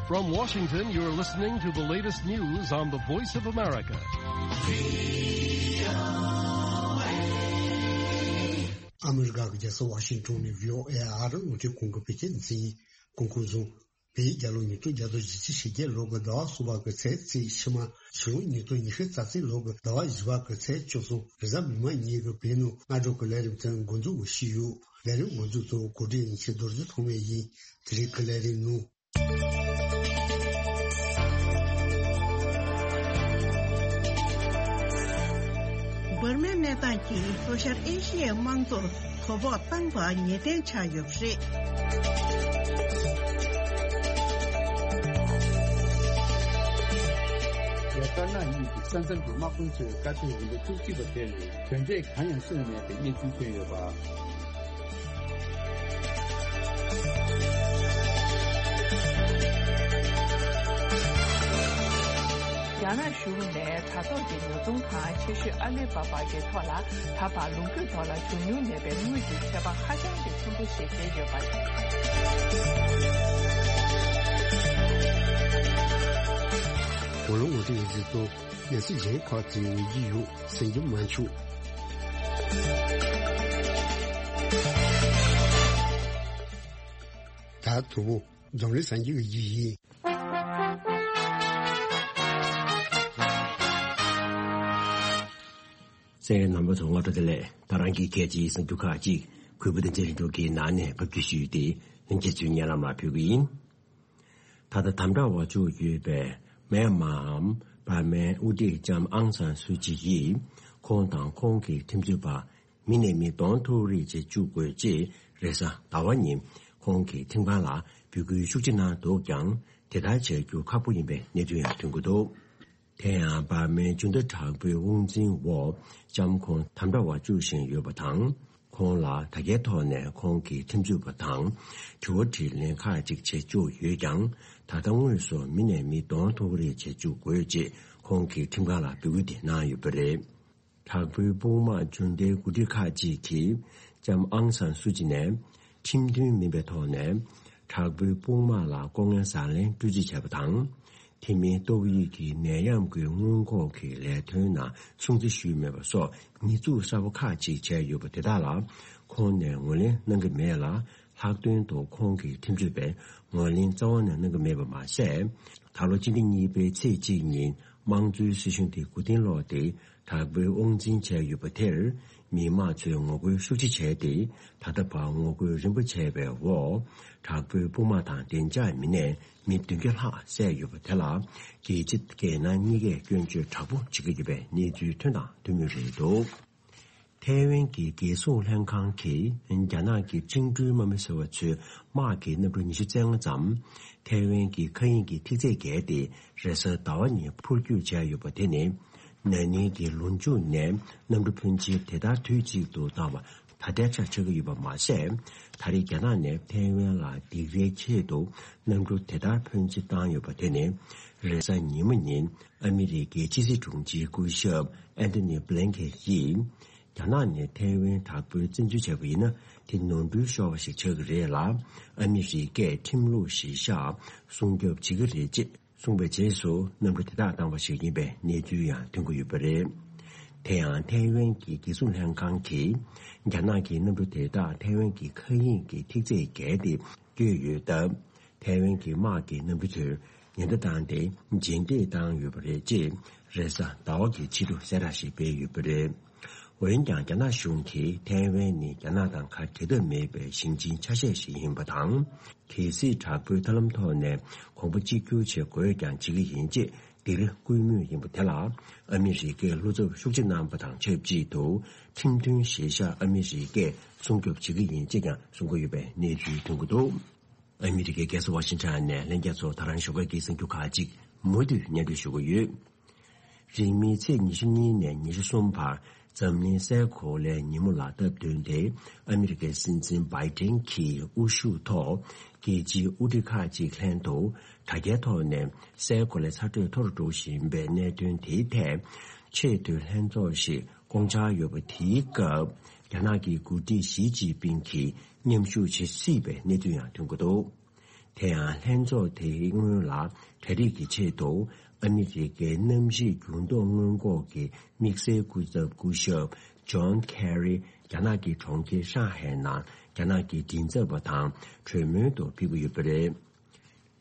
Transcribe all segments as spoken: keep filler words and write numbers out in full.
From Washington, you're listening to the latest news on the Voice of America. ཨ་མི་རི་ཀ་གི་རྒྱལ་ས་ཝ་ཤིང་ཊོན་ནས་བྷི་ཨོ་ཨེ་ཨ་རི་རླུང་འཕྲིན་ཁང་གི་བོད་སྐད་སྡེ་ཚན་ཡིན། གོང་འཁོད་བཟུང་། བོད་རྒྱལ་ལོ་ཉིས་སྟོང་བརྒྱ་དང་བཞི་བཅུ་ཞེ་བརྒྱད་ལོ་གི་ཟླ་བ་གསུམ་པ་གི་ཚེས་ཚེས་ཕྱི་མ་ཕྱི་ལོ་ཉིས་སྟོང་ཉི་ཤུ་རྩ་གཅིག་ལོ་གི་ཟླ་བ་བཞི་པ་གི་ཚེས་བཅུ་གསུམ་རེས་གཟའ་མིག་དམར་ཉིན་གྱི་བོད་ནང་སྔ་དྲོ་གི་ལས་རིམ་དེ་འགོ་འཛུགས་ཞུས་ཡོད། ལས་རིམ་འགོ་འཛུགས་ཐོག་གོ་སྒྲིག་ཡིན་ཆེད་རྡོ་རྗེ་ཐོགས་མེད་ཡིན། དེ་རིང་གི་ལས་རིམ་ནང་། འབར་མའི་གནས་སྟངས་ཀྱིས་ལྷོ་ཤར་ཨེ་ཤི་ཡའི་དམངས་གཙོར་དོ་ཕོག་བཏང་པ་ངེས་གཏན་ཆགས་ཡོད་པ་རེད། རྒྱ་དཀར་ནག་གཉིས་ཀྱི་ས་མཚམས་ཀྱི་དམག་དཔོན་ཚོའི་བཀའ་ཐོས་རིམ་པ་བཅུ་གཅིག་པ་དེར་གྱོན་ཆས་གང་ཡང་སོན་མེད་པའི་གནས་ཚུལ་ཐོན་ཡོད་པ། རྒྱ་ནག་གཞུང་ནས་དྲ་ཐོག་གི་ཉོ་ཚོང་ཁང་ཆེ་ཤོས་ཨ་ལི་བྷ་བྷ་གི་ཐོག་ལ་ད་བར་ལོ་རྒྱུས་ཐོག་ལ་བྱུང་མྱོང་མེད་པའི་དངུལ་གྱི་ཆད་པ་ཧ་ཅང་གི་ཆེན་པོ་ཞིག་བྱས་ཡོད་པ་རེད། ཝ་ལུང་ཝ་ཏི་ཡི་ཟི་ཏོ་ནས་སི་ཇེ་ཁོ་ཙི་ཡི་ཡུ་སེང་གི་མ་ཆུ། ད་དུ་བོ་འཛམ་གླིང་སངས་རྒྱས་ཀྱི་ཡི་ཡིན། གསན་མཁན་རྣམ་པ་ཚོ་སྔ་དྲོ་བདེ་ལེགས། ད་རང་གི་སྐད་ཆའི་གསར་འགྱུར་ཁག་ཅིག་གུས་པ་བསྟན་འཛིན་རིག་འབྱུང་གིས་ནང་ནས་ཕབ་སྒྱུར་ཞུས་ཏེ་ལྷན་རྒྱས་ཚོའི་སྙན་ལམ་ལ་ཕུལ་གྱི་ཡིན། ད་ལྟ་དམ་དྲག་འོག་བཅུག་ཡོད་པའི་མེན་མའམ་འབར་མའི་དབུ་ཁྲིད་ལྕམ་ཨང་སན་སུ་ཅི་ཡིས་ཁོང་དང་ཁོང་གི་ཁྲིམས་རྩོད་པ་མི་ནས་མི་གདོང་ཐུག་རེས་བྱེད་བཅུག་དགོས་ཅེས་རེས་གཟའ་ཟླ་བ་ཉིན་ཁོང་གི་ཁྲིམས་ཁང་ལ་འབོད་སྐུལ་ཤུགས་ཆེ་གནང་འདུག་ཀྱང་དེ་ལྟར་བྱ་རྒྱུ་ཁག་པོ་ཡིན་པའི་གནས་ཚུལ་ཡང་ཐོན་གྱི་འདུག་དེ་ཡང་འབར་མའི་སྤྱི་ཟླ་དྲག་པོའི་དབང་འཛིན་འོག་ལྕམ་ཁོང་དམ་དྲག་འོག་བཅུག་བཞིན་ཡོད་པ་དང་། ཁོང་ལ་དྲ་རྒྱའི་ཐོག་ནས་ཁོང་གི་ཁྲིམས་རྩོད་པ་དང་དྲི་བ་དྲིས་ལན་ཁག་ཅིག་བྱེད་བཅུག་ཡོད་ཀྱང་། ད་ལྟ་དངོས་སུ་མི་ནས་མི་གདོང་ཐུག་རེས་བྱེད་བཅུག་དགོས་ཅེས་ཁོང་གིས་ཁྲིམས་ཁང་ལ་འབོད་སྐུལ་དེ་གནང་ཡོད་པ་རེད། དྲག་པོའི་དཔུང་དམག་འཇོན་ལྡན་འགོ་ཁྲིད་ཁག་ཅིག་གིས་ལྕམ་ཨང་སན་སུ་ཅི་ནས་ཁྲིམས་མཐུན་མིན་པའི་ཐོག་ནས་དྲག་པོའི་དཔུང་དམག་ལ་ལྐོག་རྔན་ཟ་ལེན་སྤྲོད་རྩིས་བྱས་པ་དང་། དེ་མིན་ཏོག་དབྱིབས་ཀྱི་ནད་ཡམས་ཀྱི་སྔོན་འགོག་གི་ལས་དོན་ནང་སྲུང་བརྩི་ཞུས་མེད་པ་སོགས་ཉེས་འཛུགས་གསར་པ་ཁག་ཅིག་བྱས་ཡོད་པ་དེ་དག་ལ་ཁོང་ནས་ངོས་ལེན་གནང་གི་མེད་ལ། ལྷག་དོན་དུ་ཁོང་གི་ཁྲིམས་རྩོད་པས་ངོས་ལེན་རྩ་བ་ནས་གནང་གི་མེད་པ་མ་ཟད། ད་ལོ་སྤྱི་ཟླ་གཉིས་པའི་ཚེས་གཅིག་ཉིན་དམངས་གཙོའི་སྲིད་གཞུང་དེ་མགོ་རྟིང་སློག་སྟེ། དྲག་པོའི་དབང་འཛིན་བྱས་ཡོད་པ་དེར་མི་མང་ཚོས་ངོ་རྒོལ་ཤུགས་ཆེ་བྱས་ཏེ། ད་ལྟ་བར་ངོ་རྒོལ་རིམ་པ་བྱས་པའི་འོག་དྲག་པོའི་དཔུང་དམག་དང་བདེ་འཇགས་མི་སྣས་མི་བདུན་བརྒྱ་ལྷག་བསད་ཡོད་པ་དེ་ལ་རྒྱལ་སྤྱི་རྒྱལ་ནང་གཉིས་ཀས་སྐྱོན་བརྗོད་དྲག་པོ་བྱེད་ཀྱི་ཡོད་པའི་གནས་ཚུལ་ཐོན་དང་ཐོན་མུས་རེད་འདུག་ཐའེ་ཝན་གྱི་རྒྱལ་སྲུང་ལྷན་ཁང་གིས་རྒྱ་ནག་གི་བཅིངས་འགྲོལ་དམག་མི་ཟེར་བ་ཚོའི་དམག་གི་གནམ་གྲུ་ཉི་ཤུ་རྩ་ལྔ་ཙམ་ཐའེ་ཝན་གྱི་མཁའ་དབྱིངས་ཀྱི་ཐིག་ཚད་བརྒལ་ཏེ་རེས་གཟའ་ཟླ་བ་ཉིན་འཕུར་སྐྱོད་བྱས་ཡོད་པ་དེ་ནི། ན་ནིང་གི་ལོ་མཇུག་ནས་གནམ་གྲུ་ཕོན་ཆེ་དེ་ལྟར་དུས་གཅིག་ཏུ་བཏང་བ་ད་ལྟའི་ཆར་ཆགས་ཀྱི་ཡོད་པ་མ་ཟད། ད་རེས་རྒྱ་ནག་ནས་ཐའེ་ཝན་ལ་སྡིགས་རའི་ཆེད་དུ་གནམ་གྲུ་དེ་ལྟར་ཕོན་ཆེ་བཏང་ཡོད་པ་དེ་ནི། རེས་གཟའ་ཉི་མ་ཉིན་ཨ་མི་རི་ཀའི་ཕྱི་སྲིད་དྲུང་ཆེའི་སྐུ་ཞབས་ཨན་ཐོ་ནི་བྷི་ལན་ཁེན་ཡིས། རྒྱ་ནག་ནས་ཐའེ་ཝན་དྲག་པོའི་བཙན་འཛུལ་བྱས་པ་ཡིན་ན། དེ་ནོར་འཁྲུལ་ཤོར་བ་ཞིག་ཆགས་ཀྱི་རེད་ལ། ཨ་མི་རི་ཀས་ཁྲིམས་ལུགས་གཞིར་བཞག་སྲུང་སྐྱོབ་བྱེད་ཀྱི་རེད་ཅེས་གསུངས་པའི་རྗེས་སུ། གནམ་གྲུ་དེ་དག་བཏང་བ་ཞིག་ཡིན་པའི་གནས་ཚུལ་ཡང་ཐོན་གྱི་ཡོད་པ་རེད། དེ་ཡང་ཐའེ་ཝན་གྱི་རྒྱལ་སྲུང་ལྷན་ཁང་གིས། རྒྱ་ནག་གི་གནམ་གྲུ་དེ་དག་ཐའེ་ཝན་གྱི་མཁའ་དབྱིངས་ཀྱི་ཐིག་ཚད་བརྒལ་ཏེ་བསྐྱོད་ཡོད་སྟབས། ཐའེ་ཝན་གྱི་དམག་གི་གནམ་གྲུ་ཚོས་ཉེན་བརྡ་བཏང་སྟེ། རྗེས་འདེད་བཏང་ཡོད་པ་རེད་ཅེས། རེས་གཟའ་ཟླ་བ་གི་ཕྱི་དྲོ་གསལ་བསྒྲགས་ཤིག་སྤེལ་ཡོད་པ་རེད། འོན་ཀྱང་། རྒྱ་ནག་གཞུང་གིས་ཐའེ་ཝན་ནི་རྒྱ་ནག་དང་ག་འབྲལ་ཐབས་མེད་པའི་ཞིང་ཆེན་ཆ་ཤས་ཤིག་ཡིན་པ་དང་། གལ་སྲིད་དྲག་པོའི་ཐབས་ལམ་ཐོག་ནས་གོམ་པ་གཅིག་གྱུར་བྱེད་དགོས་ཀྱང་བྱེད་ཀྱི་ཡིན་ཅེས་འདིར་བསྐུལ་མུས་ཡིན་པ་དེ་ལ། ཨ་མི་རི་ཀས་བློ་འཚབ་ཤུགས་ཆེ་གནང་པ་དང་ཆབས་ཅིག་ཏུ། ཁྲིམས་མཐུན་གཞིར་བཞག་ཨ་མི་རི་ཀས་སྲུང་སྐྱོབ་བྱེད་ཀྱི་ཡིན་ཅེས་ཀྱང་གསུང་གི་ཡོད་པའི་གནས་ཚུལ་ཐོན་གྱི་འདུག་ཨ་མི་རི་ཀའི་རྒྱལ་ས་ཝ་ཤིང་ཊོན་ནས་ལྷན་རྒྱས་ཚོ། ད་རང་ཞོགས་ཀ་གི་གསར་འགྱུར་ཁག་ཅིག་མུ་མཐུད་སྙན་སྒྲོན་ཞུ་གི་ཡོད། རིང་མིན་ཚེས་ཉི་ཤུ་གཉིས་ནས་ཉི་ཤུ་གསུམ་བར་འཛམ་གླིང་སའི་གོ་ལའི་ཉིན་མོ་ལ་སྟབས་བསྟུན་ཏེ། ཨ་མི་རི་ཀའི་སྲིད་འཛིན་བྷའི་ཏིན་གྱི་དབུ་བཞུགས་ཐོག་རྒྱལ་སྤྱིའི་དབུ་ཁྲིད་ཁག་ཅིག་ལྷན་དུ་དྲ་རྒྱའི་ཐོག་ནས་སའི་གོ་ལའི་ཚ་དྲོད་མཐོ་རུ་འགྲོ་བཞིན་པའི་གནད་དོན་དེའི་ཐད་ཆེས་མཐོའི་ལྷན་ཚོགས་ཤིག་བསྐོང་འཆར་ཡོད་པ་དེའི་སྐབས། རྒྱ་ནག་གི་འགོ་ཁྲིད་ཞི་ཅིན་ཕིང་གིས་མཉམ་ཞུགས་བྱེད་སྲིད་པའི་གནས་ཚུལ་ཡང་ཐོན་གྱི་འདུག་དེ་ཡང་ལྷན་ཚོགས་དེའི་སྔོན་ལ་གྲ་སྒྲིག་གི་ཆེད་དུ་ཨ་མི་རི་ཀའི་གནམ་གཤིས་འགྱུར་ལྡོག་སྔོན་འགོག་གི་དམིགས་བསལ་སྐུ་ཚབ་སྐུ་ཞབས་ཇོན་ཁེ་རི་རྒྱ་ནག་གི་གྲོང་ཁྱེར་ཧྲང་ཧའེ་ནང་རྒྱ་ནག་གི་མགྲིན་ཚབ་པ་དང་གྲོས་མོལ་དུ་ཕེབས་ཀྱི་ཡོད་པ་རེད།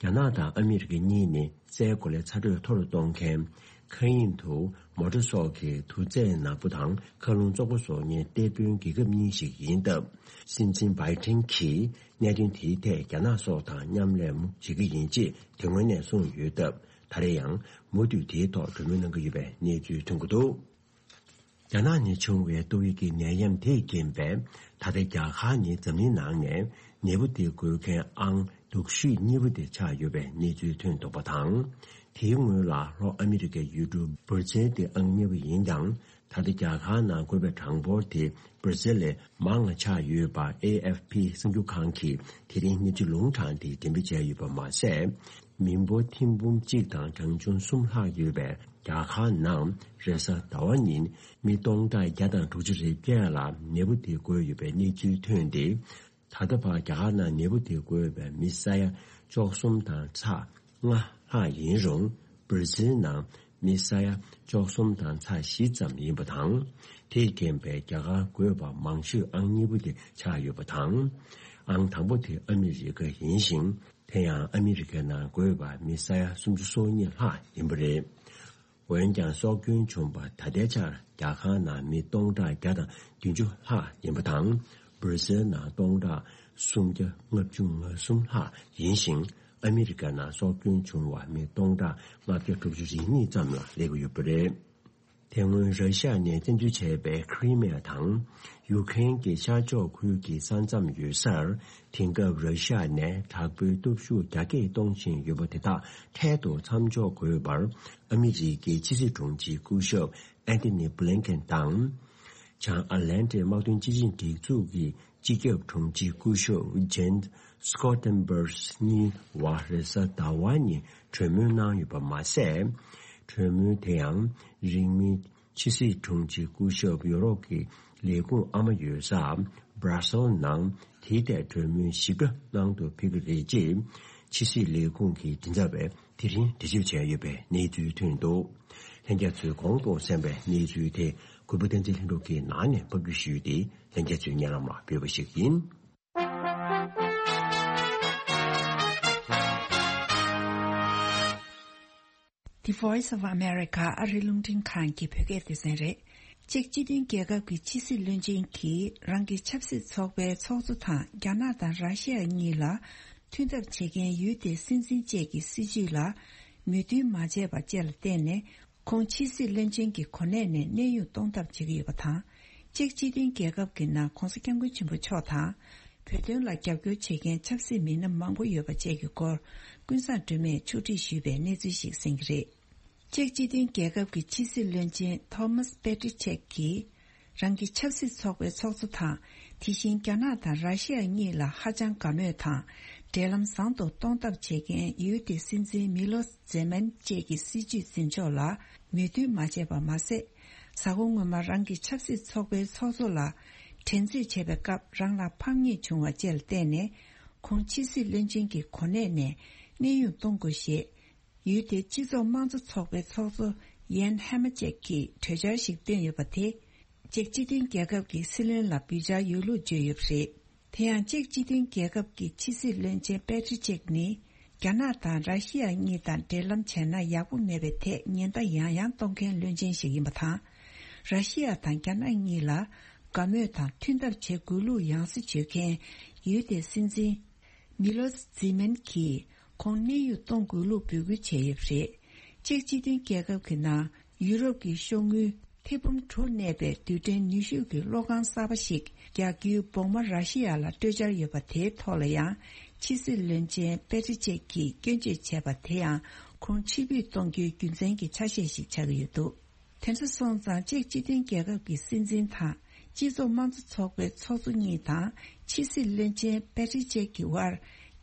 རྒྱ་ནག་དང་ཨ་མི་རི་ཀ་གཉིས་ནི་སའི་གོ་ལའི་ཚ་དྲོད་མཐོ་རུ་གཏོང་མཁན། མཁའ་དབྱིངས་དུ་མོ་ཊ་སོགས་ཀྱི་དུར་རྫས་ནག་པོ་དང་མཁའ་རླུང་བཙོག་པོ་བཟོ་མཁན་གཏེར་དཔོན་རྒྱལ་ཁབ་གཉིས་ཤིག་ཡིན་སྟབས། སྲིད་འཛིན་བྷའི་ཏིན་གྱིས་གནད་དོན་དེའི་ཐད་རྒྱ་ནག་སོགས་དང་མཉམ་ལས་མུ་བྱེད་ཀྱི་ཡིན་ཅེས་དེ་སྔོན་ནས་གསུངས་ཡོད་སྟབས། ད་རེས་ཡང་མུ་མཐུད་དེའི་ཐོག་གྲོས་མོལ་གནང་གི་ཡོད་པའི་གནས་ཚུལ་ཐོན་གྱི་འདུག་རྒྱ་ནག་ནས་བྱུང་བའི་ཏོག་དབྱིབས་ཀྱི་ནད་ཡམས་དེས་རྐྱེན་པས། ད་ལྟ་རྒྱ་གར་ནི་འཛམ་གླིང་ནང་ནས་ནད་འབུ་དེ་འགོས་མཁན་ཨང་སྡུག་ཤོས་གཉིས་པ་དེ་ཆགས་ཡོད་པའི་གནས་ཚུལ་ཐོན་འདུག་པ་དང་། དེའི་སྔོན་ལ་ལྷོ་ཨ་མི་རི་ཀའི་ཡུལ་གྲུ་སྦར་ཛིལ་དེ་ཨང་གཉིས་པ་ཡིན་ཀྱང་། ད་ལྟ་རྒྱ་གར་ནང་འགོས་པའི་གྲངས་འབོར་དེ་སྦར་ཛིལ་ལས་མང་བ་ཆགས་ཡོད་པ་ཨེ་ཨེཕ་པི་གསར་འགྱུར་ཁང་གིས་དེ་རིང་གནས་ཚུལ་ལུང་དྲངས་ཏེ་འགྲེམས་སྤེལ་བྱས་ཡོད་པ་མ་ཟད། མི་འབོར་ཐེར་འབུམ་གཅིག་དང་གྲངས་ཆུང་གསུམ་ལྷག་ཡོད་པའི་རྒྱ་གར་ནང་རེས་གཟའ་ཟླ་བ་ཉིན་མི་སྟོང་ཕྲག་བརྒྱ་དང་དྲུག་ཅུ་རེ་བརྒྱད་ལ་ནད་འབུ་དེ་འགོས་ཡོད་པའི་གནས་ཚུལ་ཐོན་ཏེ། ད་ལྟ་བར་རྒྱ་གར་ནང་ནད་འབུ་དེ་འགོས་པའི་མི་ས་ཡ་བཅུ་གསུམ་དང་ཚེག་ལྔ་ལྷག་ཡིན་རུང་། སྦར་ཛིལ་ནང་མི་ས་ཡ་བཅུ་གསུམ་དང་ཚེག་བཞི་ཙམ་ཡིན་པ་དང་། དེས་རྐྱེན་པས་རྒྱ་གར་འགོས་པ་མང་ཤོས་ཨང་གཉིས་པ་དེ་ཆགས་ཡོད་པ་དང་། ཨང་དང་པོ་དེ་ཨ་མི་རི་ཀ་ཡིན་ཞིང་། དེ་ཡང་ཨ་མི་རི་ཀའི་ནང་འགོས་པ་མི་ས་ཡ་སུམ་ཅུ་སོ་གཉིས་ལྷག་ཡིན་པ་རེད། འོན་ཀྱང་སྲོག་སྐྱོན་བྱུང་བ་ད་ལྟའི་ཆར་རྒྱ་གར་ནང་མི་སྟོང་ཕྲག་བརྒྱ་དང་བདུན་ཅུ་ལྷག་ཡིན་པ་དང་། སྦར་ཛིལ་ནང་སྟོང་ཕྲག་སུམ་བརྒྱ་ལྔ་བཅུ་ང་གསུམ་ལྷག་ཡིན་ཞིང་། ཨ་མི་རི་ཀ་ནང་སྲོག་སྐྱོན་བྱུང་བ་མི་སྟོང་ཕྲག་ལྔ་བརྒྱ་དྲུག་ཅུ་རེ་གཉིས་ཙམ་ལ་སླེབས་ཀྱི་ཡོད་པ་རེད། དེ་སྔོན་ར་ཤི་ཡ་ནས་བཙན་འཛུལ་བྱས་པའི་ཁི་རི་མི་ཡ་དང་ཡུ་ཀེ་རེན་གྱི་ཤར་ཕྱོགས་ཁུལ་གྱི་ས་མཚམས་ཡོད་སར། དེང་སྐབས་ར་ཤི་ཡ་ནས་དྲག་པོའི་སྟོབས་ཤུགས་རྒྱ་སྐྱེད་གཏོང་བཞིན་ཡོད་པ་དེ་དག་འཕྲལ་དུ་མཚམས་འཇོག་དགོས་པར། ཨ་མི་རི་ཀའི་ཕྱི་སྲིད་དྲུང་ཆེ་སྐུ་ཞབས་ཨན་ཐི་ནི་བྷི་ལིན་ཀེན་དང་། བྱང་ཨ་ལན་ཏི་དམག་དོན་སྤྱི་ཆིངས་སྒྲིག་འཛུགས་ཀྱི་སྤྱི་ཁྱབ་དྲུང་ཆེ་སྐུ་ཞབས་ཇེན་སི་ཀོ་ཏན་བྷར་གཉིས་བར་རེས་གཟའ་ཟླ་བ་ཉིན་གྲོས་མོལ་གནང་ཡོད་པ་མ་ཟད། གྲོས་མོལ་དེ་ཡང་རིང་མིན་ཕྱི་སྲིད་དྲུང་ཆེ་སྐུ་ཞབས་ཡོ་རོབ་ཀྱི་ལས་ཁུངས་ཨ་མ་ཡོད་ས་Brussels ནང་དེའི་ཐད་གྲོས་མོལ་ཞིབ་ཕྲ་གནང་དུ་ཕེབས་ཀྱི་རེད་ཅེས་ཕྱི་སྲིད་ལས་ཁུངས་ཀྱི་མགྲིན་ཚབ་པས་དེ་རིང་འགྲེལ་བརྗོད་བྱས་ཡོད་པའི་གནས་ཚུལ་ཐོན་འདུག་ལྷན་རྒྱས་ཚོས་གོང་དུ་གསན་པའི་གནས་ཚུལ་དེ་གུས་པ་བསྟན་འཛིན་ལྷུན་གྲུབ་ཀྱིས་ནང་ནས་ཕབ་སྒྱུར་ཞུས་ཏེ། ལྷན་རྒྱས་ཚོའི་སྙན་ལམ་ལ་ཕུལ་བ་ཞིག་ཡིན། The Voice of America ཨ་རིའི་རླུང་འཕྲིན་ཁང་གི་བོད་སྐད་སྡེ་ཚན་རེད། ཅེཀ་སྤྱི་མཐུན་རྒྱལ་ཁབ་ཀྱི་ཕྱི་སྲིད་བློན་ཆེན་གྱིས་རང་གི་ཆབ་སྲིད་ཚོགས་པའི་ཚོགས་གཙོ་དང་རྒྱ་ནག་དང་ར་ཤི་ཡ་གཉིས་ལ་མཐུན་ཐབས་བྱེད་མཁན་ཡུལ་དེའི་སྲིད་འཛིན་བཅས་ཀྱི་སྲིད་བྱུས་ལ་མོས་མཐུན་མ་བྱས་པ་བཅས་ལ་བརྟེན་ནས། ཁོང་ཕྱི་སྲིད་བློན་ཆེན་གྱི་གོ་གནས་ནས་གནས་དབྱུང་གཏོང་ཐབས་བྱེད་ཀྱི་ཡོད་པ་དང་། ཅེཀ་སྤྱི་མཐུན་རྒྱལ་ཁབ་ཀྱི་ནང་༧གོང་ས་༧སྐྱབས་མགོན་ཆེན་པོ་མཆོག་དང་། བོད་དོན་ལ་རྒྱབ་སྐྱོར་བྱེད་མཁན་ཆབ་སྲིད་མི་སྣ་མང་པོ་ཡོད་པ་བཅས་ཀྱི་སྐོར། ཀུན་བཟང་སྒྲོལ་མས་ཕྱོགས་སྒྲིག་ཞུས་པའི་གནས་ཚུལ་ཞིག་གསན་གྱི་རེད། ཅེཀ་སྤྱི་མཐུན་རྒྱལ་ཁབ་ཀྱི་ཕྱི་སྲིད་བློན་ཆེན་ཐོ་མཱས་པེ་ཏྲི་ཆེག་གིས། རང་གི་ཆབ་སྲིད་ཚོགས་པའི་ཚོགས་གཙོ་དང་། དེ་བཞིན་རྒྱ་ནག་དང་ར་ཤི་ཡ་གཉིས་ལ་ཧ་ཅང་དགའ་མོས་དང་། འབྲེལ་ལམ་བཟང་དུ་གཏོང་ཐབས་བྱེད་མཁན་ཡུལ་དེའི་སྲིད་འཛིན་མི་ལོ་ཛེ་མན་བཅས་ཀྱི་སྲིད་བྱུས་འཛིན་ཕྱོགས་ལ་མོས་མཐུན་མ་བྱས་པ་མ་ཟད། གཟའ་འཁོར་སྔོན་མ་རང་གི་ཆབ་སྲིད་ཚོགས་པའི་ཚོགས་གཙོ་ལ་དྲན་གསོས་བྱས་པའི་སྐབས་རང་ལ་ཕམ་ཉེས་བྱུང་བ་བཅས་ལ་བརྟེན་ནས། ཁོང་ཕྱི་སྲིད་བློན་ཆེན་གྱི་གོ་གནས་ནས་གནས་དབྱུང་གཏོང་དགོས་ཞེས། ཡུལ་དེའི་སྤྱི་ཚོགས་དམངས་གཙོ་ཚོགས་པའི་ཚོགས་གཙོ་ཡན་ཧེ་མ་ཅེག་གིས་གྲོས་འཆར་ཞིག་བཏོན་ཡོད་པ་དེ། ཅེག་སྤྱི་མཐུན་རྒྱལ་ཁབ་ཀྱི་སྲིད་བློན་ལ་བརྒྱུད་འཆར་ཡོད་ལུགས་བརྗོད་ཡོད་པ་རེད། དེ་ཡང་ཅེག་སྤྱི་མཐུན་རྒྱལ་ཁབ་ཀྱི་ཕྱི་སྲིད་བློན་ཆེན་པེ་ཏྲི་ཅེག་ནི། རྒྱ་ནག་དང་ར་ཤི་ཡ་གཉིས་དང་འབྲེལ་ལམ་བྱས་ན་ཡག་པོ་མེད་པའི་ཐད་ཉེན་བརྡ་ཡང་ཡང་གཏོང་མཁན་བློན་ཆེན་ཞིག་ཡིན་པ་དང་། ར་ཤི་ཡ་དང་རྒྱ་ནག་གཉིས་ལ་དགའ་མོས་དང་མཐུན་ཐབས་བྱེད་དགོས་ལུགས་ཡང་སེ་བརྗོད་མཁན་ཡུལ་དེའི་སྲིད་འཛིན། མི་ལོ་ཛི་མན་གྱིས་ཁོང་གནས་དབྱུང་གཏོང་དགོས་ལུགས་འབོད་སྐུལ་བྱས་ཡོད་པ་རེད། ཅེག་སྤྱི་མཐུན་རྒྱལ་ཁབ་ཀྱི་ནང་ཡུ་རོབ་ཀྱི་ཤོག་དངུལ་ཐེར་འབུམ་དྲུག་གནས་པའི་རྡུལ་ཕྲན་ནུས་ཤུགས་ཀྱི་གློག་ཁང་གསར་པ་ཞིག་རྒྱག་རྒྱུའི་བོགས་མ་ར་ཤི་ཡ་ལ་སྤྲོད་འཆར་ཡོད་པ་དེའི་ཐོག་ལ་ཡང་ཕྱི་སྲིད་བློན་ཆེན་པེ་ཏྲི་ཅེག་གིས་སྐྱོན་བརྗོད་བྱས་པ་དེ་ཡང་ཁོང་ཕྱིར་འབུད་གཏོང་རྒྱུའི་རྒྱུ་མཚན་གྱི་ཆ་ཤས་ཤིག་ཆགས་ཀྱི་ཡོད་འདུག་དེ་ཚོ་སོང་ཙང་ཅེག་སྤྱི་མཐུན་རྒྱལ་ཁབ་ཀྱི་སྲིད་འཛིན་དང་སྤྱི་ཚོགས་དམངས་གཙོ་ཚོགས་པའི་ཚོགས་གཙོ་གཉིས་དང་ཕྱི་སྲིད་བློན་ཆེན་པེ་ཏྲི་ཅེག་གི་དབར་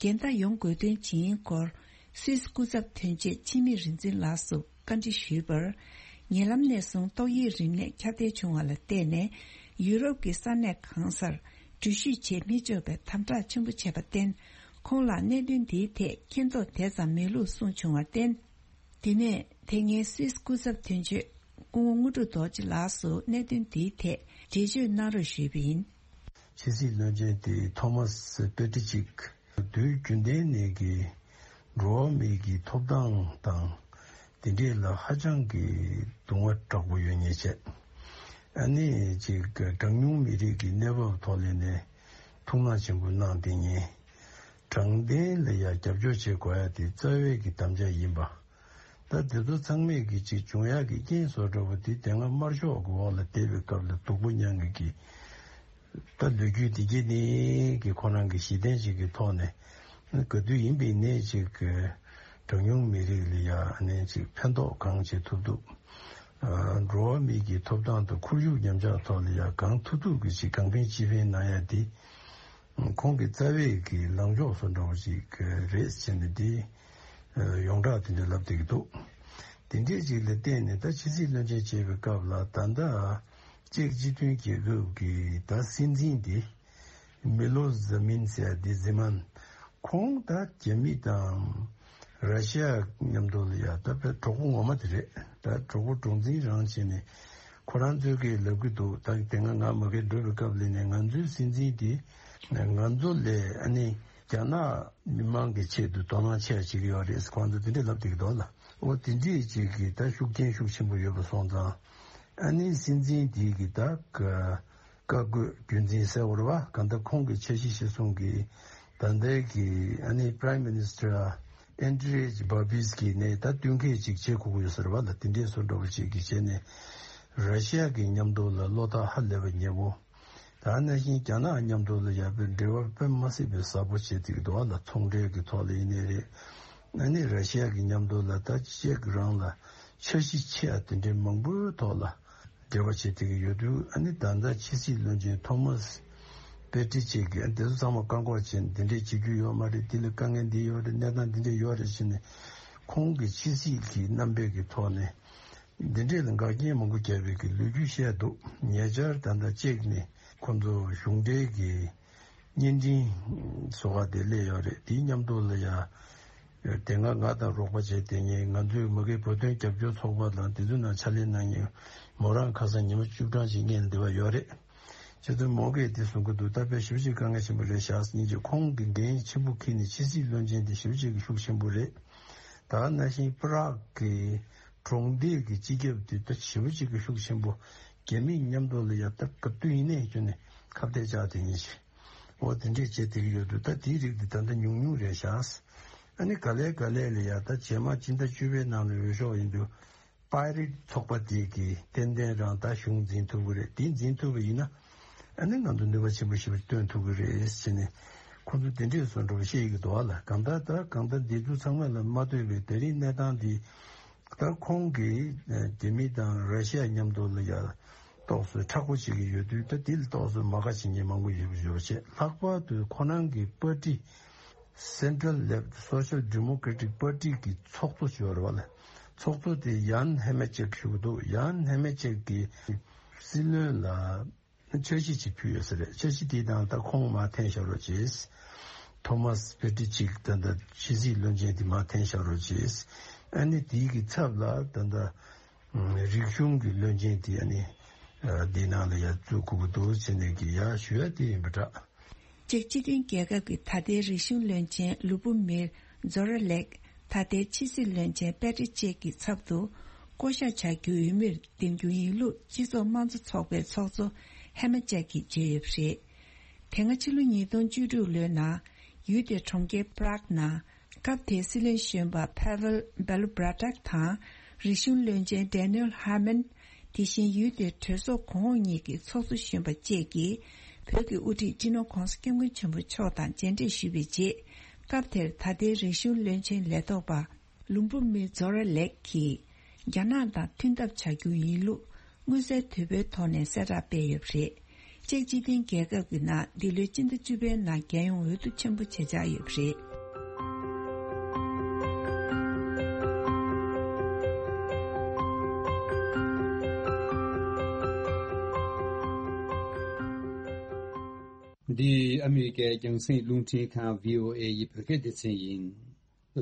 འགལ་ཟླ་ཡོང་དགོས་དོན་ཇི་ཡིན་སྐོར་སུད་སི་སྐུ་ཚབ་དོན་གཅོད་འཆི་མེད་རིག་འཛིན་ལགས་སུ་བཀའ་འདྲི་ཞུས་པར། ཉེ་ལམ་ནས་བཟུང་ཏོག་དབྱིབས་རིམས་ནད་ཁྱབ་གདལ་བྱུང་བ་ལ་བརྟེན་ནས་ཡུ་རོབ་ཀྱི་ས་གནས་གང་སར་འགྲུལ་བཞུད་བྱེད་མི་ཆོག་པའི་དམ་དྲག་ཆེན་པོ་བྱས་པར་བརྟེན། ཁོང་ལ་གནད་དོན་འདིའི་ཐད་མཁྱེན་རྟོགས་དེ་ཙམ་མེད་ལུགས་གསུངས་བྱུང་བར་བརྟེན། དེ་ནས་དེ་སྔའི་སུད་སི་སྐུ་ཚབ་དོན་གཅོད་སྐུ་ངོ་དངོས་གྲུབ་རྡོ་རྗེ་ལགས་སུ་གནད་དོན་འདིའི་ཐད་འགྲེལ་བརྗོད་གནང་རོགས་ཞུས་པ་ཡིན། ཕྱི་སྲིད་བློན་ཆེན་དེ་ཐོ་མཱས་པེ་ཏྲི་ཅིག་དུས་རྒྱུན་ལྡན་ནས་ཀྱི་འགྲོ་བ་མིའི་གི་ཐོབ་ཐང་དང་དེ་འདྲས་ལ་ཧ་ཅང་གི་གདུང་བ་དྲག་པོ་ཡོད་མཁན་བྱས། ཨ་ནི་ཅིག་གྲངས་ཉུང་མི་རིགས་ཀྱི་གནས་བབ་ཐོག་ལས་ནས་ཐུགས་སྣང་ཆེན་པོ་གནང་བསྡད་མཁན། དྲང་བདེན་ལ་ཡང་རྒྱབ་སྐྱོར་བྱེད་དགོས་ཡ་དེ་རྩ་བའི་གི་དམ་བཅའ་ཡིན་པ། ད་དེ་ཚོ་ཚང་མས་ཀྱི་ཅིག་འབྱུང་ཡག་གི་རྐྱེན་བཟོ་འདྲ་བོ་དེ་དེ་སྔ་དམར་ཤོག་གི་འོག་ལ་བསྡད་པའི་སྐབས་ལ་སྡུག་པོ་མྱངས་ཀྱི་གི། ད་ལོ་རྒྱུས་དེ་གྱད་ནས་ཀྱི་ཁོ་རང་གི་གཞི་རྟེན་ཅིག་གི་ཐོག་ནས་ག་དུས་ཡིན་པའི་ནས་ཅིག་གི་གྲངས་ཉུང་མི་རིགས་ལ་ཡ་ནས་ཅིག་ཕན་ཐོགས་གང་བྱེད་ཐུབ་ཐུབ། འགྲོ་བ་མིའི་གི་ཐོབ་ཐང་དང་ཁོར་ཡུག་ཉམས་ཆག་ཐོག་ལ་ཡ་གང་ཐུབ་ཐུབ་ཀྱི་ཅིག་གང་ཕན་ཅི་ཕན་གནང་ཡ་དེ། ཁོང་གི་རྩ་བའི་གི་ལངས་ཕྱོགས་སུ་འགྲོ་བ་ཅིག་རེད་ཟེར་ནས་དེ་ཡོངས་གྲགས་དེ་འདྲ་ལབ་བསྡད་ཀྱི་འདུག་དེ་འདྲས་ཅིག་ལ་བརྟེན་ནས་ད་ཕྱི་སྲིད་བློན་ཆེན་བྱེད་པའི་སྐབས་ལ་ད་ལྟ་ཅེཀ་སྤྱི་མཐུན་རྒྱལ་ཁབ་ཀྱི་ད་སྲིད་འཛིན་དེ་མི་ལོ་ཟ་མིན་ཟེར་དེ་ཟི་མན། ཁོང་ད་རྒྱ་མི་དང་ར་ཤི་ཡ་མཉམ་དུ་ལ་ཡ་ད་དཔེ་གྲོགས་པོ་ངོ་མ་དེ་རེད། ད་གྲོགས་པོ་གྲོགས་འཛིན་རང་བྱས་ནས་ཁོ་རང་ཚོས་ཀྱིས་ལབ་ཀྱི་འདུག་ད་དེ་སྔ་ང་མ་གིར་འགྲོ་བའི་སྐབས་ལ་ནས་ང་ཚོའི་སྲིད་འཛིན་དེ་ང་ཚོ་ལས་ཨ་ནི་རྒྱ་ནག་མི་མང་གི་ཆེད་དུ་དོ་སྣང་ཆེ་བ་བྱེད་ཀྱི་ཡོད་རེད། ཁོང་ཚོ་དེ་འདྲས་ལབ་བསྡད་ཀྱི་འདུག་ལ། འོ་དེ་འདྲས་ཅིག་གིས་ད་ཤུགས་རྐྱེན་ཤུགས་ཆེན་པོ་ཡོད་པ་སོང་ཙང་ཨ་ནི་སྲིད་འཛིན་དེ་གིས་ད་བཀའ་བཀའ་བཀོད་རྒྱུན་འཛིན་ཟེར་བ་རེད་བ། གང་ལྟར་ཁོང་གི་འཆར་གཞི་གཞིར་བཟུང་གིས་ད་ལྟའི་གི་ཨ་ནི་Prime Minister Andrej Babis གིས་ནས་ད་བསྟུན་མཁས་ཅིག་བྱེད་དགོས་ཀྱི་ཡོད་ཟེར་བ་ལ། དེ་འདྲས་བཟོ་འདྲ་བོ་ཅིག་གིས་བྱས་ནས་ར་ཤི་ཡ་གི་མཉམ་དུ་ལ་བློ་ཐག་ཧ་ལས་པ་ཉེ་བོ། ད་ནང་བཞིན་རྒྱ་ནག་མཉམ་དུ་ལ་ཡ་པའི་འབྲེལ་བ་དཔེ་མ་སྲིད་པའི་ཟབ་པོ་བྱེད་ཀྱི་འདུག་བ་ལ། ཚོང་འབྲེལ་གྱི་ཐོག་ལ་ཡིན་ནའི་རེད། ཨ་ནི་ར་ཤི་ཡ་གི་མཉམ་དུ་ལ་ད་ཅེཀ་རང་ལ་འཆར་གཞི་ཆེ་བ་དེ་འདྲའི་མང་པོའི་ཐོག་ལ་འབྲེལ་བ་བྱེད་བསྡད་ཀྱི་ཡོད་དུས། ཨ་ནི་ད་ལྟ་ཕྱི་སྲིད་བློན་ཆེན་ཐོ་མཱས་པེ་ཏྲི་ཅེག་གིས་ཨ་དེ་ཚོ་ཚང་མ་བཀག་འགོག་བྱས་ནས་འདི་འདྲས་བྱེད་རྒྱུ་ཡོད་མ་རེད། འདི་ལ་དཀའ་ངལ་འདི་ཡོད་རེད། གནས་སྟངས་འདི་འདྲས་ཡོད་རེད་ཟེར་ནས་ཁོང་གི་ཕྱི་སྲིད་ཀྱི་རྣམ་པའི་གི་ཐོག་ནས་འདི་འདྲས་ལ་འགག་རྐྱེན་མང་པོ་བརྒྱབ་པའི་གི་ལོ་རྒྱུས་བཤད་འདུག་ཉེ་ཆར་ད་ལྟ་ཅེག་ནས་ཁོང་ཚོ་གཞུང་འབྲེལ་གྱི་བརྙན་འཕྲིན་བཟོ་བ་དེ་སླེབས་ཡོད་རེད། དེའི་མཉམ་དུ་ལ་ཡ་དེ་སྔ་ང་དང་རོགས་པ་བྱས་དེ་ཉིན་ང་ཚོའི་མ་གི་བོད་དོན་རྒྱབ་སྐྱོར་ཚོགས་པ་དང་དེ་ཚོའི་ནང་ཕྱག་ལས་གནང་མཁན་མོ་རང་ཁ་སང་ཉི་མ་བཅུ་གྲངས་ཤིག་སྔོན་ལ་འདི་བ་ཡོད་རེད། ཁྱེད་ཚོ་མོ་གིས་དེ་གསུང་གི་འདུག་ད་དཔེ་ཞེ་པོ་ཅིག་དཀའ་ངལ་ཆེན་པོ་རེད་བཞག་སྙིང་རྗེ། ཁོང་གི་འགན་ཆེན་པོ་འཁྱེར་ནས་ཕྱི་སྲིད་བློན་ཆེན་དེ་ཞེ་པོ་ཅིག་གི་ཤུགས་ཆེན་པོ་རེད། ད་ནང་བཞིན་པ་རག་གི་གྲོང་སྡེ་གི་སྤྱི་ཁྱབ་དེ་ད་ཞེ་པོ་ཅིག་གི་ཤུགས་ཆེན་པོ། རྒྱ་མིའི་མཉམ་དུ་ལ་ཡ་ད་ག་དུས་ཡིན་ནའི་ཁྱོན་ནས་ཁ་གཏད་བཅག་དེ་ཉིན་ཞིག་འོ་དེ་འདྲས་བྱེད་བསྡད་ཀྱི་ཡོད་འདུག་ད་དེའི་རིགས་དེ་ད་ལྟ་ཉུང་ཉུང་རེད་བཞག་ཨ་ནི་ག་ལེ་ག་ལེ་ལ་ཡ་ད་རྗེས་མ་སྤྱི་ཟླ་བཅུ་པའི་ནང་ལ་འོས་ཤོག་ཡིན་དུས། པའི་རེཊ་ཚོགས་པ་དེ་གིས་ཏན་ཏན་རང་ད་གཞུང་འཛིན་ཐུབ་ཀྱི་རེད། དེ་འཛིན་ཐུབ་པ་ཡིན་ན་ཨ་ནི་ང་ཚོ་ནུས་པ་ཆེན་པོ་ཞེ་པོ་སྟོན་ཐུབ་ཀྱི་རེད་ཟེར་ནས་ཁོ་ཚོ་དེ་འདྲས་བཟོ་འདྲ་བོ་བཤད་ཀྱི་འདུག་བ་ལ། གང་ལྟར་ད་གང་ལྟར་འདི་ཚོ་ཚང་མ་ལ་མ་ལྟོས་པའི་ད་རིང་གནས་སྟངས་འདི་ད་ཁོང་གིས་རྒྱ་མི་དང་ར་ཤི་ཡ་མཉམ་དུ་ལ་ཡ་ཏོག་ཙམ་མཁྲེགས་པོ་བྱེད་ཀྱི་ཡོད་དུས། ད་འདི་ལ་ཏོག་ཙམ་མ་དགའ་བྱེད་མཁན་མང་པོ་ཡོད་ཡོད་བྱས། ལྷག་པར་དུ་ཁོ་རང་གི་པར་ཊི་Central Left Social Democratic Party གི་ཚོགས་གཙོ་ཞིག་ཡོད་རེད་བ་ལ། ཚོགས་གཙོ་དེ་ཡཱན་ཧེ་མེ་ཅེག་ཞུ་གི་འདུག་ཡཱན་ཧེ་མེ་ཅེག་གིས་སྲིད་བློན་ལ་འཆར་གཞི་ཅིག་ཕུལ་ཡོད་ས་རེད། འཆར་གཞི་དེའི་ནང་ད་ཁོང་མར་འཐེན་བཞག་རོགས་བྱེད། ཐོ་མཱས་པེ་ཏྲི་ཅིག་ད་ལྟ་ཕྱི་སྲིད་བློན་ཆེན་དེ་མར་འཐེན་བཞག་རོགས་བྱེད། ཨ་ནི་དེའི་གི་ཚབ་ལ་ད་ལྟ་རིག་གཞུང་གི་བློན་ཆེན་དེ་ཨ་ནི་འདིའི་ནང་ལ་ཡར་བཙུགས་དགོས་ཀྱི་འདུག་ཟེར་ནས་གི་ཡར་ཞུ་ཡ་དེ་ཡིན་པ་འདྲ། ཅེཀ་སྤྱི་མཐུན་རྒྱལ་ཁབ་ཀྱི་ད་ལྟའི་རིག་གཞུང་བློན་ཆེན་ལུ་བུ་མིར་ཛོ་ར་ལེག་ད་ལྟའི་ཕྱི་སྲིད་བློན་ཆེན་པེ་ཏྲི་ཅེག་གི་ཚབ་ཏུ་བསྐོ་གཞག་བྱ་རྒྱུའི་འོས་མིར་འདེམས་རྒྱུ་ཡིན་ལུགས་སྤྱི་ཚོགས་དམངས་གཙོ་ཚོགས་པའི་ཚོགས་གཙོ་ཧེ་མ་ཅེག་གིས་བརྗོད་ཡོད་པ་རེད། དེ་སྔ་ཕྱི་ལོ་ཉིས་སྟོང་བཅུ་དྲུག་ལོའི་ནང་ཡུལ་དེའི་གྲོང་ཁྱེར་པ་རག་ནང་སྐབས་དེའི་སྲིད་བློན་གཞོན་པ་ཕ་ཝེལ་བེ་ལུ་བྷ་ར་ཏག་དང་རིག་གཞུང་བློན་ཆེན་ཌེ་ནེལ་ཧར་མན། དེ་བཞིན་ཡུལ་དེའི་གྲོས་ཚོགས་གོང་འོག་གཉིས་ཀྱི་ཚོགས་གཙོ་གཞོན་པ་བཅས་ཀྱིས་བོད་ཀྱི་དབུ་ཁྲིད་སྤྱི་ནོར་༧གོང་ས་༧སྐྱབས་མགོན་ཆེན་པོ་མཆོག་དང་མཇལ་འཕྲད་ཞུས་པའི་རྗེས། སྐབས་དེར་ད་ལྟའི་རིག་གཞུང་བློན་ཆེན་ལས་ཐོག་པ་ལུམ་བུ་མི་ཛོ་ར་ལེག་གིས་རྒྱ་ནག་དང་མཐུན་ཐབས་བྱ་རྒྱུ་ཡིན་ལུགས་མངོན་གསལ་དོད་པོའི་ཐོག་ནས་གསལ་བསྒྲགས་སྤེལ་ཡོད་པ་རེད། ཅེཀ་སྤྱི་མཐུན་རྒྱལ་ཁབ་ཀྱི་ནང་འདི་ལོའི་སྤྱི་ཟླ་བཅུ་པའི་ནང་རྒྱལ་ཡོངས་འོས་བསྡུ་ཆེན་པོ་བྱེད་འཆར་ཡོད་པ་རེད། འདི་ཨ་མི་རི་ཀའི་རྒྱང་སྲིང་རླུང་འཕྲིན་ཁང་བྷི་ཨོ་ཨེ་ཡི་བོད་སྐད་སྡེ་ཚན་ཡིན།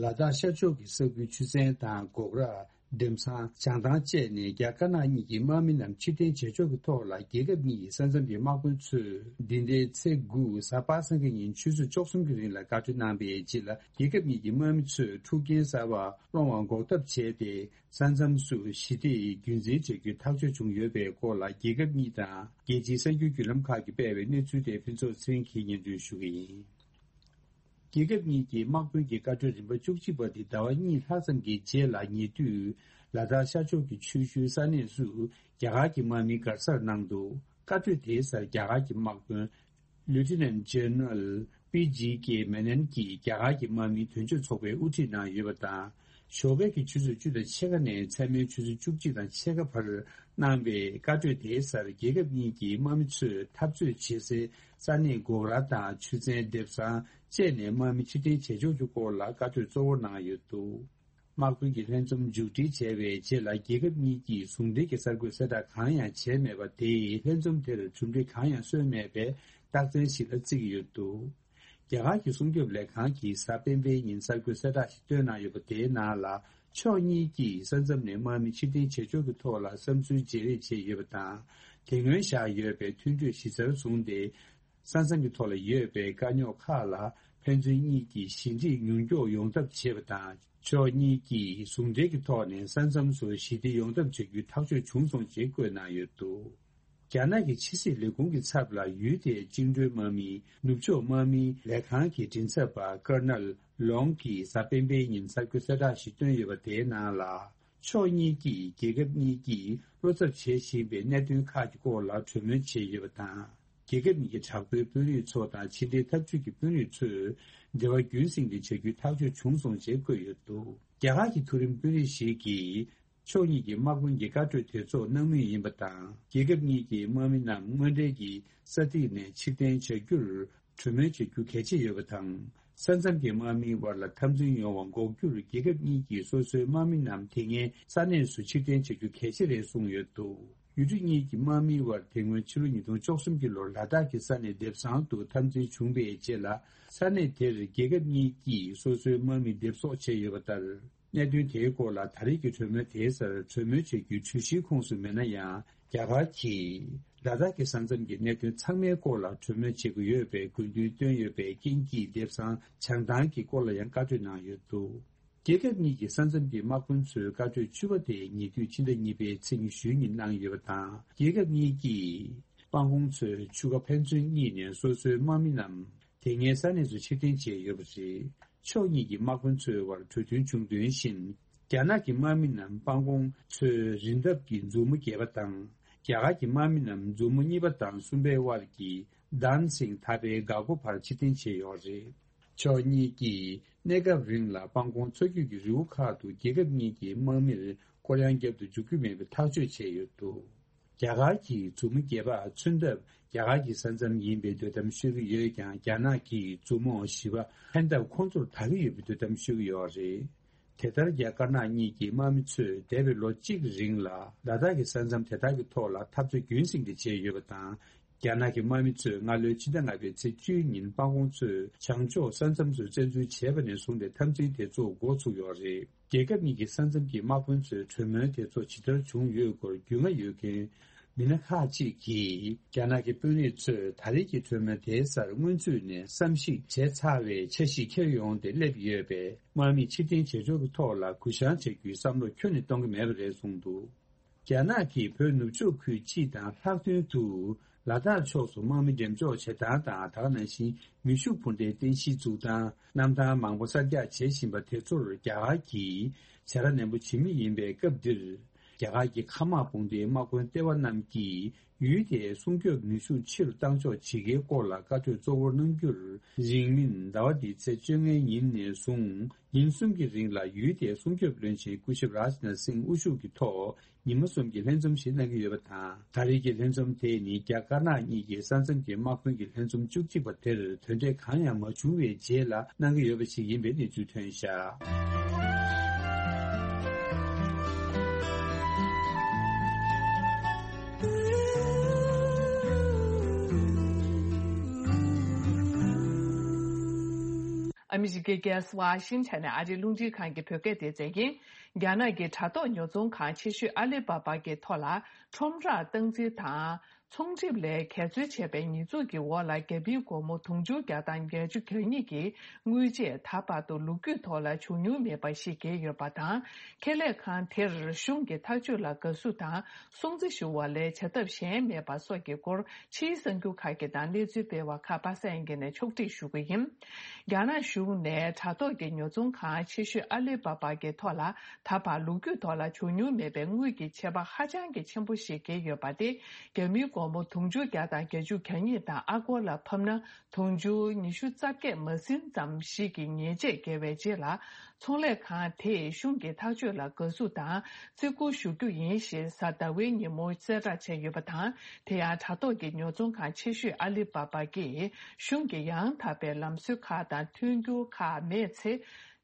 ལ་དྭགས་ཤར་ཕྱོགས་ཀྱི་ས་ཁུལ་ཆུ་ཚན་དང་འགོག་ར། འགྲེམས་ཚང་། བྱང་ཐང་བཅས་ནས་རྒྱ་དཀར་ནག་གཉིས་ཀྱི་དམག་མི་རྣམས་ཕྱིར་འཐེན་བྱེད་ཕྱོགས་ཀྱི་ཐོག་ལ་རྒྱལ་ཁབ་གཉིས་ཀྱི་ས་མཚམས་ཀྱི་དམག་དཔོན་ཚོས་འདི་ཟླའི་ཚེས་དགུ་གཟའ་པ་སངས་ཀྱི་ཉིན་ཆུ་ཚོད་བཅུ་གསུམ་གྱི་རིང་ལ་བཀའ་གྲོས་གནང་བའི་རྗེས་ལ། རྒྱལ་ཁབ་གཉིས་ཀྱི་དམག་མི་ཚོས་འཁྲུག་རྐྱེན་གསར་པ་སློང་བ་འགོག་ཐབས་བྱས་ཏེ། ས་མཚམས་སུ་ཞི་བདེ་ཡི་རྒྱུན་འཛིན་བྱ་རྒྱུའི་ཐག་གཅོད་བྱུང་ཡོད་པའི་སྐོར་ལ། རྒྱལ་ཁབ་གཉིས་དང་རྒྱལ་སྤྱིའི་གསར་འགྱུར་བརྒྱུད་ལམ་ཁག་གིས་སྤེལ་བའི་གནས་ཚུལ་དེ་ཕུན་ཚོགས་ཚེ་རིང་གིས་སྙན་སྒྲོན་ཞུ་གི་ཡིན། རྒྱལ་ཁབ་གཉིས་ཀྱི་དམག་དཔོན་གྱི་བཀའ་གྲོས་རིམ་པ་བཅུ་གཅིག་པ་དེ་ཟླ་བ་གཉིས་ལྷག་ཙམ་གྱི་རྗེས་ལ་ཉེ་དུས། ལ་དྭགས་ཤར་ཕྱོགས་ཀྱི་ཆུ་ཤུལ་ས་གནས་སུ་རྒྱ་གར་གྱི་དམག་མི་སྒར་སར་གནང་འདུག་བཀའ་གྲོས་དེའི་སར་རྒྱ་གར་གྱི་དམག་དཔོན། Lieutenant General P G K Menon གྱིས་རྒྱ་གར་གྱི་དམག་མིའི་དོན་གཅོད་ཚོགས་པའི་དབུ་ཁྲིད་གནང་ཡོད་པ་དང་། ཞོགས་ཀས་ཀྱི་ཆུ་ཚོད་བཅུ་དང་ཕྱེད་ཀ་ནས་མཚན་མོའི་ཆུ་ཚོད་བཅུ་གཅིག་དང་ཕྱེད་ཀ་བར་གནང་བའི་བཀའ་གྲོས་དེའི་སར། རྒྱལ་ཁབ་གཉིས་ཀྱི་དམག་མི་ཚོས་འཐབ་རྩོད་བྱེད་སའི་ས་གནས་འགོག་ར་དང་ཆུ་ཚན། འདེབས་ཚང་བཅས་ནས་དམག་མི་ཕྱིར་འཐེན་བྱེད་ཕྱོགས་ཀྱི་སྐོར་ལ་བཀའ་གྲོས་གཙོ་བོར་གནང་ཡོད་འདུག་དམག་དཔོན་གྱི་ལྷན་འཛོམས་མཇུག་སྒྲིལ་བྱས་པའི་རྗེས་ལ། རྒྱལ་ཁབ་གཉིས་ཀྱིས་ཟུང་འབྲེལ་གྱི་གསར་འགོད་གསལ་བསྒྲགས་གང་ཡང་བྱས་མེད་པ་དེས། ལྷན་འཛོམས་དེར་གྲུབ་འབྲས་གང་ཡང་སོན་མེད་པའི་རྟགས་མཚན་ཞིག་ལ་བརྩི་གི་ཡོད་འདུག་རྒྱ་གར་གྱི་སྲུང་སྐྱོབ་ལས་ཁང་གིས་གཟའ་སྤེན་པའི་ཉིན་གསར་འགོད་གསལ་བསྒྲགས་ཤིག་བཏོན་གནང་ཡོད་པ། དེའི་ནང་ལ། ཕྱོགས་གཉིས་ཀྱིས་ས་མཚམས་ནས་དམག་མི་ཕྱིར་འཐེན་བྱེད་ཕྱོགས་ཀྱི་ཐོག་ལ་བསམ་ཚུལ་བརྗེ་རེས་བྱས་ཡོད་པ་དང་། དེ་སྔོན་བཞག་ཡོད་པའི་མཐུན་གྲོས་གཞི་རྩར་བཟུང་སྟེ། ས་མཚམས་ཀྱི་ཐོག་ལ་ཡོད་པའི་དཀའ་རྙོག་ཁག་ལ་ཕན་ཚུན་གཉིས་ཀྱིས་ཞི་འགྲིག་མྱུར་མགྱོགས་ཡོང་ཐབས་བྱེད་པ་དང་། ཕྱོགས་གཉིས་ཀྱིས་ཟུང་འབྲེལ་གྱི་ཐོག་ནས་ས་མཚམས་སུ་ཞི་བདེ་ཡོང་ཐབས་བྱ་རྒྱུའི་ཐག་གཅོད་བྱུང་སོང་ཞེས་བཀོད་གནང་ཡོད་འདུག་རྒྱ་ནག་གི་ཕྱི་སྲིད་ལས་ཁུངས་ཀྱི་ཚབ་ལ་ཡུལ་དེའི་བཅིངས་འགྲོལ་དམག་མིའི་ནུབ་ཕྱོགས་དམག་མིའི་ལས་ཁང་གི་མགྲིན་ཚབ་པ་ཀར་ནལ་ལོང་གིས་གཟའ་སྤེན་པའི་ཉིན་གསར་འགོད་གསལ་བསྒྲགས་ཤིག་བཏོན་ཡོད་པ། དེའི་ནང་ལ། ཕྱོགས་གཉིས་ཀྱིས་རྒྱལ་ཁབ་གཉིས་ཀྱིས་བློ་འཚབ་བྱེད་བཞིན་པའི་གནད་དོན་ཁག་གི་སྐོར་ལ་གྲོས་མོལ་བྱས་ཡོད་པ་དང་། རྒྱལ་ཁབ་གཉིས་ཀྱི་དྲག་པོའི་དཔོན་རིགས་ཚོ་དང་ཕྱི་འབྲེལ་འཐབ་ཇུས་ཀྱི་དཔོན་རིགས་ཚོས་འབྲེལ་བ་རྒྱུན་སྲིང་དུ་བྱ་རྒྱུའི་ཐག་གཅོད་བྱུང་སོང་ཞེས་བཀོད་ཡོད་འདུག་རྒྱ་གར་གྱི་མཐོ་རིམ་དཔོན་རིགས་ཤིག་གིས། ཕྱོགས་གཉིས་ཀྱི་དམག་དཔོན་གྱི་བཀའ་གྲོས་དེ་ཚོགས་གནང་མུས་ཡིན་པ་དང་། རྒྱལ་ཁབ་གཉིས་ཀྱི་དམག་མི་རྣམས་དངོས་འབྲེལ་གྱི་ས་ཐིག་ནས་ཕྱིར་འཐེན་བྱ་རྒྱུར་གྲོས་མོལ་བྱ་རྒྱུ་གལ་ཆེ་ཡོད་པ་དང་། ས་མཚམས་ཀྱི་དམག་མིའི་དབར་ལ་འཐབ་འཛིང་ཡོང་བ་འགོག་རྒྱུར། རྒྱལ་ཁབ་གཉིས་ཀྱིས་སོ་སོའི་དམག་མི་རྣམས་དེ་སྔའི་ས་གནས་སུ་ཕྱིར་འཐེན་བྱ་རྒྱུ་གལ་ཆེ་རེད་གསུངས་ཡོད་འདུག་ཡུལ་གྲུ་གཉིས་ཀྱི་དམག་མིའི་དབར་དེ་སྔོན་ཕྱི་ལོ་ཉིས་སྟོང་བཅུ་གསུམ་གྱི་ལོར་ལ་དྭགས་ཀྱི་ས་གནས་འདེབས་ཚང་དུ་འཐབ་འཛིང་བྱུང་བའི་རྗེས་ལ། ས་གནས་དེར་རྒྱལ་ཁབ་གཉིས་ཀྱིས་སོ་སོའི་དམག་མི་འདེབས་གསོག་བྱས་ཡོད་པ་ལྟར། གནད་དོན་དེའི་སྐོར་ལ་ད་རེས་ཀྱི་གྲོས་མོལ་དེའི་སར་གྲོས་མོལ་བྱེད་རྒྱུའི་གྲོས་གཞིའི་ཁོངས་སུ་མེད་ན་ཡང་། རྒྱ་གར་གྱིས་ལ་དྭགས་ཀྱི་ས་མཚམས་ཀྱི་གནད་དོན་ཚང་མའི་སྐོར་ལ་གྲོས་མོལ་བྱེད་དགོས་ཡོད་པའི་དགོས་འདུན་བཏོན་ཡོད་པའི་རྐྱེན་གྱིས། འདེབས་ཚང་བྱང་ཐང་གི་སྐོར་ལ་ཡང་བཀའ་གྲོས་གནང་ཡོད་འདུག་རྒྱལ་ཁབ་གཉིས་ཀྱི་ས་མཚམས་ཀྱི་དམག་དཔོན་ཚོའི་བཀའ་གྲོས་བཅུ་པ་དེ་ཉེ་དུས་ཕྱི་ཟླ་གཉིས་པའི་ཚེས་ཉི་ཤུའི་ཉིན་གནང་ཡོད་པ་དང་། རྒྱལ་ཁབ་གཉིས་ཀྱིས་དཔང་གོང་ཚོས་ཆུ་ཁ་ཕན་ཚུན་གཉིས་ནས་སོ་སོའི་དམག་མི་རྣམས་དེ་སྔའི་ས་གནས་སུ་ཕྱིར་འཐེན་བྱས་ཡོད་པ་རེད། ཕྱོགས་གཉིས་ཀྱི་དམག་དཔོན་ཚོའི་དབར་གྲོས་མཐུན་བྱུང་དོན་བཞིན། རྒྱ་ནག་གི་དམག་མི་རྣམས་དཔང་གོང་ཚོའི་རི་འདབས་ཀྱི་མཛུབ་མོ་བརྒྱད་པ་དང་། རྒྱ་གར་གྱི་དམག་མི་རྣམས་མཛུབ་མོ་གཉིས་པ་དང་གསུམ་པའི་དབར་གྱི་དཱན་སིང་ཐ་པའི་འགག་སྒོ་བར་ཕྱིར་འཐེན་བྱས་ཡོད་རེད། ཕྱོགས་གཉིས་ཀྱིས་གནས་སྐབས་རིང་ལ་དཔང་གོང་མཚོ་རྒྱུད་ཀྱི་རི་བོ་ཁག་ཏུ་རྒྱལ་ཁབ་གཉིས་ཀྱི་དམག་མིར་སྐོར་གཡང་བརྒྱབ་ཏུ་འཇུག་རྒྱུ་མེད་པའི་ཐག་གཅོད་བྱས་ཡོད་འདུག་རྒྱ་གར་གྱིས་མཛུབ་མོ་བརྒྱད་པ་མཚོན་ཐབས་རྒྱ་གར་གྱི་ས་མཚམས་ཡིན་པའི་འདོད་གཏམ་ཤོད་ཀྱི་ཡོད་ཀྱང་། རྒྱ་ནག་གིས་མཛུབ་མོ་བཞི་པ་འཕེན་ཐབས་ཁོང་ཚོར་དག་གི་ཡོད་པའི་འདོད་གཏམ་ཤོད་ཀྱི་ཡོད་རེད། དེ་ལྟར་རྒྱ་དཀར་ནག་གཉིས་ཀྱི་དམག་མི་ཚོས་འདས་པའི་ལོ་གཅིག་རིང་ལ་ལ་དྭགས་ཀྱི་ས་མཚམས་དེ་དག་གི་ཐོག་ལ་འཐབ་རྩོད་རྒྱུན་སྲིང་དུ་བྱས་ཡོད་པ་དང་། རྒྱ་ནག་གི་དམག་མི་ཚོས་སྔ་ལོའི་ཕྱི་ཟླ་ལྔ་པའི་ཚེས་བཅུའི་ཉིན་དཔང་གོང་མཚོའི་བྱང་ཕྱོགས་ས་མཚམས་སུ་བཙན་འཛུལ་བྱས་པ་ནས་བཟུང་སྟེ་འཐབ་འཛིང་དེ་ཚོ་འགོ་ཚུགས་ཡོད་རེད། རྒྱལ་ཁབ་གཉིས་ཀྱི་ས་མཚམས་ཀྱི་དམག་དཔོན་ཚོའི་གྲོས་མོལ་དེ་ཚོ་ཇི་ལྟར་བྱུང་ཡོད་སྐོར་རྒྱུས་མངའ་ཡོད་མཁན་མི་སྣ་ཁག་ཅིག་གིས། རྒྱ་ནག་གི་དཔོན་རིགས་ཚོས་ད་རེས་ཀྱི་གྲོས་མོལ་དེའི་སར་སྔོན་ཚུད་ནས་བསམ་གཞིག་བྱས་ཚར་བའི་འཆར་གཞི་འཁྱེར་ཡོང་སྟེ་སླེབས་ཡོད་པས། དམག་མི་ཕྱིར་འཐེན་བྱེད་ཕྱོགས་ཀྱི་ཐོག་ལ་གུ་བཤངས་བྱ་རྒྱུའི་བསམ་བློ་ཁྱོན་ནས་གཏོང་གི་མེད་པ་རེད་གསུངས་འདུག་རྒྱ་ནག་གིས་བོད་ནུབ་ཕྱོགས་ཁུལ་སྤྱི་དང་ལྷག་དོན་དུ་ལ་དྭགས་ཕྱོགས་སུ་དམག་མི་འགྲེམས་འཇོག་བྱེད་སྟངས་དང་། ད་ག་ནང་བཞིན་མེ་ཤུགས་འཕུར་མདེལ་རྟེན་གཞི་འཛུགས་སྟངས། གནམ་ཐང་མང་པོ་གསར་རྒྱག་བྱེད་བཞིན་པ་དེ་ཚོར་རྒྱ་གར་གྱིས་བྱ་ར་ནན་པོ་བྱེད་མུས་ཡིན་པའི་སྐབས་འདིར། རྒྱ་གར་གྱི་མཁའ་དམག་དཔུང་སྡེའི་དམག་དཔོན་ལྟེ་བ་རྣམས་ཀྱིས་ཡུལ་དེའི་སྲུང་སྐྱོབ་ནུས་ཤུགས་ཆེ་རུ་གཏང་ཕྱོགས་བྱེད་ཀའི་སྐོར་ལ་བཀའ་གྲོས་གཙོ་བོར་གནང་རྒྱུར། རིང་མིན་ཟླ་བ་འདིའི་ཚེས་བཅོ་ལྔའི་ཉིན་ནས་བཟུང་ཉིན་གསུམ་གྱི་རིང་ལ་ཡུལ་དེའི་སྲུང་སྐྱོབ་བློན་ཆེན་སྐུ་ཞབས་རཱཇ་ནཱཐ་སིང་དབུ་བཞུགས་ཀྱི་ཐོག་ཉི་མ་གསུམ་གྱི་ལྷན་འཛོམས་ཤིག་གནང་གི་ཡོད་པ་དང་། ད་རེས་ཀྱི་ལྷན་འཛོམས་དེ་ནི་རྒྱ་དཀར་ནག་གཉིས་ཀྱི་ས་མཚམས་ཀྱི་དམག་དཔོན་གྱི་ལྷན་འཛོམས་བཅུ་གཅིག་པ་དེར་དོན་འབྲས་གང་ཡང་མ་བྱུང་བའི་རྗེས་ལ་གནང་གི་ཡོད་པ་ཞིག་ཡིན་པའི་གནས་ཚུལ་ཐོན་བཞག་ཨ་མི་རི་ཀའི་རྒྱལ་ས་ཝ་ཤིང་ཊོན་ནས་ཨ་རིའི་རླུང་འཕྲིན་ཁང་གི་བོད་སྐད་སྡེ་ཚན་ཡིན། རྒྱ་ནག་གི་དྲ་ཐོག་ཉོ་ཚོང་ཁང་ཆེ་ཤོས་ཨ་ལི་པ་པ་གི་ཐོག་ལ་ཁྲོམ་རར་སྟངས་འཛིན་དང་། ཚོང་འགྲེམས་ལས་འགལ་འཛོལ་བྱས་པའི་ཉེས་འཛུགས་ཀྱི་འོག་ལ་རྒྱ་མིའི་སྒོར་མོ་དུང་ཕྱུར་བརྒྱ་དང་བརྒྱད་ཅུ་གྱ་གཉིས་ཀྱི་དངུལ་ཆད་ད་བར་དུ་ལོ་རྒྱུས་ཐོག་ལ་བྱུང་མྱོང་མེད་པ་ཞིག་བརྒལ་ཡོད་པ་དང་། ཁེ་ལས་ཁང་དེར་གཞུང་གི་ཐག་གཅོད་ལ་དགའ་བསུ་དང་སྲུང་བརྩི་ཞུ་བ་ལས་བྱ་ཐབས་གཞན་མེད་པ་སོགས་ཀྱི་སྐོར་ཕྱིའི་གསར་འགྱུར་ཁག་གི་ནང་གནས་ཚུལ་སྤེལ་བ་ཁག་པ་སངས་དབྱངས་སྐྱིད་ནས་ཕྱོགས་སྒྲིག་ཞུ་གི་ཡིན། རྒྱ་ནག་གཞུང་ནས་དྲ་ཐོག་གི་ཉོ་ཚོང་ཁང་ཆེ་ཤོས་ཨ་ལི་པ་པ་གི་ཐོག་ལ་ད་བར་ལོ་རྒྱུས་ཐོག་ལ་བྱུང་མྱོང་མེད་པའི་དངུལ་གྱི་ཆད་པ་ཧ་ཅང་གི་ཆེན་པོ་ཞིག་བཀལ་ཡོད་པ་དེ། རྒྱ་མིའི་སྒོར་མོ་དུང་ཕྱུར་བརྒྱ་དང་བརྒྱད་ཅུ་གྱ་གཉིས་དང་ཨ་སྒོར་ལ་ཕབ་ན་དུང་ཕྱུར་ཉི་ཤུ་རྩ་བརྒྱད་མ་ཟིན་ཙམ་ཞིག་གི་ཉེས་ཆད་བཀལ་བའི་རྗེས་ལ། ཚོང་ལས་ཁང་དེས་གཞུང་གི་ཐག་གཅོད་ལ་དགའ་བསུ་དང་བརྩི་བཀུར་ཞུ་རྒྱུ་ཡིན་ཞེས་གཟའ་ཟླ་བའི་ཉིན་མོ་གསལ་བསྒྲགས་བྱས་ཡོད་པ་དང་། དེ་ཡང་དྲ་ཐོག་གི་ཉོ་ཚོང་ཁང་ཆེ་ཤོས་ཨ་ལི་པ་པ་གིས་གཞུང་གི་ཡང་དག་པའི་ལམ་སྲོལ་ཁག་དང་མཐུན་འགྱུར་ཁག་མེད་ཚེ།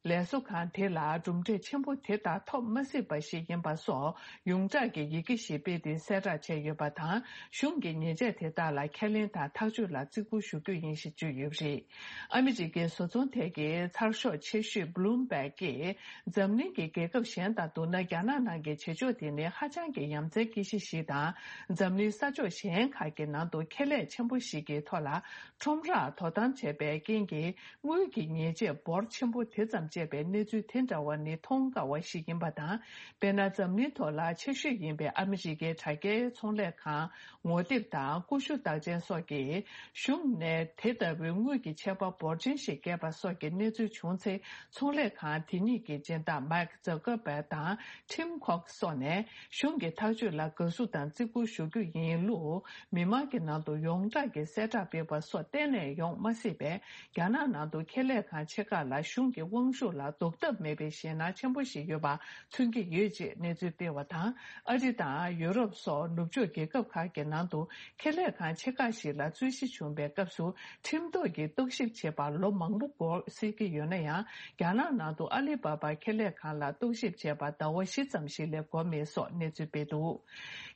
ལས་བཟོ་ཁང་དེ་ལ་གྲུབ་འབྲས་ཆེན་པོ་དེ་ལྟར་ཐོབ་མ་སྲིད་པ་ཞིག་ཡིན་པ་སོགས་ཡོངས་གྲགས་ཀྱི་ཡི་གེ་ཞིག་སྤེལ་ཏེ་གསལ་བསྒྲགས་བྱས་ཡོད་པ་དང་། གཞུང་གིས་ཉེས་ཆད་དེ་དག་ལ་ཁས་ལེན་དང་ཐག་གཅོད་ལ་བརྩི་བཀུར་ཞུ་རྒྱུ་ཡིན་ཞེས་བརྗོད་ཡོད་པ་རེད། ཨ་མི་རི་ཀའི་བཟོ་ཚོང་ཐད་ཀྱི་ཚགས་ཤོག་ཆེ་ཤོས་Bloomberg གིས་འཛམ་གླིང་གི་རྒྱལ་ཁབ་གཞན་དང་བསྡུར་ན། རྒྱ་ནག་ནང་གི་བྱེད་ཕྱོགས་དེ་ནི་ཧ་ཅང་གི་ཡ་མཚན་སྐྱེ་གཞི་ཞིག་དང་། འཛམ་གླིང་ས་ཕྱོགས་གཞན་ཁག་གི་ནང་དུ་ཁེ་ལས་ཆེན་པོ་ཞིག་གི་ཐོག་ལ་ཁྲོམ་རར་དོ་དམ་བྱས་པའི་རྐྱེན་གྱིས། དངུལ་གྱི་ཉེས་ཆད་འབོར་ཆེན་པོ་དེ་ཙམ་བཅད་པའི་གནས་ཚུལ་དེ་འདྲ་བ་ནི་མཐོང་དཀའ་བ་ཞིག་ཡིན་པ་དང་། དཔེར་ན། འཛམ་གླིང་ཐོག་ལ་ཆེ་ཤོས་ཡིན་པའི་ཨ་མི་རི་ཀའི་དྲ་རྒྱའི་ཚོང་ལས་ཁང་ངོ་དེབ་དང་ཀུ་ཤུ་རྟགས་ཅན་སོགས་ཀྱིས་གཞུང་ནས་དེ་ལྟ་བུའི་དངུལ་གྱི་ཆད་པ་འབོར་ཆེན་ཞིག་བཀལ་པ་སོགས་ཀྱི་གནས་ཚུལ་བྱུང་ཚེ། ཚོང་ལས་ཁང་དེ་གཉིས་ཀྱི་སྦྱིན་བདག་Mark Zuckerberg དང་Tim Cook སོགས་ནས་གཞུང་གི་ཐག་གཅོད་ལ་དགའ་བསུ་དང་བརྩི་བཀུར་ཞུ་རྒྱུ་ཡིན་ལུགས་མི་མང་གི་ནང་དུ་ཡོངས་གྲགས་ཀྱི་གསལ་བསྒྲགས་སྤེལ་བ་སོགས་གཏན་ནས་ཡོང་མ་སྲིད་པས། རྒྱ་ནག་ནང་དུ་ཁེ་ལས་ཁང་ཆེ་ཁག་ལ་གཞུང་གི་དབང་ཤུགས་ལ་ཟློག་ཐབས་མེད་པའི་ཞེད་སྣང་ཆེན་པོ་ཞིག་ཡོད་པ་མཚོན་གྱི་ཡོད་ཅེས་གནས་ཚུལ་སྤེལ་བ་དང་། ཨ་རི་དང་ཡུ་རོབ་སོགས་ནུབ་ཕྱོགས་རྒྱལ་ཁབ་ཁག་གི་ནང་དུ་ཁེ་ལས་ཁང་ཆེ་ཁག་ཞིག་ལ་རྩོད་གཞི་བྱུང་བའི་སྐབས་སུ་ཁྲིམས་ཐོག་གི་རྟོག་ཞིབ་བྱེད་པར་ལོ་མང་པོ་འགོར་སྲིད་ཀྱི་ཡོད་ན་ཡང་། རྒྱ་ནག་ནང་དུ་ཨ་ལི་པ་པ་ཁེ་ལས་ཁང་ལ་རྟོག་ཞིབ་བྱས་པར་ཟླ་བ་བཞི་ཙམ་ཞིག་ལས་འགོར་མེད་སོགས་གནས་ཚུལ་སྤེལ་འདུག་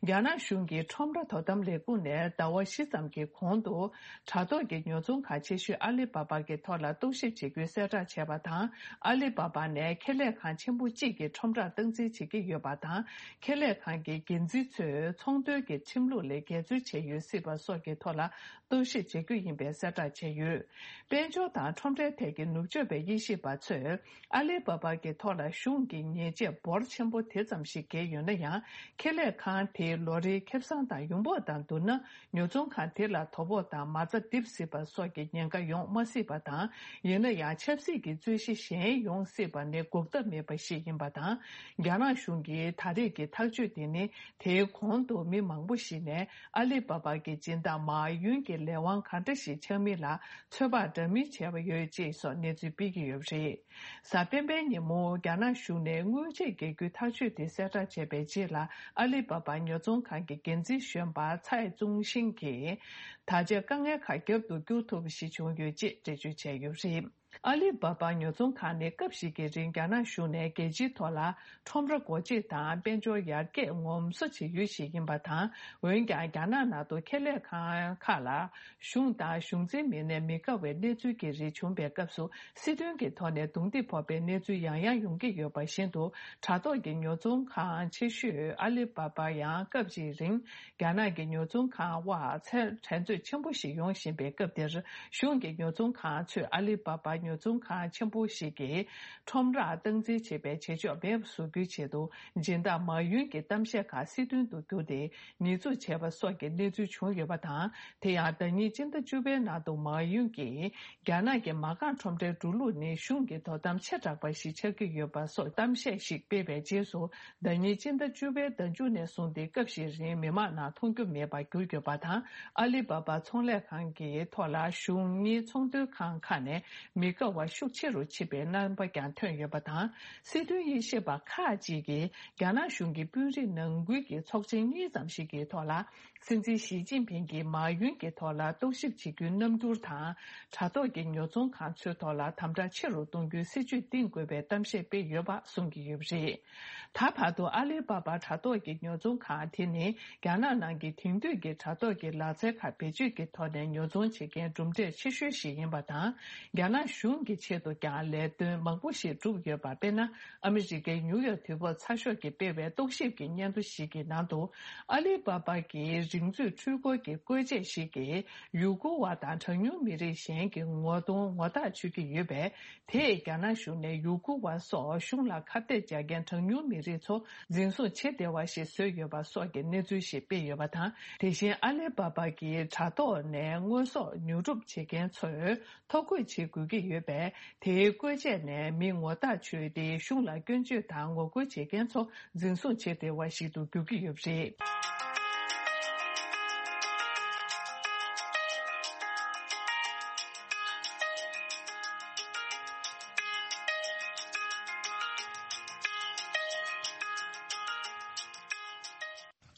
རྒྱ་ནག་གཞུང་གི་ཁྲོམ་ར་དོ་དམ་ལས་ཁུངས་ནས་ཟླ་བ་བཞི་ཙམ་གྱི་གོང་དུ། དྲ་ཐོག་གི་ཉོ་ཚོང་ཁང་ཆེ་ཤོས་ཨ་ལི་པ་པ་གི་ཐོག་ལ་རྟོག་ཞིབ་བྱེད་རྒྱུའི་གསལ་བསྒྲགས་བྱས་པ་དང་། ཨ་ལི་པ་པ་ནས་ཁེ་ལས་ཁང་ཆེན་པོ་གཅིག་གི་ཁྲོམ་རར་སྟངས་འཛིན་བྱེད་ཀྱི་ཡོད་པ་དང་། ཁེ་ལས་ཁང་གི་འགན་འཛིན་ཚོས་ཚོང་དོན་གྱི་ཁྲིམས་ལུགས་ལས་འགལ་འཛོལ་བྱས་ཡོད་སྲིད་པ་སོགས་ཀྱི་ཐོག་ལ་རྟོག་ཞིབ་བྱེད་རྒྱུ་ཡིན་པའི་གསལ་བསྒྲགས་བྱས་ཡོད། དཔལ་འབྱོར་དང་ཁྲོམ་རའི་ཐད་ཀྱི་ནུབ་ཕྱོགས་པའི་དབྱེ་ཞིབ་པ་ཚོས། ཨ་ལི་པ་པ་གི་ཐོག་ལ་གཞུང་གིས་ཉེས་ཆད་འབོར་ཆེན་པོ་དེ་ཙམ་ཞིག་བཀལ་ཡོད་ན་ཡང་། ཁེ་ལས་ཁང་དེའི་ལོ་རེའི་ཁེ་བཟང་དང་ཡོང་འབབ་དང་བསྡུར་ན། ཉོ་ཚོང་ཁང་དེ་ལ་དོ་ཕོག་དང་མ་རྩ་རྡིབ་སྲིད་པ་སོགས་ཀྱི་ཉེན་ཁ་ཡོང་མ་སྲིད་པ་དང་། ཡིན་ན་ཡང་ཆབ་སྲིད་ཀྱི་རྩོད་གཞི་གཞན་ཡོང་སྲིད་པ་ནི་འགོག་ཐབས་མེད་པ་ཞིག་ཡིན་པ་དང་། རྒྱ་ནག་གཞུང་གི་ད་རེས་ཀྱི་ཐག་གཅོད་དེ་ནི། དེའི་གོང་དུ་མི་མང་པོ་ཞིག་ནས་ཨ་ལི་པ་པ་གི་སྦྱིན་བདག་མའོ་ཡུན་གྱི་ལས་དབང་ག་འདྲ་ཞིག་ཆགས་མིན་ལ་ཚོད་དཔག་འདྲ་མིན་བྱས་པ་ཡོད་ཅེས་སོགས་གནས་ཚུལ་སྤེལ་གྱི་ཡོད་པ་རེད། གཟའ་སྤེན་པའི་ཉིན་མོ་རྒྱ་ནག་གཞུང་ནས་དངུལ་ཆད་འགེལ་རྒྱུའི་ཐག་གཅོད་དེ་གསལ་བསྒྲགས་བྱས་པའི་རྗེས་ལ། ཨ་ལི་པ་པ་ཉོ་ཚོང་ཁང་གི་འགན་འཛིན་གཞོན་པ་ཚའེ་ཙུང་ཤིང་གིས། ད་ཆ་དཀའ་ངལ་ཁག་རྒྱབ་ཏུ་བསྐྱུར་ཐུབ་པ་ཞིག་བྱུང་ཡོད་ཅེས་འགྲེལ་བརྗོད་བྱས་ཡོད་པ་རེད། ཨ་ལི་པ་པ་ཉོ་ཚོང་ཁང་ནི་སྐབས་ཤིག་གི་རིང་རྒྱ་ནག་གཞུང་ནས་རྒྱལ་སྤྱིའི་ཐོག་ལ་ཁྲོམ་ར་སྒོ་འབྱེད་དང་དཔལ་འབྱོར་ཡར་རྒྱས་ངོམ་སོ་བྱེད་ཡུལ་ཞིག་ཡིན་པ་དང་། འོན་ཀྱང་རྒྱ་ནག་ནང་དུ་ཁེ་ལས་ཁང་ཁག་ལ་གཞུང་དང་གཞུང་འཛིན་མི་སྣས་མི་དགའ་བའི་གནས་ཚུལ་གྱི་རིགས་བྱུང་པའི་སྐབས་སུ། སྲིད་དོན་གྱི་ཐོག་ནས་རྡུང་རྡེག་ཕོག་པའི་གནས་ཚུལ་ཡང་ཡང་ཡོང་གི་ཡོད་པ་བཞིན་དུ། དྲ་ཐོག་གི་ཉོ་ཚོང་ཁང་ཆེ་ཤོས་ཨ་ལི་པ་པ་ཡང་སྐབས་ཤིག་རིང་། རྒྱ་ནག་གི་ཉོ་ཚོང་ཁང་དབར་ཚད་འགྲན་རྩོད་ཆེན་པོ་ཞིག་ཡོང་བཞིན་པའི་སྐབས་འདིར། གཞུང་གི་ཉོ་ཚོང་ཁང་ཚོས་ཨ་ལི་པ་པ་ཉོ་ཚོང་ཁང་ཆེན་པོ་ཞིག་གི་ཁྲོམ་རར་སྟངས་འཛིན་བྱེད་པའི་བྱེད་ཕྱོགས་མེད་པ་བཟོ་རྒྱུའི་ཆེད་དུ། སྦྱིན་བདག་མའོ་ཡུན་གྱི་གཏམ་བཤད་ཁག་སྲིད་དོན་དུ་བསྒྱུར་ཏེ། ཉེས་འཛུགས་བྱས་པ་སོགས་ཀྱི་གནས་ཚུལ་བྱུང་ཡོད་པ་དང་། དེ་ཡང་ཟླ་ཉིན་སྤྱི་ཟླ་བཅུ་པའི་ནང་དུ་མའོ་ཡུན་གྱིས། རྒྱ་ནག་གི་མ་རྐང་ཁྲོམ་རའི་འགྲོ་ལུགས་ནི་གཞུང་གི་དོ་དམ་ཆེ་དྲགས་པ་ཞིག་ཆགས་ཀྱི་ཡོད་པ་སོགས་གཏམ་བཤད་ཞིག་སྤེལ་བའི་རྗེས་སུ། ཟླ་ཉིན་སྤྱི་ཟླ་བཅུ་པའི་ཟླ་མཇུག་ནས་བཟུང་སྟེ་སྐབས་ཤིག་རིང་མི་མང་ནང་མཐོང་རྒྱུ་མེད་པར་གྱུར་ཡོད་པ་དང་། ཨ་ལི་པ་པ་ཚོང་ལས་ཁང་གི་ཐོག་ལ་གཞུང་གཉིས་ཚོང་དོན་ཁང་ཁག་ནས་མི་དགའ་བ་ཤུགས་ཆེ་རུ་ཕྱིན་པའི་རྣམ་པ་ཀྱང་ཐོན་ཡོད་པ་དང་། སྲིད་དོན་དབྱེ་ཞིབ་པ་ཁག་ཅིག་གིས་རྒྱ་ནག་གཞུང་གི་དཔོན་རིགས་ནང་ཁུལ་གྱི་ཚོགས་ཆེན་གཉིས་ཙམ་ཞིག་གི་ཐོག་ལ། སྲིད་འཛིན་ཞི་ཅིན་ཕིང་གིས་མའོ་ཡུན་གྱི་ཐོག་ལ་རྟོག་ཞིབ་བྱེད་རྒྱུའི་རྣམ་འགྱུར་དང་། དྲ་ཐོག་གི་ཉོ་ཚོང་ཁང་ཚོའི་ཐོག་ལ་དམ་དྲག་ཆེ་རུ་གཏོང་རྒྱུའི་སྲིད་ཇུས་བཏིང་དགོས་པའི་གཏམ་བཤད་སྤེལ་ཡོད་པ་གསུང་གི་ཡོད་པ་རེད། ད་བར་དུ་ཨ་ལི་པ་པ་དྲ་ཐོག་གི་ཉོ་ཚོང་ཁང་དེ་ནི་རྒྱ་ནག་ནང་གི་དེང་དུས་ཀྱི་དྲ་ཐོག་གི་ལག་རྩལ་ཁག་བེད་སྤྱོད་ཀྱི་ཐོག་ནས་ཉོ་ཚོང་བྱེད་མཁན་གྲུབ་འབྲས་ཆེ་ཤོས་ཤིག་ཡིན་པ་དང་། རྒྱ་ནག་ གཞུང་གི་ཆེད་དུ་ཀྱང་ལས་དོན་མང་པོ་ཞིག་བསྒྲུབས་ཡོད་པ། དཔེར་ན། ཨ་མི་རི་ཀའི་ནིའུ་ཡོག་དུས་བབ་ཚགས་ཤོག་གིས་སྤེལ་བའི་རྟོག་ཞིབ་ཀྱི་སྙན་ཐོ་ཞིག་གི་ནང་དུ། ཨ་ལི་བྷ་བྷ་གི་རིག་མཛོད་འཕྲུལ་འཁོར་གྱི་བཀོལ་ཆས་ཤིག་གིས་ཡུ་གུར་བ་དང་གྲངས་ཉུང་མི་རིགས་གཞན་གྱི་ངོ་གདོང་ངོ་རྟགས་ཆོད་ཀྱི་ཡོད་པས། དེས་རྒྱ་ནག་གཞུང་ནས་ཡུ་གུར་བ་སོགས་གཞུང་ལ་ཁ་གཏད་བཅག་མཁན་གྲངས་ཉུང་མི་རིགས་ཚོ་འཛིན་བཟུང་བྱེད་བདེ་བ་ཞིག་བཟོས་ཡོད་པ་སོགས་ཀྱི་གནས་ཚུལ་ཞིག་སྤེལ་ཡོད་པ་དང་། དེ་བཞིན་ཨ་ལི་བྷ་བྷ་གི་དྲ་ཐོག་ནས་དངོས་ཟོག་ཉོ་སྒྲུབ་བྱེད་མཁན་ཚོས་ཐོ་འགོད་བྱེད་དགོས་ཀྱི་ཡོད་པས། དེའི་བཀོལ་ཆས་ནས་མི་ངོ་རྟགས་ཆོད་དེ། གཞུང་ལ་སྐྱོན་བརྗོད་དང་ངོ་རྒོལ་བྱེད་མཁན་ཚོ་འཛིན་བཟུང་བྱེད་བདེ་བ་ཞིག་ཏུ་འགྱུར་གྱི་ཡོད་པ་རེད།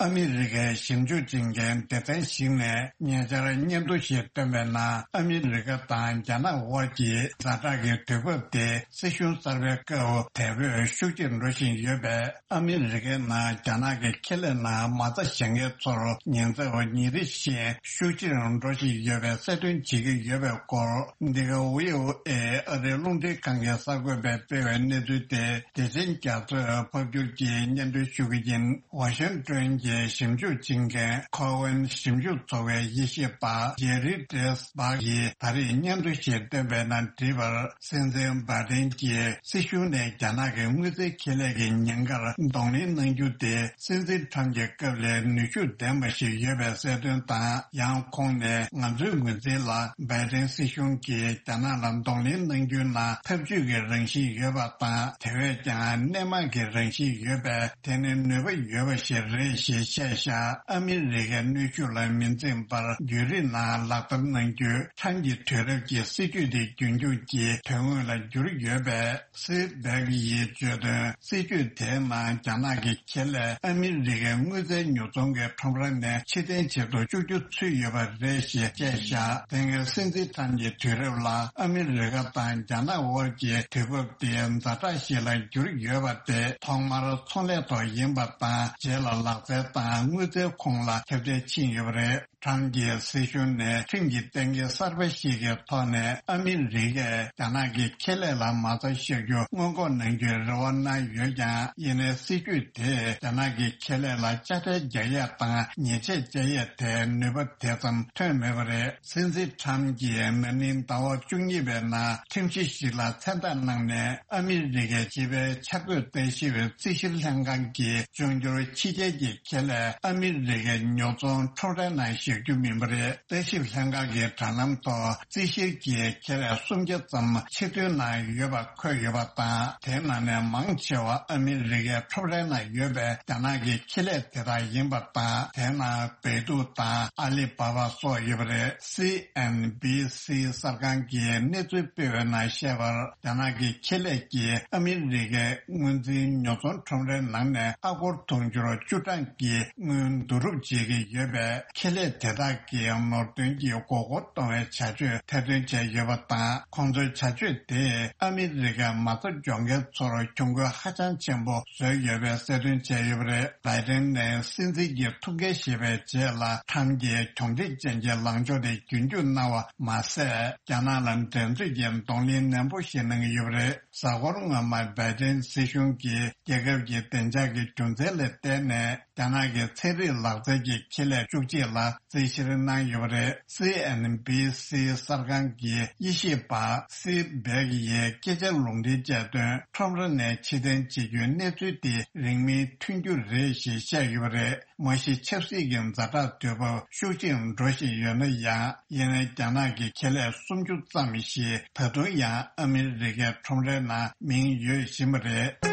ཨ་མི་རི་ཀའི་ཞིབ་འཇུག་བྱེད་མཁན་སྡེ་ཚན་ཞིག་ནས་ཉེ་ཆར་སྙན་ཐོ་ཞིག་བཏོན་པའི་ནང་། ཨ་མི་རི་ཀ་དང་རྒྱ་ནག་དབར་གྱི་ཛ་དྲག་གི་དུས་བབ་དེ་སྲིད་གཞུང་གསར་པའི་སྐབས་དལ་བུས་ཤུགས་ཆེར་འགྲོ་བཞིན་ཡོད་པས། ཨ་མི་རི་ཀའི་ནང་རྒྱ་ནག་གི་ཁེ་ལས་ནང་མ་རྩ་བཞག་མཁན་ཚོར་ཉེན་ཚབས་ཉིན་རེ་བཞིན་ཤུགས་ཆེར་འགྲོ་བཞིན་ཡོད་པའི་གསལ་སྟོན་བྱེད་ཀྱི་ཡོད་པའི་སྐོར། འདི་ག་བྷི་ཨོ་ཨེ་ཨ་རིའི་རླུང་འཕྲིན་ཁང་གི་གསར་འགོད་པས་སྤེལ་བའི་གནས་ཚུལ་དེ། བདེ་ཆེན་རྒྱ་མཚོས་ཕབ་བསྒྱུར་གྱིས་སྙན་སྒྲོན་ཞུ་གི་ཡིན། ཝ་ཤིང་ཏོན་གྱི་ཞིབ་འཇུག་བྱེད་མཁན་ཁོ་ཝན་ཞིབ་འཇུག་ཚོགས་པའི་དབྱེ་ཞིབ་པ་ཇེ་རི་ཏྲེས་བྷག་གིས་ད་རེས་སྙན་ཐོ་ཞིག་བཏོན་པའི་ནང་བྲིས་པར། སྲིད་འཛིན་བྷའི་ཏིན་གྱིས་སྲིད་གཞུང་ནས་རྒྱ་ནག་གི་དངུལ་རྩའི་ཁེ་ལས་ཀྱི་ཉེན་ཁར་གདོང་ལེན་གནང་རྒྱུ་དེ། སྲིད་འཛིན་ཁྲམ་གྱི་སྐབས་ལས་ནུས་ཤུགས་ལྡན་པ་ཞིག་ཡོད་པའི་གསལ་སྟོན་དང་། ཡང་ཁོང་ནས། ང་ཚོའི་ངོས་འཛིན་ལ། བྷའི་ཏིན་སྲིད་གཞུང་གིས་རྒྱ་ནག་ལ་གདོང་ལེན་གནང་རྒྱུའི་ནང་འཐབ་ཇུས་ཀྱི་རང་བཞིན་ཡོད་པ་དང་། དེ་བས་ཀྱང་སྣེ་མང་གི་རང་བཞིན་ཡོད་པས། དེ་ནི་ནུས་པ་ཡོད་པ་ཞིག་རེད་ཞེས་བཤད་བཞག་ཨ་མི་རི་ཀའི་གནོན་ཤུགས་ལ་མི་འཛེམ་པར་བརྒྱུད་རིམ་ནང་ལག་བསྟར་གནང་རྒྱུ། ཁྲམ་གྱི་དུས་རབས་ཀྱི་སྲིད་ཇུས་དེ་རྒྱུན་སྐྱོང་གི་དོན་དངོས་ལ་གྱུར་ཡོད་པས། སི་བྷེག་ཡིས་བརྗོད་དོན། སྲིད་ཇུས་དེའི་ནང་རྒྱ་ནག་གི་ཁེ་ལས་ཨ་མི་རི་ཀའི་དངུལ་རྩའི་ཉོ་ཚོང་གི་ཁྲོམ་ར་ནས་ཕྱིར་འཐེན་བྱེད་དུ་བཅུག་རྒྱུ་ཚུད་ཡོད་པ་རེད་ཞེས་བཤད་བཞག་དེ་སྔའི་སྲིད་འཛིན་ཁྲམ་གྱི་དུས་རབས་ལ་ཨ་མི་རི་ཀ་དང་རྒྱ་ནག་དབར་གྱི་དུས་བབ་དེ་ཛ་དྲག་ཞིག་ལ་གྱུར་ཡོད་པ་དེ། ཐོག་མར་ཚོང་ལས་ཐོག་ཡིན་པ་དང་། རྗེས་ལ་ལག་རྩལ་དང་དངུལ་རྩའི་ཁོངས་ལ་ཁྱབ་གདལ་ཕྱིན་ཡོད་པ་རེད། ཁྲམ་གྱི་སྲིད་གཞུང་ནས་ཁྲིམས་ཀྱི་གཏན་འཁེལ་གསར་པ་ཞིག་གི་ཐོག་ནས། ཨ་མི་རི་ཀས་རྒྱ་ནག་གི་ཁེ་ལས་ལ་མ་རྩ་བཞག་རྒྱུ་སྔོན་འགོག་གནང་རྒྱུའི་རེ་བ་གནང་ཡོད་ཀྱང་། ཡིན་ནའི་སྲིད་ཇུས་དེས་རྒྱ་ནག་གི་ཁེ་ལས་ལ་དཔྱ་ཁྲལ་རྒྱག་ཡས་དང་ཉེས་ཆད་བཅད་ཡས་དེ་ནུས་པ་དེ་ཙམ་ཐོན་མེད་པ་རེད། སྲིད་འཛིན་ཁྲམ་གྱིས་ན་ནིང་ཟླ་བ་བཅུ་གཉིས་པའི་ནང་ཁྲིམས་གཞི་ཞིག་ལ་མཚན་རྟགས་གནང་ནས། ཨ་མི་རི་ཀའི་སྤྱི་པའི་འཆར་འགོད་ལྟ་ཞིབ་པའི་རྩིས་བཤེར་ལྷན་ཁང་གིས་འབྱུང་འགྱུར་ཕྱི་རྒྱལ་གྱི་ཁེ་ལས་ཨ་མི་རི་ཀའི་ཉོ་ཚོང་ཁྲོམ་རའི་ནང་བཞག་རྒྱུ་མིན་པ་རེད། ལྟ་ཞིབ་ལྷན་ཁང་གི་དྲ་ལམ་ཐོག་རྩིས་བཤེར་གྱིས་ཁེ་ལས་སུམ་བརྒྱ་ཙམ་ཕྱིར་ཐོན་གནང་ཡོད་པ་འཁོད་ཡོད་པ་དང་། དེའི་ནང་ནས་མང་ཆེ་བ་ཨ་མི་རི་ཀའི་ཁྲོམ་རའི་ནང་ཡོད་པའི་རྒྱ་ནག་གི་ཁེ་ལས་དེ་དག་ཡིན་པ་དང་། དེའི་ནང་བེ་ཏུ་དང་ཨ་ལི་བྷ་བྷ་སོགས་ཡོད་པ་རེད། སི་ཨེན་བྷི་སི་གསར་ཁང་གིས་གནས་ཚུལ་སྤེལ་བའི་ནང་བཤད་པར། རྒྱ་ནག་གི་ཁེ་ལས་ཀྱིས་ཨ་མི་རི་ཀའི་དངུལ་འཛིན་ཉོ་ཚོང་ཁྲོམ་རའི་ནང་ནས་ཨ་སྒོར་དུང་ཕྱུར་བཅུ་གྲངས་ཀྱི་དངུལ་བསྡུ་རུབ་བྱེད་ཀྱི་ཡོད་པས། ཁེ་ལས་དེ་དག་གིས་ནོར་དོན་གྱི་མགོ་སྐོར་གཏོང་བའི་བྱ་སྤྱོད་ཐེར་འདོན་བྱས་ཡོད་པ་དང་། ཁོང་ཚོའི་བྱ་སྤྱོད་དེས་ཨ་མི་རི་ཀའི་མ་རྩ་འཇོག་མཁན་ཚོར་གྱོང་གུན་ཧ་ཅང་ཆེན་པོ་བཟོས་ཡོད་པའི་གསལ་སྟོན་བྱས་ཡོད་པ་རེད། བྷའི་ཏིན་ནས་སྲིད་འཛིན་གྱི་ཐུགས་འགན་བཞེས་པའི་རྗེས་ལ། ཁྲམ་གྱི་གྱོང་འབྲེལ་ཅན་གྱི་ལངས་ཕྱོགས་དེ་རྒྱུན་སྐྱོང་གནང་བ་མ་ཟད། རྒྱ་ནག་ལ་འགྲན་རྩོད་ཀྱི་གདོང་ལེན་ནན་པོ་ཞིག་གནང་གི་ཡོད་པ་རེད། གཟའ་འཁོར་སྔོན་མ་བྷའི་ཏིན་སྲིད་གཞུང་གིས་རྒྱལ་ཁབ་ཀྱི་བདེ་འཇགས་ཀྱི་རྒྱུ་མཚན་ལ་བརྟེན་ནས། རྒྱ་ནག་གི་ཚན་རིག་ལག་རྩལ་གྱི་ཁེ་ལས་བཅུ་གཅིག་ལ་རྩིས་བཤེར་གནང་ཡོད་པ་རེད། སི་ཨེན་བྷི་སི་གསར་ཁང་གི་དབྱེ་ཞིབ་པ་སི་བྷེག་ཡིས་སྐད་ཆ་ལུང་འདྲེན་བྱས་དོན། ཁྲོམ་ར་ནས་ཕྱིར་འཐེན་བྱེད་རྒྱུའི་གནས་ཚུལ་དེ་རིང་མིན་ཐོན་རྒྱུ་རེད་ཞེས་བཤད་ཡོད་པ་རེད། མ་གཞི་ཆབ་སྲིད་ཀྱི་ཛ་དྲག་དུས་བབ་ཤུགས་ཆེར་འགྲོ་བཞིན་ཡོད་ན་ཡང་། ཡིན་ནའི་རྒྱ་ནག་གི་ཁེ་ལས་སུམ་ཅུ་ཙམ་ཞིག་ད་དུང་ཡང་ཨ་མི་རི་ཀའི་ཁྲོམ་རའི་ནང་མིང་ཡོད་བཞིན་པ་རེད།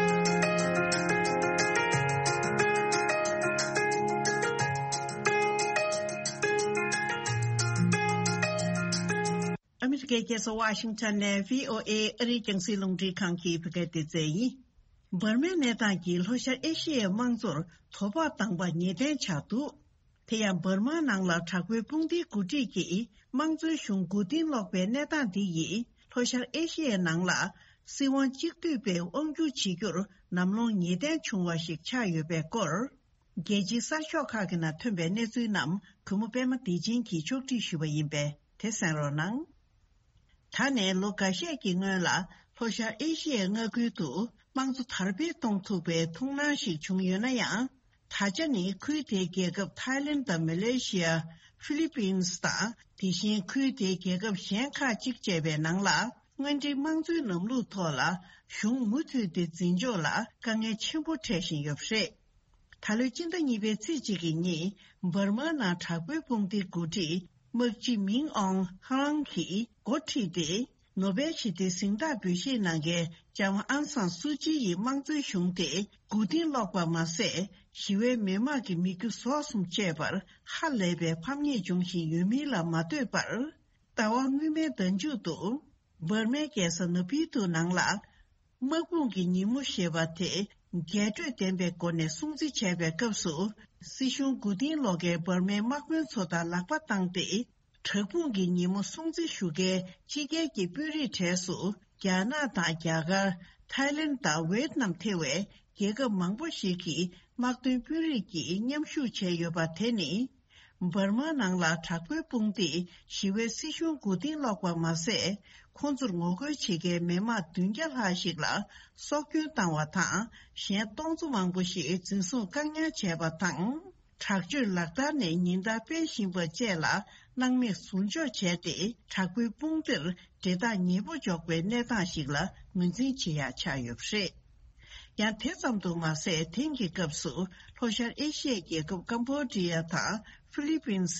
ཨ་མི་རི་ཀའི་རྒྱལ་ས་ཝ་ཤིང་ཊོན་ནས་བྷི་ཨོ་ཨེ་ཨ་རིའི་རྒྱང་སྲིང་རླུང་འཕྲིན་ཁང་གི་བོད་སྐད་སྡེ་ཚན་ཡིན། འབར་མའི་གནས་སྟངས་ཀྱིས་ལྷོ་ཤར་ཨེ་ཤི་ཡའི་དམངས་གཙོར་དོ་ཕོག་བཏང་པ་ངེས་གཏན་ཆགས་འདུག་དེ་ཡང་འབར་མ་ནང་ལ་དྲག་པོའི་དཔུང་སྡེའི་འགོ་ཁྲིད་ཀྱིས་དམངས་གཙོའི་གཞུང་མགོ་རྟིང་སློག་པའི་གནས་སྟངས་འདི་ཡིས་ལྷོ་ཤར་ཨེ་ཤི་ཡའི་ནང་ལ་སྲིད་དབང་གཅིག་སྡུད་པའི་དབང་སྒྱུར་བྱེད་རྒྱུར་ནམ་ལངས་ངེས་གཏན་བྱུང་བ་ཞིག་ཆགས་ཡོད་པའི་སྐོར། རྒྱལ་སྤྱིའི་གསར་ཤོག་ཁག་གི་ནང་ཐོན་པའི་གནས་ཚུལ་རྣམས་གུས་མོ་པད་མ་བདེ་ཆེན་གྱིས་ཕྱོགས་སྒྲིག་ཞུས་པ་ཡིན་པས་དེ་གསན་རོགས་གནང་། ད་ནས་ལོ་འགའ་ཤས་ཀྱི་སྔོན་ལ་ལྷོ་ཤར་ཨེ་ཤི་ཡའི་མངའ་ཁུལ་དུ་དམངས་གཙོ་དར་སྤེལ་གཏོང་ཐུབ་པའི་ཐུགས་སྣང་ཞིག་བྱུང་ཡོད་ན་ཡང་། ད་ཆ་ནི་ཁུལ་དེའི་རྒྱལ་ཁབ་ཐའི་ལེན་དང་མ་ལེ་ཤི་ཡ། ཧྥི་ལི་པིན་དང་། དེ་བཞིན་ཁུལ་དེའི་རྒྱལ་ཁབ་གཞན་ཁག་ཅིག་བཅས་པའི་ནང་ལ། དངོས་འབྲེལ་དམངས་གཙོའི་ལམ་ལུགས་ཐོག་ལ་གཞུང་མུ་མཐུད་དེ་འཛིན་ཕྱོགས་ལ་དཀའ་ངལ་ཆེན་པོ་འཕྲད་བཞིན་ཡོད་པ་རེད། ད་ལོའི་སྤྱི་ཟླ་གཉིས་པའི་ཚེས་གཅིག་གི་ཉིན་འབར་མའི་ནང་དྲག་པོའི་དཔུང་སྡེའི་འགོ་ཁྲིད་དམག་སྤྱི་མིང་ཨོང་ཧ་ལང་གིས་འགོ་ཁྲིད་དེ། ནོ་བེལ་ཞི་བདེའི་གཟེངས་རྟགས་འབུལ་བཞེས་གནང་མཁན་ལྕམ་ཨང་སང་སུ་ཅི་ཡི་དམངས་གཙོའི་གཞུང་དེ་མགོ་རྟིང་སློག་པ་མ་ཟད། ཞི་བའི་མི་མང་གི་མི་རྒྱུ་ཟོག་གསུམ་བཅས་པར་ཧ་ལས་པའི་ཕམ་ཉེས་འབྱུང་བཞིན་ཡོད་མིན་ལ་མ་ལྟོས་པར། ཟླ་བ་སྔོན་མའི་ཟླ་མཇུག་ཏུ། འབར་མའི་རྒྱལ་ས་ནེ་པི་ཏུ་ནང་ལ། དམག་དཔུང་གི་ཉིན་མོ་ཞེས་པ་དེ་རྒྱས་སྤྲོས་ལྡན་པའི་སྒོ་ནས་སྲུང་བརྩི་བྱས་པའི་སྐབས་སུ། སྲིད་གཞུང་མགོ་རྟིང་སློག་མཁན་འབར་མའི་དམག་དཔོན་ཚོ་དང་ལག་པ་བཏང་སྟེ། དྲག་དཔུང་གི་ཉིན་མོ་སྲུང་བརྩི་ཞུ་མཁན་ཕྱི་རྒྱལ་གྱི་དཔོན་རིགས་གྲས་སུ། རྒྱ་ནག་དང་རྒྱ་གར། ཐའི་ལེན་དང་ཝེད་ནམ་ཐེ་བའི་རྒྱལ་ཁབ་མང་པོ་ཞིག་གི་དམག་དོན་དཔོན་རིགས་ཀྱིས་མཉམ་ཞུགས་བྱས་ཡོད་པ་དེ་ནི། འབར་མ་ནང་ལ་དྲག་པོའི་དཔུང་སྡེས་ཞི་བའི་སྲིད་གཞུང་མགོ་རྟིང་སློག་པ་མ་ཟད། ཁོང་ཚོར་ངོ་རྒོལ་བྱེད་མཁན་མི་མང་བདུན་བརྒྱ་ལྷག་ཞིག་ལ་སྲོག་སྐྱོན་བཏང་བ་དང་། གཞན་སྟོང་ཚོ་མང་པོ་ཞིག་འཛིན་བཟུང་བཀག་ཉར་བྱས་པ་དང་། དྲག་སྤྱོད་ལག་བསྟར་ནས་ཉེན་བརྡ་སྤེལ་བཞིན་པ་བཅས་ལ་སྣང་མེད་ཟུར་འཇོག་བྱས་ཏེ། དྲག་པོའི་དཔུང་སྡེར་འབྲེལ་ཐག་ཉེ་པོ་འཇོག་པའི་གནས་སྟངས་ཤིག་ལ་ངོས་འཛིན་བྱེད་ཡག་ཆགས་ཡོད་པ་རེད། ཡང་དེ་ཙམ་དུ་མ་ཟད། དེང་གི་སྐབས་སུ་ལྷོ་ཤར་ཨེ་ཤི་ཡའི་རྒྱལ་ཁབ་ཀམ་བོ་ཌི་ཡ་དང་ཧྥི་ལི་པིན་ནས་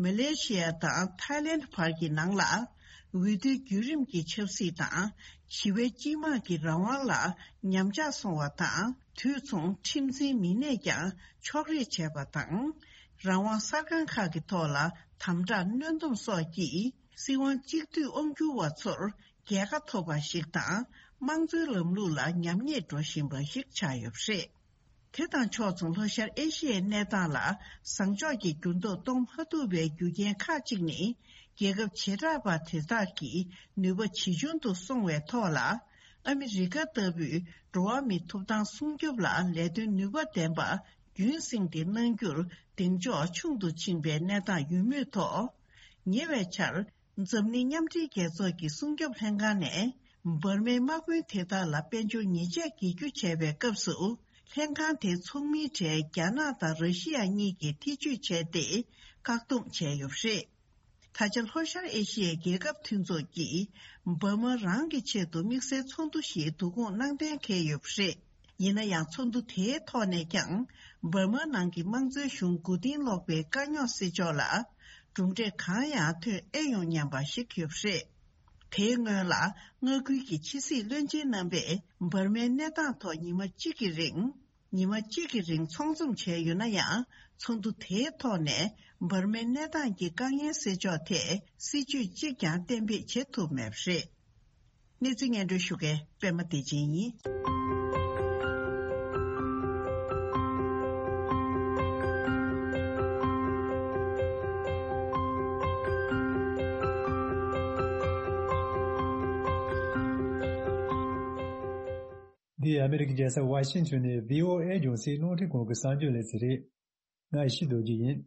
མ་ལེ་ཤི་ཡ་དང་ཐའི་ལེན་བར་གྱི་ནང་ལ། འོས་བསྡུའི་བརྒྱུད་རིམ་གྱི་ཆབ་སྲིད་དང་། ཞི་བའི་སྤྱི་དམངས་ཀྱི་རང་དབང་ལ་ཉམས་ཆག་སོང་བ་དང་། དུས་མཚུངས་ཁྲིམས་འཛིན་མི་སྣས་ཀྱང་ཕྱོགས་རིས་བྱས་པ་དང་། རང་དབང་གསར་ཁང་ཁག་གི་ཐོག་ལ་དམ་དྲག་གནོན་སྡོམ་སོགས་ཀྱིས་སྲིད་དབང་གཅིག་སྡུད་དབང་སྒྱུར་བ་ཚོར་རྒྱལ་ཁ་ཐོབ་པ་ཞིག་དང་། དམངས་གཙོའི་ལམ་ལུགས་ལ་ཉམས་ཉེས་འགྲོ་བཞིན་པ་ཞིག་ཆགས་ཡོད་པ་རེད། དེ་དང་ཕྱོགས་མཚུངས་ལྷོ་ཤར་ཨེ་ཤི་ཡའི་གནས་སྟངས་ལ་བཟང་ཕྱོགས་ཀྱི་འགྱུར་ལྡོག་གཏོང་མ་ཐུབ་པའི་རྒྱུ་རྐྱེན་ཁག་ཅིག་ནི། རྒྱལ་ཁབ་བྱེ་བྲག་པ་དེ་དག་གི་ནུས་པ་ཇེ་ཆུང་དུ་སོང་བའི་ཐོག་ལ། ཨ་མི་རི་ཀ་ལྟ་བུའི་འགྲོ་བ་མིའི་ཐོབ་ཐང་སྲུང་སྐྱོབ་ལ་ལས་དོན་ནུས་པ་ལྡན་པ་རྒྱུན་བསྲིངས་ཏེ་གནང་རྒྱུར་གདེང་འཇོག་ཆུང་དུ་ཕྱིན་པའི་གནས་སྟངས་ཡོད་མུས་ཐོག་ཉེ་བའི་ཆར། འཛམ་གླིང་མཉམ་འབྲེལ་རྒྱལ་ཚོགས་ཀྱི་སྲུང་སྐྱོབ་ལྷན་ཁང་ནས་འབར་མའི་དམག་དཔོན་དེ་དག་ལ་དཔལ་འབྱོར་ཉེས་ཆད་འགེལ་རྒྱུ་བྱས་པའི་སྐབས་སུ། ལྷན་ཁང་དེའི་ཚོགས་མིའི་གྲས་རྒྱ་ནག་དང་ར་ཤི་ཡ་གཉིས་ཀྱིས་ཐེ་བྱུས་བྱས་ཏེ། བཀག་སྡོམ་བྱས་ཡོད་པ་རེད། ད་ཆ་ལྷོ་ཤར་ཨེ་ཤི་ཡའི་རྒྱལ་ཁབ་མཐུན་ཚོགས་ཀྱིས་འབར་མ་རང་གི་ཆེད་དུ་དམིགས་བསལ་ཚོགས་འདུ་ཞིག་བསྡུ་སྐོང་གནང་གཏན་འཁེལ་ཡོད་པ་རེད། ཡིན་ན་ཡང་། ཚོགས་འདུ་དེའི་ཐོག་ནས་ཀྱང་འབར་མ་ནང་གི་དམངས་གཙོའི་གཞུང་མགོ་རྟིང་སློག་པའི་དཀའ་རྙོག་སེལ་ཕྱོགས་ལ་གྲུབ་འབྲས་གང་ཡང་ཐོན་ཨེ་ཡོང་སྙམ་པ་ཞིག་ཡོད་པ་རེད། དེའི་སྔོན་ལ་མངའ་ཁུལ་གྱི་ཕྱི་སྲིད་བློན་ཆེན་རྣམ་པས་འབར་མའི་གནས་སྟངས་ཐོག་ཉི་མ་གཅིག་གི་རིང་། ཉི་མ་གཅིག་གི་རིང་ཚོགས་འཛོམས་བྱས་ཡོད་ན་ཡང་། ཚོགས་འདུ་དེའི་ཐོག་ནས་འབར་མའི་གནས་སྟངས་ཀྱི་དཀའ་ངལ་སེལ་ཕྱོགས་ཐད་སྲིད་ཇུས་གཅིག་ཀྱང་གཏན་འབེབས་བྱེད་ཐུབ་མེད་པ་རེད། གནས་ཚུལ་སྙན་སྒྲོན་ཞུ་མཁན་པད་མ་བདེ་ཆེན་ཡིན། འདི་ཨ་མི་རི་ཀའི་རྒྱལ་ས་ཝ་ཤིང་ཊོན་ནས་བྷི་ཨོ་ཨེ་རྒྱང་སྲིང་རླུང་འཕྲིན་ཁང་གི་གསར་འགྱུར་ལེ་ཚན་རེད། ང་ཡེ་ཤེས་རྡོ་རྗེ་ཡིན།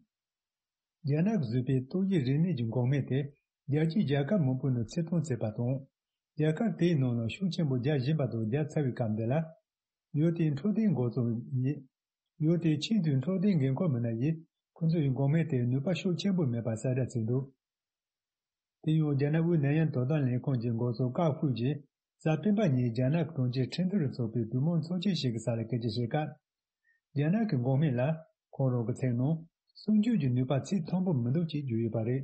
རྒྱ་ནག་གིས་བཟོས་པའི་ཏོག་དབྱིབས་རིམས་ནད་ཀྱི་འགོག་སྨན་དེ་རྒྱལ་སྤྱིའི་རྒྱལ་ཁབ་མང་པོའི་ནང་ཚོད་བཏང་བྱས་པ་དང་། རྒྱལ་ཁབ་དེའི་ནང་ལ་ཤུགས་ཆེན་པོ་རྒྱག་བཞིན་པ་དང་རྒྱག་ཚར་བའི་སྐབས་འདི་ལ། ཡུལ་དེའི་འཕྲོད་བསྟེན་འགོ་གཙོ་ཡིས། ཡུལ་དེའི་ཆེས་མཐོའི་འཕྲོད་བསྟེན་འགན་འཁུར་མི་སྣ་ཡིས་ཁོ་ཚོ་ཡི་འགོག་སྨན་དེ་ནུས་པ་ཤུགས་ཆེན་པོ་མེད་པ་གསལ་བསྒྲགས་བྱས་འདུག་དེ་ཡང་རྒྱ་ནག་དབུས་ནད་ཡམས་དོ་དམ་ལས་ཁུངས་ཀྱི་འགོ་གཙོ་ཀའོ་ཧུའུ་ཅིས་གཟའ་སྤེན་པ་ཉིན་རྒྱ་ནག་གི་གྲོང་ཁྱེར་ཁྲིན་ཏུའུ་རུ་འཚོགས་པའི་གྲོས་མོལ་ཚོགས་ཆེན་ཞིག་གི་ས་ལ་སྐད་ཆ་བཤད་སྐབས། རྒྱ་ནག་གི་འགོག་སྨན་ལ་ཁོང་རང་གི་ཚིག་ནང་སྲུང་སྐྱོབ་ཀྱི་ནུས་པ་ཚད་མཐོན་པོ་མི་འདུག་ཅེས་བརྗོད་ཡོད་པ་རེད།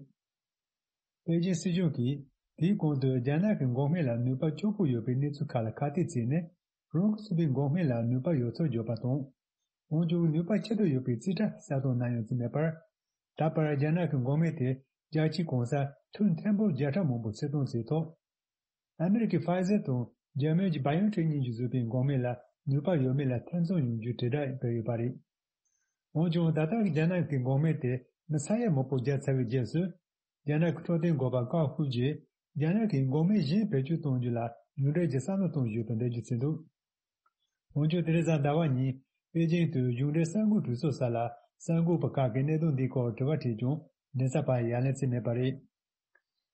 པེ་ཅིན་སྲིད་གཞུང་གིས་དེའི་གོང་དུ་རྒྱ་ནག་གི་འགོག་སྨན་ལ་ནུས་པ་སྐྱོ་པོ་ཡོད་པའི་གནས་ཚུལ་ཁག་ལ་ཁ་གཏད་བྱས་ནས། རང་གིས་བཟོས་པའི་འགོག་སྨན་ལ་ནུས་པ་ཡོད་ཚུལ་བརྗོད་པ་དང་། འོན་ཀྱང་ནུས་པ་ཆེ་དྲགས་ཡོད་པའི་རྩིས་ཁྲ་གསལ་སྟོན་གནང་ཡོད་ཚུལ་མེད་པར། ད་བར་རྒྱ་ནག་གི་འགོག་སྨན་དེ་རྒྱལ་སྤྱིའི་གང་སར་ཐོན་ཐེར་འབུམ་བརྒྱ་ཕྲག་མང་པོ་ཚོད་བཏང་བྱས་ཐོག་ཨ་མི་རི་ཀའི་ཕའི་ཛར་དང་འཇར་མན་གྱི་བྷ་ཡོན་ཊེག་གཉིས་ཀྱིས་བཟོས་པའི་འགོག་སྨན་ལ་ནུས་པ་ཡོད་མེད་ལ་ཐེ་ཚོམ་ཡོང་རྒྱུའི་དྲིལ་བསྒྲགས་སྤེལ་ཡོད་པ་རེད། འོན་ཀྱང་ད་ལྟ་གི་རྒྱ་ནག་གི་འགོག་སྨན་དེ་མི་ས་ཡ་མང་པོ་བརྒྱབ་ཚར་བའི་རྗེས་སུ། རྒྱ་ནག་གི་འཕྲོད་བསྟེན་འགོ་པ་ཀའོ་ཧུའུ་ཅིས་རྒྱ་ནག་གིས་འགོག་སྨན་གཞན་བེད་སྤྱོད་གཏོང་རྒྱུ་ལ་ཡོངས་འབྲེལ་གྱི་བསམ་བློ་གཏོང་བཞིན་ཡོད་པའི་འགྲེལ་བརྗོད་བྱས་འདུག་འོན་ཀྱང་དེ་རིང་གཟའ་ཟླ་བ་ཉིན་པེ་ཅིང་དུ་གཞུང་འབྲེལ་གསར་འགོད་གྲོས་ཚོགས་ས་ལ་གསར་འགོད་པ་ཁག་གིས་གནད་དོན་འདིའི་སྐོར་དྲི་བ་དྲིས་ཀྱང་མགྲིན་ཚབ་པ་ཡང་ལན་བྱས་མེད་པ་རེད།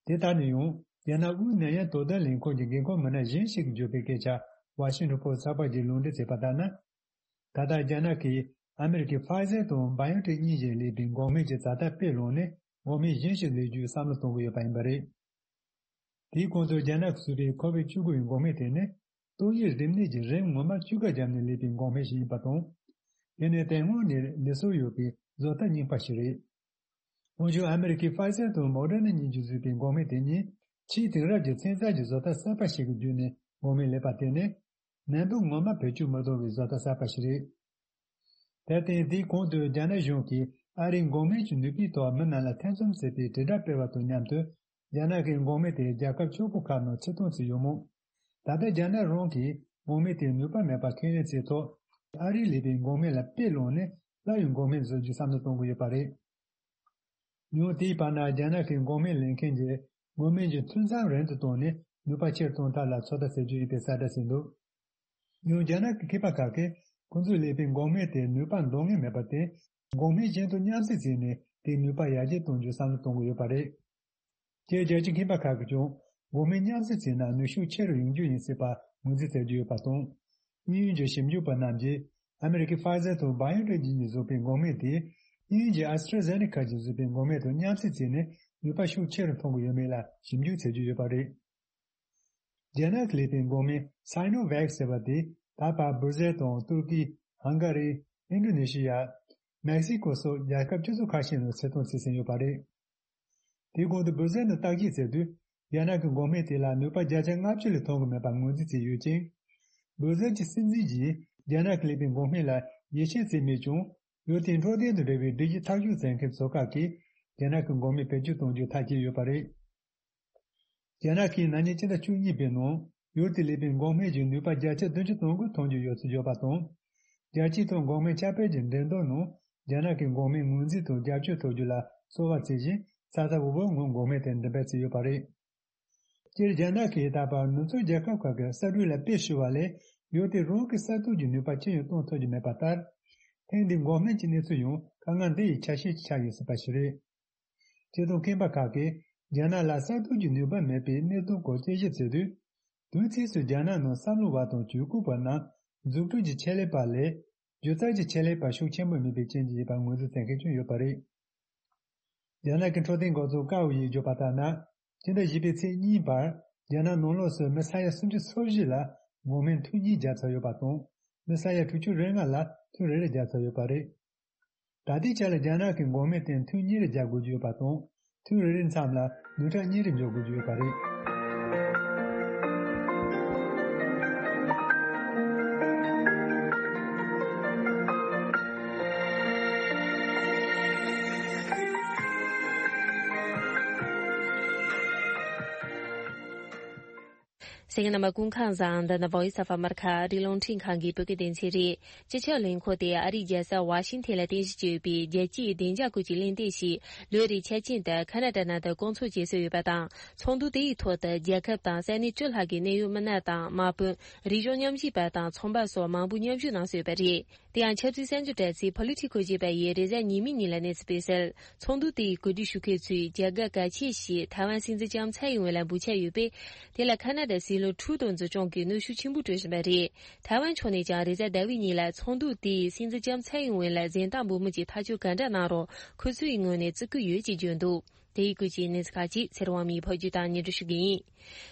དེ་ལྟར་ན་ཡང་ རྒྱ་ནག་དབུས་ནད་ཡམས་དོ་དམ་ལས་ཁུངས་ཀྱི་འགན་ཁུར་མི་སྣ་གཞན་ཞིག་གིས་བརྗོད་པའི་སྐད་ཆར་ཝ་ཤིང་ཊོན་པོ་སི་ཊི་གསར་པ་ཞིག་ལུང་འདྲེན་བྱས་པ་ལྟར་ན། ད་ལྟ་རྒྱ་ནག་གིས་ཨ་མེ་རི་ཁའི་ཕའི་ཟེར་དང་བྷའི་ཨོན་ཊེག་གཉིས་བཞིན་ལས་པའི་འགོག་སྨན་གྱི་ཛ་དྲག་དཔེ་བླངས་ནས་འགོག་སྨན་གཞན་ཞིག་ལས་རྒྱུའི་བསམ་བློ་གཏོང་གི་ཡོད་པ་ཡིན་པ་རེད། དེའི་གོང་དུ་རྒྱ་ནག་གིས་བཟོས་པའི་ཁོ་བིཌ་བཅུ་དགུ་ཡི་འགོག་སྨན་དེ་ནི་ཏོག་དབྱིབས་རིམས་ནད་ཀྱི་རིམས་ངོ་མ་བཅོས་ཁ་བརྒྱབ་ནས་ལས་པའི་འགོག་སྨན་ཞིག་ཡིན་པ་དང་། དེ་ནི་དེ་སྔོན་ནས་ལུས་སྲོལ་ཡོད་པའི་བཟོ་ལྟ་རྙིང་པ་ཞིག་རེད། འོན་ཀྱང་ཨ་མེ་རི་ཁའི་ཕའི་ཟེར་དང་མོ་ཌར་ན་གཉིས་ཀྱིས་བཟོས་པའི་འགོག་སྨན་དེ་གཉིས་ཆེས་དེང་རབས་ཀྱི་ཚན་རྩལ་གྱི་བཟོ་ལྟ་གསར་པ་ཞིག་གི་བརྒྱུད་ནས་འགོག་སྨན་ལས་པ་དེ་ནི། ནད་འབུ་ངོ་མ་བེད་སྤྱོད་མི་གཏོང་བའི་བཟོ་ལྟ་གསར་པ་ཞིག་རེད། དེར་བརྟེན་དེའི་གོང་དུ་རྒྱ་ནག་གཞུང་གིས་ཨ་རིའི་འགོག་སྨན་གྱི་ནུས་པའི་ཐོག་མི་རྣམས་ལ་ཐེ་ཚོམ་ཟ་བའི་དྲིལ་བསྒྲགས་སྤེལ་བ་དང་མཉམ་དུ། རྒྱ་ནག་གི་འགོག་སྨན་དེ་རྒྱལ་ཁབ་ཕྱུག་པོ་ཁག་ནང་ཕྱིར་གཏོང་བྱས་ཡོད་མོད། ད་ལྟ་རྒྱ་ནག་རང་གིས་འགོག་སྨན་དེ་ནུས་པ་མེད་པ་ཁས་ལེན་བྱས་ཐོག་ཨ་རིའི་ལས་པའི་འགོག་སྨན་ལ་དཔེ་བླངས་ནས་སླར་ཡང་འགོག་སྨན་བཟོ་རྒྱུའི་བསམ་བློ་གཏོང་གི་ཡོད་པ་རེད། ཡང་དེའི་བར་ན་རྒྱ་ནག་གི་འགོག་སྨན་ལེན་མཁན་གྱིས་འགོག་སྨན་གྱི་འཐུས་ཚང་རིང་དུ་བཏང་ནས་ནུས་པ་ཆེར་གཏོང་ཐབས་ལ་ཚོད་ལྟ་བྱེད་རྒྱུ་ཡིན་པའི་གསལ་བསྒྲགས་བྱས་འདུག་ཡང་རྒྱ་ནག་གི་མཁས་པ་ཁག་གིས་ཁོང་ཚོས་ལས་པའི་འགོག་སྨན་དེ་ནུས་པ་འདང་ངེས་མེད་པར་བརྟེན། འགོག་སྨན་གཞན་དང་མཉམ་བསྲེས་བྱས་ནས་དེའི་ནུས་པ་ཡར་རྒྱས་གཏོང་རྒྱུའི་བསམ་བློ་གཏོང་གི་ཡོད་པ་རེད། སྤྱིར་རྒྱལ་སྤྱིའི་མཁས་པ་ཁག་གིས་ཀྱང་འགོག་སྨན་མཉམ་བསྲེས་བྱས་ན་ནུས་ཤུགས་ཆེ་རུ་ཡོང་རྒྱུ་ཡིན་སྲིད་པ་ངོས་འཛིན་བྱེད་ཀྱི་ཡོད་པ་དང་། དབྱིན་ཡུལ་གྱི་ཞིབ་འཇུག་པ་རྣམས་ཀྱིས་ཨ་མེ་རི་ཁའི་ཕའི་ཟེར་དང་བྷའི་ཨོན་ཊེག་གཉིས་ཀྱིས་བཟོས་པའི་འགོག་སྨན་དེ་དབྱིན་ཡུལ་གྱི་ཨེ་སི་ཊྲ་ཛེ་ནེ་ཀ་གིས་བཟོས་པའི་འགོག་སྨན་དང་མཉམ་བསྲེས་བྱས་ནས་ནུས་པ་ཤུགས་ཆེ་རུ་གཏོང་གི་ཡོད་མེད་ལ་ཞིབ་འཇུག་བྱེད་ཀྱི་ཡོད་པ་རེད། རྒྱ་ནག་གི་ལས་པའི་འགོག་སྨན་སའི་ནོ་ཝེག་ཟེར་བ་དེ་ད་བར་སྦུར་ཟེར་དང་ཏུར་ཀི། ཧང་ག་རི། ཨིན་ཌོ་ནེ་ཤི་ཡ། མེག་སི་ཀོ་སོགས་རྒྱལ་ཁབ་ཆུ་ཚོད་ཁ་ཤས་ནང་ཕྱིར་གཏོང་བྱས་ཟིན་ཡོད་པ་རེད། དེའི་གོང་དུ་སྦུར་ཟེར་ནང་བརྟག་དཔྱད་བྱས་དུས། རྒྱ་ནག་གི་འགོག་སྨན་དེ་ལ་ནུས་པ་བརྒྱ་ཆ་ལྔ་བཅུ་ལས་མཐོ་གི་མེད་པ་ངོས་འཛིན་བྱས་ཡོད་ཅིང་། སྦུར་ཟེར་གྱི་སྲིད་འཛིན་གྱིས་རྒྱ་ནག་གི་ལས་པའི་འགོག་སྨན་ལ་ཡིད་ཆེས་བྱས་མེད་ཀྱང་། ཡུལ་དེའི་འཕྲོད་བསྟེན་དང་འབྲེལ་བའི་སྒྲིག་གཞི་ཐག་གཅོད་མཛད་མཁན་ཚོ་ཁག་གིས་རྒྱ་ནག་གི་འགོག་སྨན་བེད་སྤྱོད་གཏོང་རྒྱུ་མཐའ་སྐྱེལ་ཡོད་པ་རེད། རྒྱ་ནག་གིས་ན་ནིང་སྤྱི་ཟླ་བཅུ་གཉིས་པའི་ནང་ཡུལ་དེའི་ལས་པའི་འགོག་སྨན་གྱི་ནུས་པ་བརྒྱ་ཆ་བདུན་ཅུ་དོན་དགུ་གཏོང་རྒྱུ་ཡོད་ཚུལ་བརྗོད་པ་དང་། རྒྱལ་སྤྱིའི་ཐོག་འགོག་སྨན་ཁྱབ་སྤེལ་གྱི་འགྲན་བསྡུར་ནང་རྒྱ་ནག་གི་འགོག་སྨན་ངོས་འཛིན་དང་རྒྱབ་སྐྱོར་ཐོབ་རྒྱུ་ལ་བསུ་བ་བྱེད་བཞིན་ས་ཐག་འུ་བོ་ངང་འགོག་སྨན་དེ་འགྲེམས་སྤེལ་བྱས་ཡོད་པ་རེད། སྤྱིར་རྒྱ་ནག་གིས་ད་བར་ནུབ་ཕྱོགས་རྒྱལ་ཁབ་ཁག་གི་གསར་སྐྲུན་ལ་དཔེ་བཤུ་བ་ལས་ཡུལ་དེ་རང་གི་གསར་གཏོད་ཀྱི་ནུས་པ་ཅི་ཡང་གཏོང་ཐུབ་ཀྱི་མེད་པ་ལྟར། ཐེངས་འདིའི་འགོག་སྨན་གྱི་གནས་ཚུལ་ཡང་དཀའ་ངལ་འདི་ཡི་ཆ་ཤས་ཤིག་ཆགས་ཡོད་སྲིད་པ་ཞིག་རེད། སྤྱིར་བཏང་མཁས་པ་ཁག་གིས་རྒྱ་ནག་ལ་གསར་གཏོད་ཀྱི་ནུས་པ་མེད་པའི་གནད་དོན་སྐོར་དཔྱད་ཞིབ་བྱས་དུས། དུས་མཚུངས་སུ་རྒྱ་ནག་ནང་བསམ་བློ་བ་དང་ཇུས་འགོད་པ་རྣམས་འཛུགས་སྐྲུན་གྱི་ཆེད་ལས་པ་ལས་སྒྱུ་རྩལ་གྱི་ཆེད་ལས་པ་ཤུགས་ཆེན་པོ་མིན་པའི་རྐྱེན་གྱིས་ཡིན་པ་ངོས་འཛིན་བྱེད་མཁན་ཀྱང་ཡོད་པ་རེད། རྒྱ་ནག་གི་འཕྲོད་བསྟེན་འགོ་ཚུགས་ཀའོ་ཡིས་བརྗོད་པ་ལྟར་ན། སྤྱི་ཟླ་བཞི་པའི་ཚེས་གཉིས་བར་རྒྱ་ནག་ནང་ལོགས་སུ་མི་ས་ཡ་སུམ་ཅུ་སོ་བཞི་ལ་འགོག་སྨན་ཐུན་གཉིས་བརྒྱབ་ཚར་ཡོད་པ་དང་། མི་ས་ཡ་དྲུག་ཅུ་རེ་ལྔ་ལ་ཐུན་རེ་རེ་བརྒྱབ་ཚར་ཡོད་པ་རེད། ད་ལྟའི་ཆ་ལ་རྒྱ་ནག་གི་འགོག་སྨན་དེ་ཐུན་གཉིས་རེ་རྒྱག་དགོས་ཀྱི་ཡོད་པ་དང་། ཐུན་རེ་རེའི་མཚམས་ལ་ནོར་ཁྲལ་གཉིས་རེ་འཇོག་དགོས་ཀྱི་ཡོད་པ་རེད། གསན་མཁན་རྣམ་པ་སྐུ་ཁམས་བཟང་། འདི་ནི་Voice of America ཨ་རིའི་རླུང་འཕྲིན་ཁང་གི་བོད་སྐད་སྡེ་ཚན་རེད། སྤྱི་ཁྱབ་ལས་ཁུངས་དེ་ཨ་རིའི་རྒྱལ་ས་ཝ་ཤིང་ཐན་ལ་རྟེན་གཞི་བྱས་ཡོད་པའི་རྒྱལ་སྤྱིའི་བདེ་འཇགས་སྐོར་གྱི་གླེང་སྟེགས་ཤིག་ལོ་རེའི་འཆར་ཅན་དུ་ཁ་ན་ཌ་ནང་དུ་བསྐོང་ཚོགས་བྱེད་སྲོལ་ཡོད་པ་དང་། ཚོགས་འདུ་དེའི་ཐོག་ཏུ་རྒྱལ་ཁབ་དང་ས་གནས་བཅུ་ལྷག་གི་གནད་ཡོད་མི་སྣ་དང་དམག་དཔོན། རིག་གཞུང་མཉམ་ཞུགས་པ་དང་ཚོང་པ་སོགས་མང་པོ་མཉམ་ཞུགས་གནང་སྲོལ་ཡོད་པ་རེད། དེ་ཡང་ཆབ་སྲིད་གསར་འགྱུར་དྲ་ཚིགས་Politico ཞེས་པ་ཡིས་རེས་གཟའ་ཉི་མའི་ཉིན་ལ་གནས་ཚུལ་སྤེལ་གསལ། ཚོགས་འདུ་དེའི་གོ་སྒྲིག་ཞུ་མཁན་ཚོས་རྒྱ་སྒར་གལ་ཆེ་ཞིག་ཐའེ་ཝན་སྲིད་འཛིན་ལྕམ་ཚའེ་ཡིན་ཝེ་ལ་འབུལ་འཆར་ཡོད་པས། དེ་ལ་ཁ་ན་ཌ་སྲིད་བློན་ཁྲུ་ཏོ་འཛིན་སྐྱོང་གིས་གནོན་ཤུགས་ཆེན་པོ་སྤྲོད་བཞིན་པ་རེད། ཐའེ་ཝན་ཕྱོགས་ནས་ཀྱང་རེས་གཟའ་ཟླ་བའི་ཉིན་ལ་ཚོགས་འདུ་དེས་སྲིད་འཛིན་ལྕམ་ཚའེ་ཡིན་ཝེ་ལ་གཟེངས་རྟགས་འབུལ་མིན་གྱི་ཐག་གཅོད་ག་འདྲ་གནང་རུང་ཁོ་ཚོའི་ངོས་ནས་བརྩི་བཀུར་ཡོད་ཅེས་བརྗོད་འདུག་དེ་ཡི་སྐོར་གྱི་གནས་ཚུལ་ཁག་ཅིག་ཚེ་རིང་དབང་མོས་ཕབ་སྒྱུར་དང་སྙན་སྒྲོན་ཞུ་གི་ཡིན།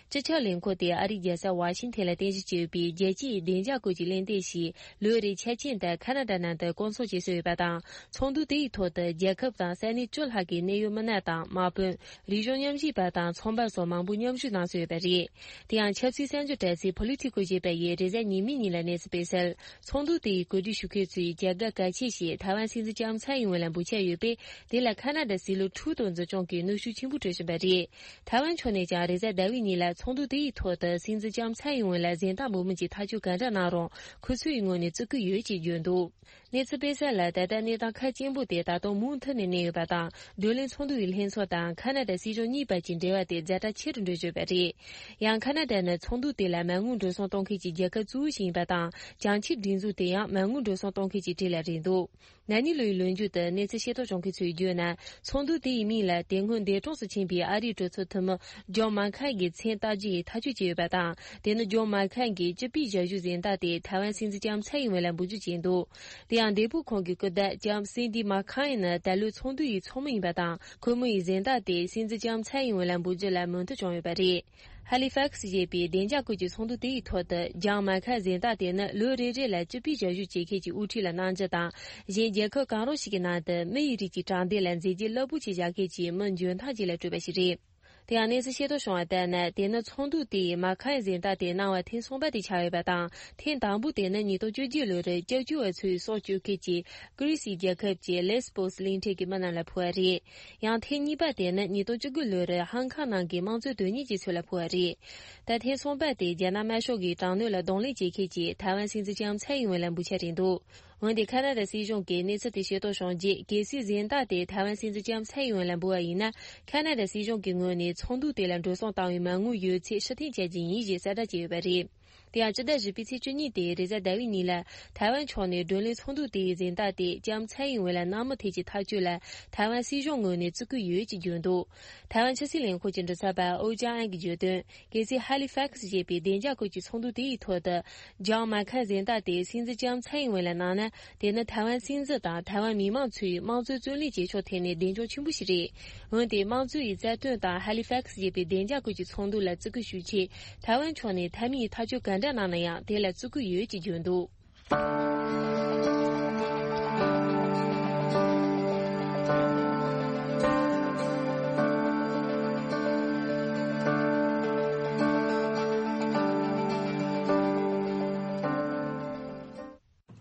སྤྱི་ཁྱབ་ལས་ཁུངས་དེ་ཨ་རིའི་རྒྱལ་ས་ཝ་ཤིང་ཐན་ལ་རྟེན་གཞི་བྱས་ཡོད་པའི་རྒྱལ་སྤྱིའི་བདེ་འཇགས་སྐོར་གྱི་གླེང་སྟེགས་ཤིག་ལོ་རེའི་འཆར་ཅན་དུ་ཁ་ན་ཌ་ནང་དུ་བསྐོང་ཚོགས་བྱེད་སྲོལ་ཡོད་པ་དང་། ཚོགས་འདུ་དེའི་ཐོག་ཏུ་རྒྱལ་ཁབ་དང་ས་གནས་བཅུ་ལྷག་གི་གནད་ཡོད་མི་སྣ་དང་དམག་དཔོན། རིག་གཞུང་མཉམ་ཞུགས་པ་དང་ཚོང་པ་སོགས་མང་པོ་མཉམ་ཞུགས་གནང་སྲོལ་ཡོད་པ་རེད། དེ་ཡང་ཆབ་སྲིད་གསར་འགྱུར་དྲ་ཚིགས་Politico ཞེས་པ་ཡིས་རེས་གཟའ་ཉི་མའི་ཉིན་ལ་གནས་ཚུལ་སྤེལ་གསལ། ཚོགས་འདུ་དེའི་གོ་སྒྲིག་ཞུ་མཁན་ཚོས་རྒྱ་སྒར་གལ་ཆེ་ཞིག་ཐའེ་ཝན་སྲིད་འཛིན་ལྕམ་ཚའེ་ཡིན་ཝེ་ལ་འབུལ་འཆར་ཡོད་པས། དེ་ལ་ཁ་ན་ཌ་སྲིད་བློན་ཁྲུ་ཏོ་འཛིན་སྐྱོང་གིས་གནོན་ཤུགས་ཆེན་པོ་སྤྲོད་བཞིན་པ་རེད། ཐའེ་ཝན་ཕྱོགས་ནས་ཀྱང་རེས་གཟའ་ཟླ་བའི་ཉིན་ལ་ཚོགས་འདུ་དེའི་ཐོག་ཏུ་སྲིད་འཛིན་ལྕམ་ཚའེ་ཡིན་ཝེ་ལ་གཟེངས་རྟགས་འབུལ་མིན་གྱི་ཐག་གཅོད་ག་འདྲ་གནང་རུང་ཁོ་ཚོའི་ངོས་ནས་བརྩི་བཀུར་ཡོད་ཅེས་བརྗོད་འདུག་གནས་ཚུལ་སྤེལ་གསལ་ལ། ད་ལྟ་གནས་སྟངས་ཁ་སྐྱེངས་པོ་དེ་ད་དུང་མུ་མཐུད་ནས་གནས་ཡོད་པ་དང་། བགྲོ་གླེང་ཚོགས་འདུ་ཡི་ལྷན་ཚོགས་དང་ཁ་ན་ཌ་སྲིད་གཞུང་གཉིས་བར་གྱི་འབྲེལ་བ་དེ་ཛ་དྲག་ཆེ་རུ་འགྲོ་བཞིན་པ་རེད། ཡང་ཁ་ན་ཌ་ནི་ཚོགས་འདུ་དེ་ལ་མ་དངུལ་འགྲོ་སོང་གཏོང་མཁན་གྱི་རྒྱལ་ཁབ་གཙོ་བོ་ཞིག་ཡིན་པ་དང་། བྱང་ཆུབ་སྒྲིག་འཛུགས་དེ་ཡང་མ་དངུལ་འགྲོ་སོང་གཏོང་མཁན་གྱི་གྲས་ལ་རེད་འདུག་ན་ནིང་ལོའི་ལོ་མཇུག་ཏུ་གནས་ཚུལ་ཤེས་རྟོགས་བྱུང་མཁན་ཚོས་བརྗོད་ན། ཚོགས་འདུ་དེ་ཡི་མིང་ལ། དེ་སྔོན་འདས་གྲོངས་སུ་ཕྱིན་པའི་ཨ་རིའི་གྲོས་ཚོགས་འཐུས་མི་ཇོན་མཱ་ཁེན་གྱི་མཚན་རྟགས་བརྒྱུད་ཐག་གཅོད་བྱས་ཡོད་པ་དང་། དེ་ནི་ཇོན་མཱ་ཁེན་གྱི་སྤྱི་པའི་ཞབས་ཞུ་གཟེངས་རྟགས་དེ་ཐའེ་ཝན་སྲིད་འཛིན་ལྕམ་ཚའེ་ཡིན་ཝེ་ལ་འབུལ་རྒྱུ་བྱས་འདུག་དེ་ཡང་འདས་པོ་ཁོང་གི་སྐུ་ཟླ་ལྕམ་སིན་ཌི་མཱ་ཁེན་ནི་ད་ལོའི་ཚོགས་འདུ་ཡི་ཚོགས་མི་ཡིན་པ་དང་། ཁོ་མོ་ཡི་གཟེངས་རྟགས་དེ་སྲིད་འཛིན་ལྕམ་ཚའེ་ཡིན་ཝེ་ལ་འབུལ་རྒྱུ་ལ་མོས་མཐུན་བྱུང་ཡོད་པ་རེད། ཧ་ལི་ཕེག་སི་ཞེས་པའི་བདེ་འཇགས་ཁུལ་གྱི་ཚོགས་འདུ་དེ་ཡི་ཐོག་ཏུ་ཇོན་མཱ་ཁེན་གཟེངས་རྟགས་དེ་ནི་ལོ་རེ་རེ་ལ་སྤྱི་པའི་ཞབས་ཞུ་བྱེད་མཁན་གྱི་དབུ་ཁྲིད་ལ་གནང་རྒྱུ་དང་། གཞན་རྒྱལ་ཁབ་གང་རུང་ཞིག་གི་ནང་དུ་མི་ཡི་རིགས་ཀྱི་དྲང་བདེན་ལ་མཛད་རྗེས་རླབས་པོ་ཆེ་བཞག་མཁན་གྱི་མི་འཇོན་ཐང་ཅན་ལ་སྤྲོད་པ་ཞིག་རེད། དེ་ཡང་གནས་ཚུལ་ཤེས་རྟོགས་བྱུང་བ་ལྟར་ན། དེ་ནི་ཚོགས་འདུ་དེ་ཡི་མཱ་ཁེན་གཟེངས་རྟགས་དེ་གནང་བ་ཐེངས་གསུམ་པ་དེ་ཆགས་ཡོད་པ་དང་། ཐེངས་དང་པོ་དེ་ནི་ཉིས་སྟོང་བཅུ་བརྒྱད་ལོ་རུ་སྐྱབས་བཅོལ་བ་ཚོའི་སྲོག་སྐྱོབ་མཁན་གྱི་ཀི་རི་སི་རྒྱལ་ཁབ་ཀྱི་ལེས་པོ་སི་གླིང་ཕྲན་གྱི་མི་རྣམས་ལ་ཕུལ་བ་རེད། ཡང་ཐེངས་གཉིས་པ་དེ་ནི་ཉིས་སྟོང་བཅུ་དགུ་ལོ་རུ་ཧང་ཀང་ནང་གི་དམངས་གཙོའི་དོན་གཉེར་བྱེད་ཚུལ་ལ་ཕུལ་བ་རེད། ད་ཐེངས་གསུམ་པ་དེ་རྒྱ་ནག་དམར་ཤོག་གི་དྲག་གནོན་ལ་གདོང་ལེན་བྱེད་མཁན་གྱི་ཐའེ་ཝན་སྲིད་འཛིན་ལྕམ་ཚའེ་ཡིན་ཝེ་ལ་འབུལ་འཆར་རེད་འདུག་འོན་ཏེ་ཁ་ན་ཌ་སྲིད་གཞུང་གིས་གནས་ཚུལ་དེ་ཤེས་རྟོགས་བྱུང་རྗེས། གལ་སྲིད་གཟེངས་རྟགས་དེ་ཐའེ་ཝན་སྲིད་འཛིན་ལྕམ་ཚའེ་ཡིན་ཝེ་ལ་འབུལ་བ་ཡིན་ན། ཁ་ན་ཌ་སྲིད་གཞུང་གི་ངོས་ནས་ཚོགས་འདུ་དེ་ལ་འགྲོ་སོང་བཏང་བའི་མ་དངུལ་ཡོད་ཚད་ཕྱིར་འཐེན་བྱ་རྒྱུ་ཡིན་ཞེས་གསལ་བསྒྲགས་བྱས་ཡོད་པ་རེད། དེ་ཡང་སྤྱི་ཟླ་བཞི་པའི་ཚེས་བཅུ་གཉིས་ཏེ་རེས་གཟའ་ཟླ་བའི་ཉིན་ལ་ཐའེ་ཝན་ཕྱོགས་ནས་བགྲོ་གླེང་ཚོགས་འདུ་དེ་ཡི་གཟེངས་རྟགས་དེ་ལྕམ་ཚའེ་ཡིན་ཝེ་ལ་གནང་མུས་ཐད་ཀྱི་ཐག་གཅོད་ལ་ཐའེ་ཝན་སྲིད་གཞུང་ངོས་ནས་བརྩི་བཀུར་ཡོད་ཅེས་བརྗོད་འདུག་ཐའེ་ཝན་ཕྱི་སྲིད་ལས་ཁུངས་ཀྱི་མགྲིན་ཚབ་པ་ཨོ་ཅང་ཨན་གྱིས་བརྗོད་དོན། གལ་སྲིད་ཧ་ལི་ཕེག་སི་ཞེས་པའི་བདེ་འཇགས་ཁུལ་གྱི་ཚོགས་འདུ་དེ་ཡི་ཐོག་ཏུ་ཇོན་མཱ་ཁེན་གཟེངས་རྟགས་དེ་སྲིད་འཛིན་ལྕམ་ཚའེ་ཡིན་ཝེ་ལ་གནང་ན། དེ་ནི་ཐའེ་ཝན་སྲིད་འཛིན་དང་ཐའེ་ཝན་མི་མང་ཚོའི་དམངས་གཙོའི་རྩོད་ལེན་བྱེད་ཕྱོགས་ཐད་ནས་གདེང་འཇོག་ཆེན་པོ་ཞིག་རེད། འོན་ཏེ་དམངས་གཙོ་ཡི་རྩ་དོན་དང་ཧ་ལི་ཕེག་སི་ཞེས་པའི་བདེ་འཇགས་ཁུལ་གྱི་ཚོགས་འདུ་ལ་བརྩི་བཀུར་ཞུ་ཆེད་ཐའེ་ཝན་ཕྱོགས་ནས་མཐའ་མའི་ཐག་གཅོད་ག་འདྲ་གནང་ན་ཡང་དེ་ལ་བརྩི་བཀུར་ཡོད་ཅེས་བརྗོད་འདུག་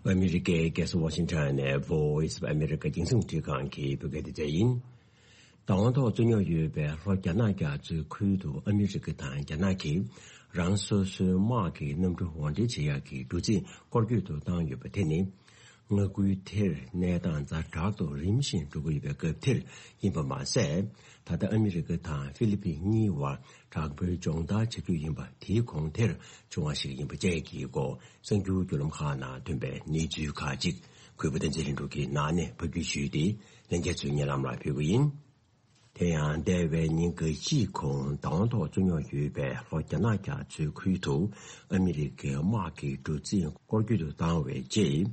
ཨ་མི་རི་ཀའི་རྒྱལ་ས་ཝ་ཤིང་ཊོན་ནས་Voice of America་རྒྱང་སྲིང་རླུང་འཕྲིན་ཁང་གི་བོད་སྐད་སྡེ་ཚན་ཡིན། བདག་དབང་ཐོག་རྩོད་རྙོག་ཡོད་པའི་ལྷོ་རྒྱ་ནག་རྒྱ་མཚོའི་ཁུལ་དུ་ཨ་མི་རི་ཀ་དང་རྒྱ་ནག་གིས་རང་སོ་སོའི་དམག་གི་གནམ་གྲུ་འོར་འདྲེན་བྱེད་ཡག་གི་གྲུ་གཟིངས་སྐོར་སྐྱོད་དུ་བཏང་ཡོད་པ་དེ་ནི། མངའ་ཁུལ་དེར་གནས་སྟངས་ཛ་དྲག་ཏུ་རིམ་བཞིན་འགྲོ་གི་ཡོད་པའི་སྐབས་དེར་ཡིན་པ་མ་ཟད། ད་ལྟ་ཨ་མི་རི་ཀ་དང་ཧྥི་ལི་པིན་གཉིས་བར་དྲག་པོའི་སྦྱོང་བརྡར་བྱ་རྒྱུ་ཡིན་པ་དེའི་གོང་དེར་བྱུང་བ་ཞིག་ཡིན་པ་བཅས་ཀྱི་སྐོར་གསར་འགྱུར་བརྒྱུད་ལམ་ཁག་ནང་ཐོན་པའི་གནས་ཚུལ་ཁག་ཅིག་གུས་པ་བསྟན་འཛིན་ལྷུན་གྲུབ་ཀྱིས་ནང་ནས་ཕབ་སྒྱུར་ཞུས་ཏེ་ལྷན་རྒྱས་ཚོའི་སྙན་ལམ་ལ་ཕུལ་གྱི་ཡིན། དེ་ཡང་འདས་པའི་ཉིན་འགའ་ཤས་གོང་བདག་དབང་ཐོག་རྩོད་རྙོག་ཡོད་པའི་ལྷོ་རྒྱ་ནག་རྒྱ་མཚོའི་ཁུལ་དུ་ཨ་མི་རི་ཀའི་དམག་གི་གྲུ་གཟིངས་སྐོར་སྐྱོད་དུ་བཏང་བའི་རྗེས།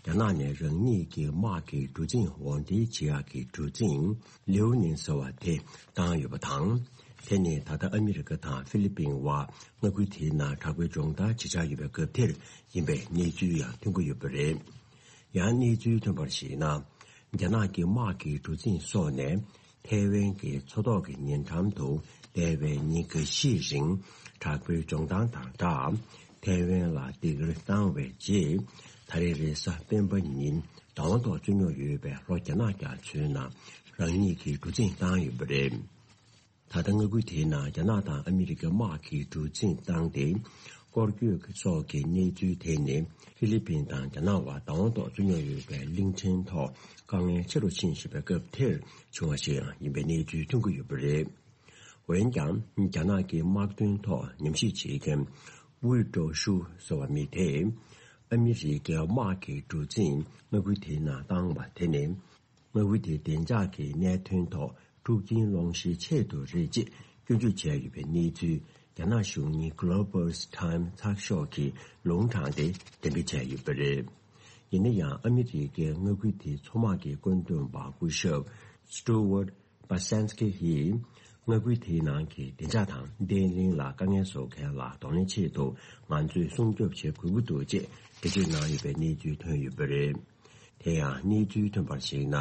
རྒྱ་ནག་ནས་རང་ཉིད་ཀྱི་དམག་གི་གྲུ་གཟིངས་འོར་འདྲེན་བྱེད་ཡག་གི་གྲུ་གཟིངས་ལེའུ་ནིང་ཟེར་བ་དེ་བཏང་ཡོད་པ་དང་། དེ་ནི་ད་ལྟ་ཨ་མི་རི་ཀ་དང་ཧྥི་ལི་པིན་བར་མངའ་ཁུལ་དེའི་ནང་དྲག་པོའི་སྦྱོང་བརྡར་བྱེད་འཆར་ཡོད་པའི་སྐབས་དེར་ཡིན་པའི་གནས་ཚུལ་ཡང་ཐོན་གྱི་ཡོད་པ་རེད། ཡང་གནས་ཚུལ་ཐོན་པར་གཞིགས་ན། རྒྱ་ནག་གི་དམག་གི་གྲུ་གཟིངས་སོགས་ནས་ཐའེ་ཝན་གྱི་མཚོ་ཐོག་གི་ཉེ་འགྲམ་དུ་འདས་པའི་ཉིན་འགའ་ཤས་རིང་དྲག་པོའི་སྦྱོང་བརྡར་དང་སྦྲགས། ཐའེ་ཝན་ལ་སྡིགས་ར་བཏང་བའི་རྗེས། ད་རེས་རེས་གཟའ་སྤེན་པ་ཉིན་བདག་དབང་ཐོག་རྩོད་རྙོག་ཡོད་པའི་ལྷོ་རྒྱ་ནག་རྒྱ་མཚོའི་ནང་རང་ཉིད་ཀྱི་གྲུ་གཟིངས་བཏང་ཡོད་པ་རེད། ད་ལྟ་མངའ་ཁུལ་དེའི་ནང་རྒྱ་ནག་དང་ཨ་མི་རི་ཀའི་དམག་གི་གྲུ་གཟིངས་བཏང་སྟེ། སྐོར་སྐྱོད་སོགས་ཀྱི་གནས་ཚུལ་དེ་ནི་ཧྥི་ལི་པིན་དང་རྒྱ་ནག་བར་བདག་དབང་ཐོག་རྩོད་རྙོག་ཡོད་པའི་གླིང་ཕྲན་ཐོག་དཀའ་ངལ་ཆེ་རུ་ཕྱིན་བཞིན་པའི་སྐབས་དེར་བྱུང་བ་ཞིག་ཡང་ཡིན་པའི་གནས་ཚུལ་ཐོན་གྱི་ཡོད་པ་རེད། འོན་ཀྱང་རྒྱ་ནག་གི་དམག་དོན་ཐོག་ཉམས་ཞིབ་བྱེད་མཁན་ཝུའུ་ཀྲོ་ཧྲུའུ་ཟེར་བ་མི་དེས། ཨ་མི་རི་ཀའི་དམག་གི་གྲུ་གཟིངས་མངའ་ཁུལ་དེའི་ནང་བཏང་བ་དེ་ནི། མངའ་ཁུལ་དེའི་བདེ་འཇགས་ཀྱི་གནད་དོན་ཐོག་འཁྲུག་རྐྱེན་སློང་གཞིའི་ཆེད་དུ་རེད་ཅེས་སྐྱོན་བརྗོད་བྱས་ཡོད་པའི་གནས་ཚུལ་རྒྱ་ནག་གཞུང་གཉེར་Global's Time་ཚགས་ཤོག་གིས་ལུང་དྲངས་ཏེ་འགྲེམས་སྤེལ་བྱས་ཡོད་པ་རེད། ཡིན་ན་ཡང་ཨ་མི་རི་ཀའི་མངའ་ཁུལ་དེའི་མཚོ་དམག་གི་བཀོད་འདོམས་པ་སྐུ་ཞབས་Stuart Basinski་ཡིས། མངའ་ཁུལ་དེའི་ནང་གི་བདེ་འཇགས་དང་བརྟན་ལྷིང་ལ་དཀའ་ངལ་བཟོ་མཁན་ལ་གདོང་ལེན་ཆེད་དུ་ང་ཚོས་སྲུང་སྐྱོབ་བྱེད་དགོས་ཀྱི་འདུག་ཅེས་འགྲེལ་བརྗོད་གནང་ཡོད་པའི་གནས་ཚུལ་ཐོན་ཡོད་པ་རེད། དེ་ཡང་གནས་ཚུལ་ཐོན་པར་གཞིགས་ན།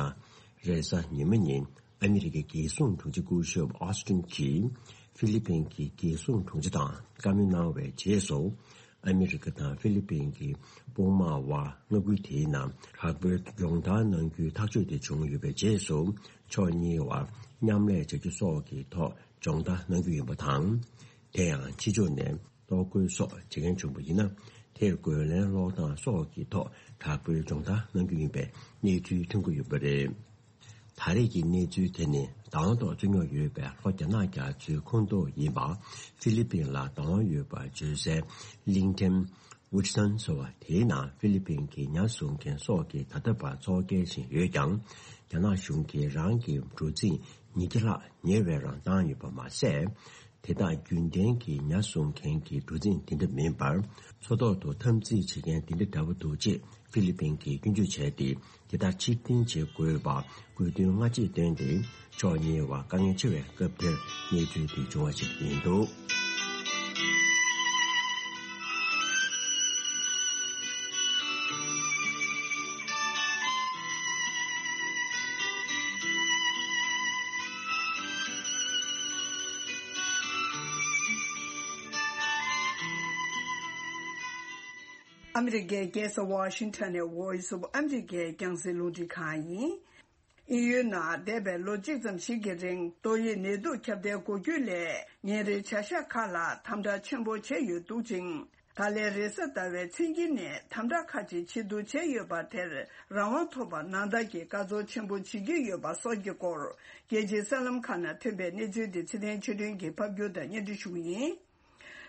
རེས་གཟའ་ཉི་མ་ཉིན་ཨ་མི་རི་ཀའི་རྒྱལ་སྲུང་དྲུང་ཆེ་སྐུ་ཞབས་ཨོ་སི་ཏིན་གྱིས་ཧྥི་ལི་པིན་གྱི་རྒྱལ་སྲུང་དྲུང་ཆེ་དང་བཀའ་མོལ་གནང་བའི་རྗེས་སུ། ཨ་མི་རི་ཀ་དང་ཧྥི་ལི་པིན་གྱི་དཔུང་དམག་དབར་མངའ་ཁུལ་དེའི་ནང་དྲག་པོའི་སྦྱོང་བརྡར་གནང་རྒྱུའི་ཐག་གཅོད་དེ་བྱུང་ཡོད་པའི་རྗེས་སུ། ཕྱོགས་གཉིས་དབར་མཉམ་ལས་བྱ་རྒྱུ་སོགས་ཀྱི་ཐོག་སྦྱོང་བརྡར་གནང་རྒྱུ་ཡིན་པ་དང་། དེ་ཡང་ཕྱི་ཕྱོགས་ནས་གཏོར་རྒོལ་སོགས་བྱེད་མཁན་བྱུང་བ་ཡིན་ན། དེར་རྒོལ་ལན་སློག་སྟངས་སོགས་ཀྱི་ཐོག་དྲག་པོའི་སྦྱོང་བརྡར་གནང་རྒྱུ་ཡིན་པའི་གནས་ཚུལ་ཐོན་གྱི་ཡོད་པ་རེད། ད་རེས་ཀྱི་གནས་ཚུལ་དེ་ནི་བདག་དབང་ཐོག་རྩོད་རྙོག་ཡོད་པའི་ལྷོ་རྒྱ་ནག་རྒྱ་མཚོའི་ཁོངས་གཏོགས་ཡིན་པ། ཧྥི་ལི་པིན་ལ་བདག་དབང་ཡོད་པར་བརྗོད་སའི་གླིང་ཕྲན་ཝུ་ཆི་སན་ཟེར་བ་དེའི་ནང་ཧྥི་ལི་པིན་གྱི་ཉ་བཟོ་མཁན་སོགས་ཀྱིས་ད་ལྟ་བར་འཚོ་སྐྱེལ་བཞིན་ཡོད་ཀྱང་། རྒྱ་ནག་གཞུང་གིས་རང་གི་གྲུ་གཟིངས་ ཉིས་བརྒྱ་ལྷག་ཉེ་བའི་རང་བཏང་ཡོད་པ་མ་ཟད། དེ་དག་རྒྱུན་ལྡན་གྱི་ཉ་བཟུང་མཁན་གྱི་འགྲོ་འཛིང་དེ་འདྲ་མིན་པར། མཚོ་ཐོག་ཏུ་འཐབ་འཛིང་བྱེད་མཁན་དེ་འདྲ་འདྲ་པོ་འདུག་ཅེས་ཧྥི་ལི་པིན་གྱིས་སྐྱོན་བརྗོད་བྱས་ཏེ། དེ་ལྟར་ཕྱིར་འཐེན་བྱེད་དགོས་པ་དགོས་འདུན་སྔ་རྗེས་བཏོན་ཏེ། ཕྱོགས་གཉིས་བར་དཀའ་ངལ་ཆེ་བའི་སྐབས་དེར་གནས་ཚུལ་དེ་བྱུང་བ་ཞིག་ཡིན་འདུག། ཨ་མི་རི་ཀའི་རྒྱལ་ས་ཝ་ཤིང་ཊོན་ནས་Voice of America རྒྱང་སྲིང་རླུང་འཕྲིན་ཁང་ཡིན། དབྱིན་ཡུལ་ནང་འདས་པའི་ལོ་གཅིག་ཙམ་ཞིག་གི་རིང་ཏོག་དབྱིབས་ནད་དུག་ཁྱབ་གདལ་འགོ་རྒྱུ་ལས་ཉིན་རེའི་བྱ་གཞག་ཁག་ལ་དམ་དྲག་ཆེན་པོ་བྱས་ཡོད་འདུག་ཅིང་། ད་ལན་རེས་གཟའ་ཟླ་བའི་མཚན་དཀྱིལ་ནས་དམ་དྲག་ཁག་ཅིག་ཆེ་བསྡུ་བྱས་ཡོད་པ་དེར་རང་དབང་ཐོབ་པར་ནང་ལྟར་གྱི་དགའ་ཚོར་ཆེན་པོ་བྱེད་ཀྱི་ཡོད་པ་སོགས་ཀྱི་སྐོར། རྒྱལ་སྤྱིའི་གསར་ལམ་ཁག་ནང་ཐོན་པའི་གནས་ཚུལ་དེ་ཚེ་བརྟན་ཆོས་སྒྲོན་གྱིས་ཕབ་སྒྱུར་དང་སྙན་སྒྲོན་ཞུ་གི་ཡིན།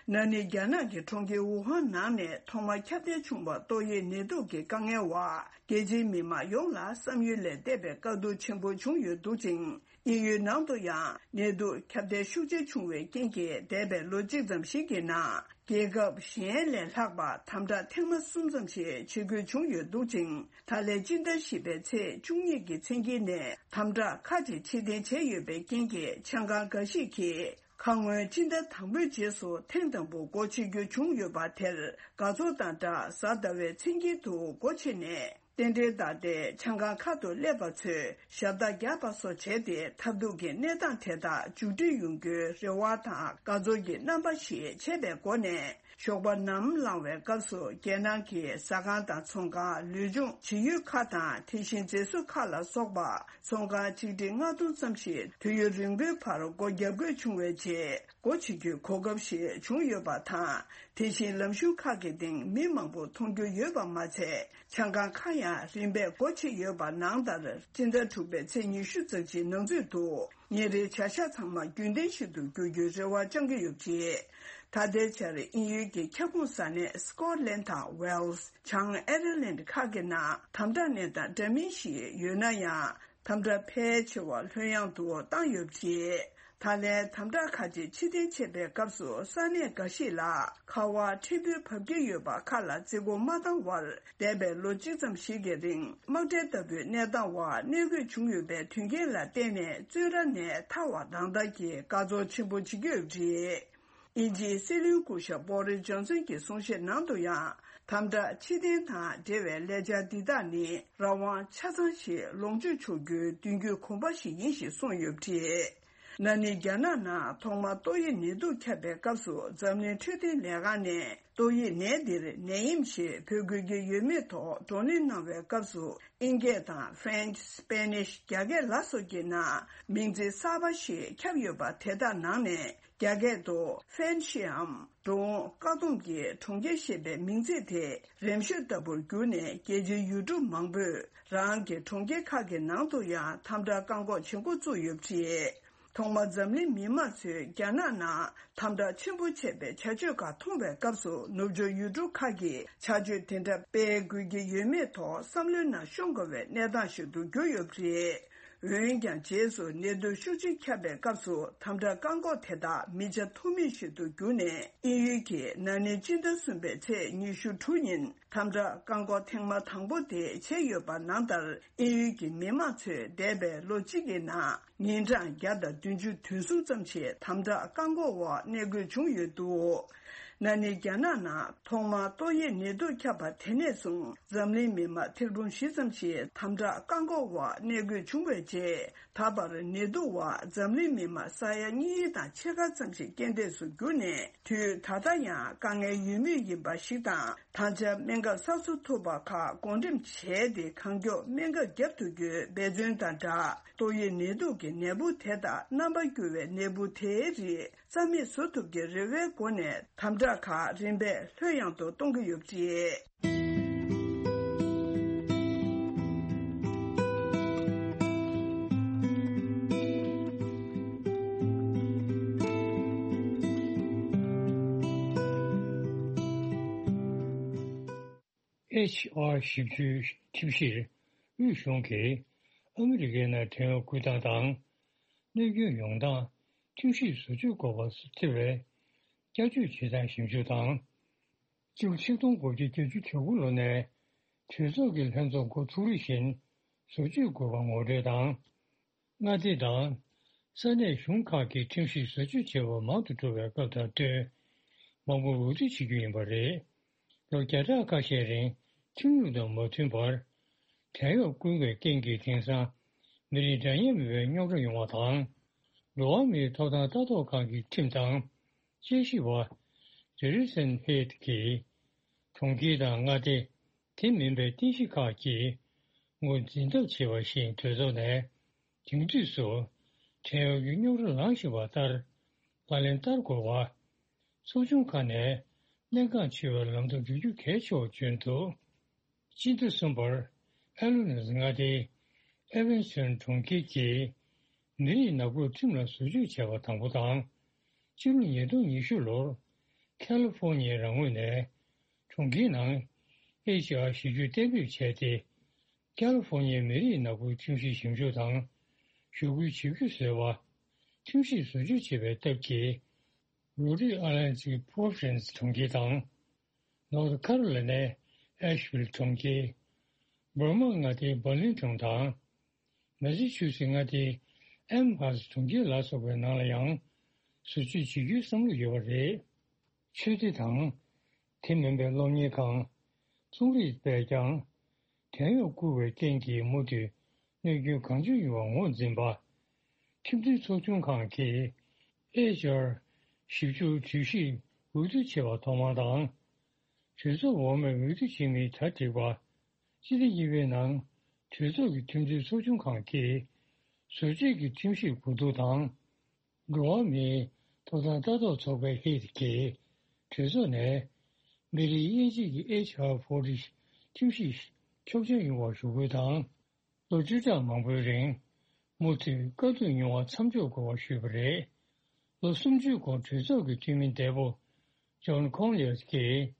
ན་ནིང་རྒྱ་ནག་གི་གྲོང་ཁྱེར་ཝུ་ཧན་ནང་ནས་ཐོག་མར་ཁྱབ་གདལ་བྱུང་བ་ཏོག་དབྱིབས་ནད་དུག་གི་དཀའ་ངལ་བར་རྒྱལ་སྤྱིའི་མི་མང་ཡོངས་ལ་བསམ་ཡུལ་ལས་འདས་པའི་དཀའ་སྡུག་ཆེན་པོ་བྱུང་ཡོད་འདུག་ཅིང་། དབྱིན་ཡུལ་ནང་དུ་ཡང་ནད་དུག་ཁྱབ་གདལ་ཤུགས་ཆེ་བྱུང་བའི་རྐྱེན་གྱིས་འདས་པའི་ལོ་གཅིག་ཙམ་ཞིག་གི་ནང་རྒྱལ་ཁབ་གཞན་ལས་ལྷག་པར་དམ་དྲག་ཐེངས་མ་གསུམ་ཙམ་ཞིག་བྱེད་དགོས་བྱུང་ཡོད་འདུག་ཅིང་། ད་ལན་སྤྱི་ཟླ་བཞི་པའི་ཚེས་བཅུ་གཉིས་ཀྱི་མཚན་དཀྱིལ་ནས་དམ་དྲག་ཁག་ཅིག་ཕྱིར་འཐེན་བྱས་ཡོད་པའི་རྐྱེན་གྱིས་ཆང་ཁང་འགའ་ཞིག་གིས། ཁ་སྔོན་སྤྱི་ཟླ་དང་པོའི་རྗེས་སུ་ཐེངས་དང་པོ་སྒོ་ཕྱེ་རྒྱུ་བྱུང་ཡོད་པ་དེར་དགའ་ཚོར་དང་སྦྲགས་གཟའ་ཟླ་བའི་མཚན་དཀྱིལ་དུ་སྒོ་ཕྱེ་ནས་རྟེན་འབྲེལ་བརྡར་ཏེ་ཆང་ཁང་ཁག་ཏུ་སླེབས་པ་ཚོས་ཞབས་བརྡ་བརྒྱབ་པ་སོགས་བྱས་ཏེ་ཐབས་སྡུག་གི་གནས་སྟངས་དེ་དག་མཇུག་སྒྲིལ་ཡོང་རྒྱུའི་རེ་བ་དང་དགའ་ཚོར་གྱི་རྣམ་པ་ཞིག་ཆད་པའི་སྒོ་ནས། ཞོགས་པ་ནམ་ལངས་པའི་སྐབས་སུ་རྒྱལ་ནང་གི་ཟ་ཁང་དང་ཚོང་ཁང་། ལུས་སྦྱོང་བྱེད་ཡུལ་ཁག་དང་དེ་བཞིན་མཛེས་བཟོ་ཁག་ལ་སོགས་པ་ཚོང་ཁང་ཆིག་ཁྲི་ལྔ་སྟོང་ཙམ་ཞིག་དུས་ཡུན་རིང་པོའི་བར་སྒོ་བརྒྱབ་དགོས་བྱུང་བའི་རྗེས། སྒོ་ཕྱེ་རྒྱུའི་གོ་སྐབས་ཤིག་བྱུང་ཡོད་པ་དང་། དེ་བཞིན་ལམ་གཞུང་ཁག་གི་སྟེང་མི་མང་པོ་མཐོང་རྒྱུ་ཡོད་པ་མ་ཚད། ཆང་ཁང་ཁག་ཡང་རིམ་པས་སྒོ་ཕྱེ་ཡོད་པ་ནང་ལྟར་སྤྱི་ཟླ་དྲུག་པའི་ཚེས་ཉི་ཤུ་རྩ་གཅིག་ནང་ཚུད་དུ། ཉིན་རེའི་བྱ་གཞག་ཚང་མ་རྒྱུན་ལྡན་ཞིག་ཏུ་འགྱུར་རྒྱུའི་རེ་བ་བཅང་གི་ཡོད་པ་རེད། ད་ལྟའི་ཆར་དབྱིན་ཡུལ་གྱི་ཁྱབ་ཁོངས་ས་གནས་སི་ཀོ་ལན་དང་ཝེལ་སི། བྱང་ཨེར་ལན་ཁག་གི་ནང་དམ་དྲག་གནས་སྟངས་འདྲ་མིན་ཞིག་ཡོད་ན་ཡང་། དམ་དྲག་ཕལ་ཆེ་བ་ལྷོད་ཡངས་དུ་བཏང་ཡོད་པ་རེད། ད་ལན་དམ་དྲག་ཁག་ཅིག་ཕྱིར་འཐེན་བྱས་པའི་སྐབས་སུ་ས་གནས་འགའ་ཞིག་ལ་ཁ་པར་ཕྲན་བུ་བབས་ཀྱི་ཡོད་པ་ཁག་ལ་བརྩི་བཀུར་མ་བཏང་བར། འདས་པའི་ལོ་གཅིག་ཙམ་ཞིག་གི་རིང་དམག་ཁྲལ་ལྟ་བུའི་གནས་སྟངས་འོག་གནས་དགོས་བྱུང་ཡོད་པའི་དོན་རྐྱེན་ལ་བརྟེན་ནས། བཙོན་ར་ནས་ཐར་བ་ནང་ལྟར་གྱི་དགའ་ཚོར་ཆེན་པོ་བྱེད་ཀྱི་ཡོད་པ་རེད། དབྱིན་ཇིའི་སྲིད་བློན་སྐུ་ཞབས་བོ་རི་ཇོན་སན་གྱི་གསུང་བཤད་ནང་དུ་ཡང་། དམ་དྲག་ཕྱིར་འཐེན་དང་འབྲེལ་བའི་ལས་འཆར་འདི་དག་ནི་རང་དབང་ཆ་ཚང་ཞིག་ལོངས་སྤྱོད་ཆོག་རྒྱུའི་མདུན་སྐྱོད་གོམ་པ་ཞིག་ཡིན་ཞེས་གསུངས་ཡོད་པ་རེད། ན་ནིང་རྒྱ་ནག་ནང་ཐོག་མར་ཏོག་དབྱིབས་ནད་དུག་ཁྱབ་པའི་སྐབས་སུ། འཛམ་གླིང་འཕྲོད་བསྟེན་ལས་ཁང་ནས་ཏོག་དབྱིབས་ནད་འདིར་ནད་ཡམས་ཞེས་འབོད་སྐུལ་གྱི་ཡོད་མེད་ཐོག་བགྲོ་གླེང་གནང་བའི་སྐབས་སུ། ཨིན་སྐད་དང་ཧྥེན་ཆི། སྤེ་ནིཤ། རྒྱ་སྐད་ལ་སོགས་ཀྱི་ནང་མིང་ཚིག་གསར་པ་ཞིག་ཁྱབ་ཡོད་པ་དེ་དག་ནང་ནས། རྒྱ་སྐད་དུ་ཧྥེན་ཤིའམ། འགྲོ་འོང་བཀག་སྡོམ་གྱི་གྲོང་ཁྱེར་ཞེས་པའི་མིང་ཚིག་དེ་རིམ་ཤོས་ལྟ་བུར་གྱུར་ནས། རྒྱལ་སྤྱིའི་ཡུལ་གྲུ་མང་པོས་རང་གི་གྲོང་ཁྱེར་ཁག་གི་ནང་དུ་ཡང་དམ་དྲག་བཀག་འགོག་བྱེད་འགོ་བཙུགས་ཡོད་པ་རེད། ཐོག་མར་འཛམ་གླིང་མི་མང་ཚོས་རྒྱ་ནག་ནང་དམ་དྲག་ཆེན་པོ་བྱས་པའི་བྱ་སྤྱོད་ཁག་མཐོང་བའི་སྐབས་སུ། ནུབ་ཕྱོགས་ཡུལ་གྲུ་ཁག་གིས་བྱ་སྤྱོད་དེ་འདྲ་སྤེལ་དགོས་ཀྱི་ཡོད་མེད་ཐོག་བསམ་བློའི་ནང་ཤོང་དཀའ་བའི་གནས་སྟངས་ཤིག་ཏུ་གྱུར་ཡོད་པ་རེད། འོན་ཀྱང་། རྗེས་སུ་ནད་དུག་ཤུགས་ཆེ་ཁྱབ་པའི་སྐབས་སུ། དམ་དྲག་བཀག་འགོག་དེ་དག་མི་བྱ་ཐབས་མེད་ཞིག་ཏུ་གྱུར་ནས། དབྱིན་ཡུལ་གྱིས་ན་ནིང་སྤྱི་ཟླ་གསུམ་པའི་ཚེས་ཉི་ཤུ་དྲུག་ཉིན་དམ་དྲག་བཀག་འགོག་ཐེངས་མ་དང་པོ་དེ་བྱས་ཡོད་པ་ནང་ལྟར། དབྱིན་ཡུལ་གྱི་མི་མང་ཚོས་འདས་པའི་ལོ་གཅིག་གི་ནང་ཉིན་གྲངས་བརྒྱ་དང་བདུན་ཅུ་དོན་གསུམ་ཙམ་ཞིག་དམ་དྲག་བཀག་འགོག་འོག་གནས་དགོས་བྱུང་ཡོད་འདུག། ན་ནིང་རྒྱ་ནག་ནང་ཐོག་མར་ཏོག་དབྱིབས་ནད་དུག་ཁྱབ་པ་དེ་ནས་བཟུང་། འཛམ་གླིང་མི་མང་ཐེར་འབུམ་བཞི་ཙམ་ཞིག་དམ་དྲག་བཀག་འགོག་འོག་གནས་དགོས་བྱུང་བའི་རྗེས། ད་བར་ནད་དུག་འོག་འཛམ་གླིང་མི་མང་ས་ཡ་གཉིས་དང་ཕྱེད་ཀ་ཙམ་ཞིག་རྐྱེན་འདས་སུ་གྱུར་ནས། དུས་ད་ལྟ་ཡང་དཀའ་ངལ་ཡོད་མུས་ཡིན་པ་ཞིག་དང་། ད་ཆ་སྨན་ཁབ་གསར་བཟོ་ཐུབ་པ་ཁག་བགོ་འགྲེམས་བྱས་ཏེ། གང་མགྱོགས་སྨན་ཁབ་བརྒྱབ་ཐུབ་རྒྱུའི་འབད་བརྩོན་དང་སྦྲགས། ཏོག་དབྱིབས་ནད་དུག་གི་ནད་འབུ་དེ་དང་། རྣམ་པ་འགྱུར་བའི་ནད་འབུ་དེའི་རིགས་རྩ་མེད་བཟོ་ཐུབ་ཀྱི་རེ་བའི་སྒོ་ནས། དམ་དྲག་ཁག་རིམ་པས་ལྷོད་ཡངས་དུ་གཏོང་གི་ཡོད་པ་རེད། ཨེཆ་ཨར་ཞིབ་འཇུག་ཁྲིམས་གཞིར་དབུས་གཞུང་གིས་ཨ་མི་རི་ཀའི་ནང་ཐོན་སྐུལ་སྟངས་དང་། གནོད་སྐྱོན་ཡོང་སྟངས་ཁྲིམས་ཞིབ་བཟོ་བཅོས་དགོས་པ་སོགས་ཐེ་བའི་བསྐྱར་བཅོས་བྱེད་སྟངས་ཞིབ་འཇུག་དང་། སྤྱི་ལོ་ཆིག་སྟོང་དགུ་བརྒྱ་བརྒྱད་ཅུ་གྱ་དགུ་ལོ་ནས་གྲོས་ཚོགས་ཀྱི་ལྷན་ཚོགས་འགོ་ཚུགས་རིམ་བཞིན་བཟོ་བཅོས་དགོས་པ་ངོ་སྤྲོད་དང་། མངའ་སྡེ་དང་ས་གནས་གཞུང་ཁག་གིས་ཁྲིམས་ཞིབ་བཟོ་བཅོས་བྱེད་པ་མང་དུ་འགྲོ་བའི་སྐབས་དང་བསྟུན། མང་པོར་འོས་བསྡུ་བྱེད་རྒྱུ་ཡིན་པ་རེད། ལོ་བརྒྱ་ཕྲག་ཁ་ཤས་རིང་ཁྲིམས་ལུགས་དང་མ་མཐུན་པར་བྲན་གཡོག་བསྐུལ་བའི་རྐྱེན་གྱིས་དེང་སང་མི་རིགས་འདྲ་མཉམ་མེད་པའི་རྙོག་དྲ་ཡོང་བ་དང་། འགྲོ་བ་མིའི་ཐོབ་ཐང་ལྟ་རྟོག་ཁང་གི་ཁྲིམས་དང་དཔྱད་ཞིབ་པ་ཇེ་རི་སན་ཧེད་ཀྱིས་གྲོང་ཁྱེར་དང་མངའ་སྡེ། དེ་མིན་པའི་རྟེན་གཞི་ཁག་གིས་ངོས་འཛིན་ཐབས་བྱས་པ་བཞིན་གྲོས་ཚོགས་ནས་དེང་དུས་སུ་བྲན་གཡོག་གི་རྙོག་དྲ་ལངས་བཞིན་པ་ལྟར་ལག་ལེན་བསྟར་དགོས་པ། ཚོགས་ཆུང་ཁག་ནས་གནད་འགག་ཆེ་བའི་ལམ་སྟོན་བརྒྱུད་རྒྱུ་གལ་ཆེ་བར་བརྗོད་འདུག་སྤྱི་ཟླ་གསུམ་པར་ཨེ་ལོ་ནེ་སི་མངའ་སྡེའི་ཨེ་ཝན་སི་ཊོན་གྲོང་ཁྱེར་གྱི་མི་རིགས་ནག་པོའི་ཁྲིམས་ལ་བཟོ་བཅོས་བྱས་པ་དང་པོ་དང་། ཕྱི་ལོ་ཉིས་སྟོང་ཉི་ཤུ་ལོར་ཁ་ལི་ཧྥོ་ནི་ཡའི་རང་ངོས་ནས་གྲོང་ཁྱེར་ནང་ཨེཆ་ཨར་ཞིབ་འཇུག་གཏན་འབེབས་བྱས་ཏེ། ཁ་ལི་ཧྥོ་ནི་ཡའི་མི་རིགས་ནག་པོའི་ཁྲིམས་གཞི་ཞིབ་འཇུག་དང་ཞུ་སྐུལ་བྱེད་རྒྱུ་བཟོས་པ། ཁྲིམས་ཞིབ་བཟོ་བཅོས་བྱེད་པའི་སྟབས་ཀྱིས། རོ་ཌི་ཨ་ལན་སི་པོ་རོ་བི་ནེ་སི་གྲོང་ཁྱེར་དང་། ནོར་ཐི་ཁ་རོ་ལི་ནའི་ཨེ་ཤི་ཝིལ་གྲོང་ཁྱེར། འབར་མ་མངའ་སྡེའི་བར་ལིང་ཊོན་དང་། མེ་ས་ཆུ་སི་མངའ་སྡེའི་ཨེམ་ཧ་སི་གྲོང་ཁྱེར་ལ་སོགས་པའི་ནང་ལ་ཡང་བཟོ་བཅོས་བྱེད་རྒྱུའི་བསམ་བློ་ཡོད་པ་རེད། ཆོས་སྡེ་དང་། དེ་མིན་པའི་སློབ་གཉེར་ཁང་། རྩོམ་རིག་པས་ཀྱང་། བྲན་གཡོག་བསྐུལ་བའི་རྐྱེན་གྱིས་མུ་མཐུད་གནོད་སྐྱོན་གང་བྱུང་ཡོང་བར་ངོས་འཛིན་པ། ཁྲིམས་མཐུན་ཚོགས་ཆུང་ཁང་གིས་ཨེཆ་ཨར་ཞིབ་འཇུག་གྲོས་གཞི་འོས་བསྡུ་བྱས་པ་ཐོག་མ་དང་། གྲོས་ཚོགས་འོག་མས་འོས་བསྡུ་བྱེད་མིན་གྲ་སྒྲིག་པ། སྤྱི་ཟླ་གཉིས་པའི་ནང་གྲོས་ཚོགས་ཀྱི་ཁྲིམས་མཐུན་ཚོགས་ཆུང་ཁང་གིས་བཟོ་བཅོས་ཀྱི་ཁྲིམས་ཞིབ་གོ་བསྡུར་དང་། འགྲོ་བ་མིའི་ཐོབ་ཐང་ལྟ་རྟོག་ཚོགས་པའི་ཧིད་ཀྱིས་གྲོས་ཚོགས་ནས་མི་རིགས་དབྱེ་འབྱེད་ཀྱི་ཨེཆ་ཨར་ཕོར་ཊི་ཁྲིམས་གཞི་ཆོག་མཆན་ཡོང་བར་ཞུ་སྐུལ་དང་། ལོ་བཅུ་ཕྲག་མང་པོའི་རིང་མུ་མཐུད་དཀའ་སྡུག་མྱོང་བ་མཚམས་འཇོག་དགོས་པ་ཞུས་པ་རེད། ལོ་སུམ་ཅུའི་གོང་གྲོས་ཚོགས་ཀྱི་འཐུས་མི་འདས་པོ་ཇོན་ཁོང་ལེར་གྱིས་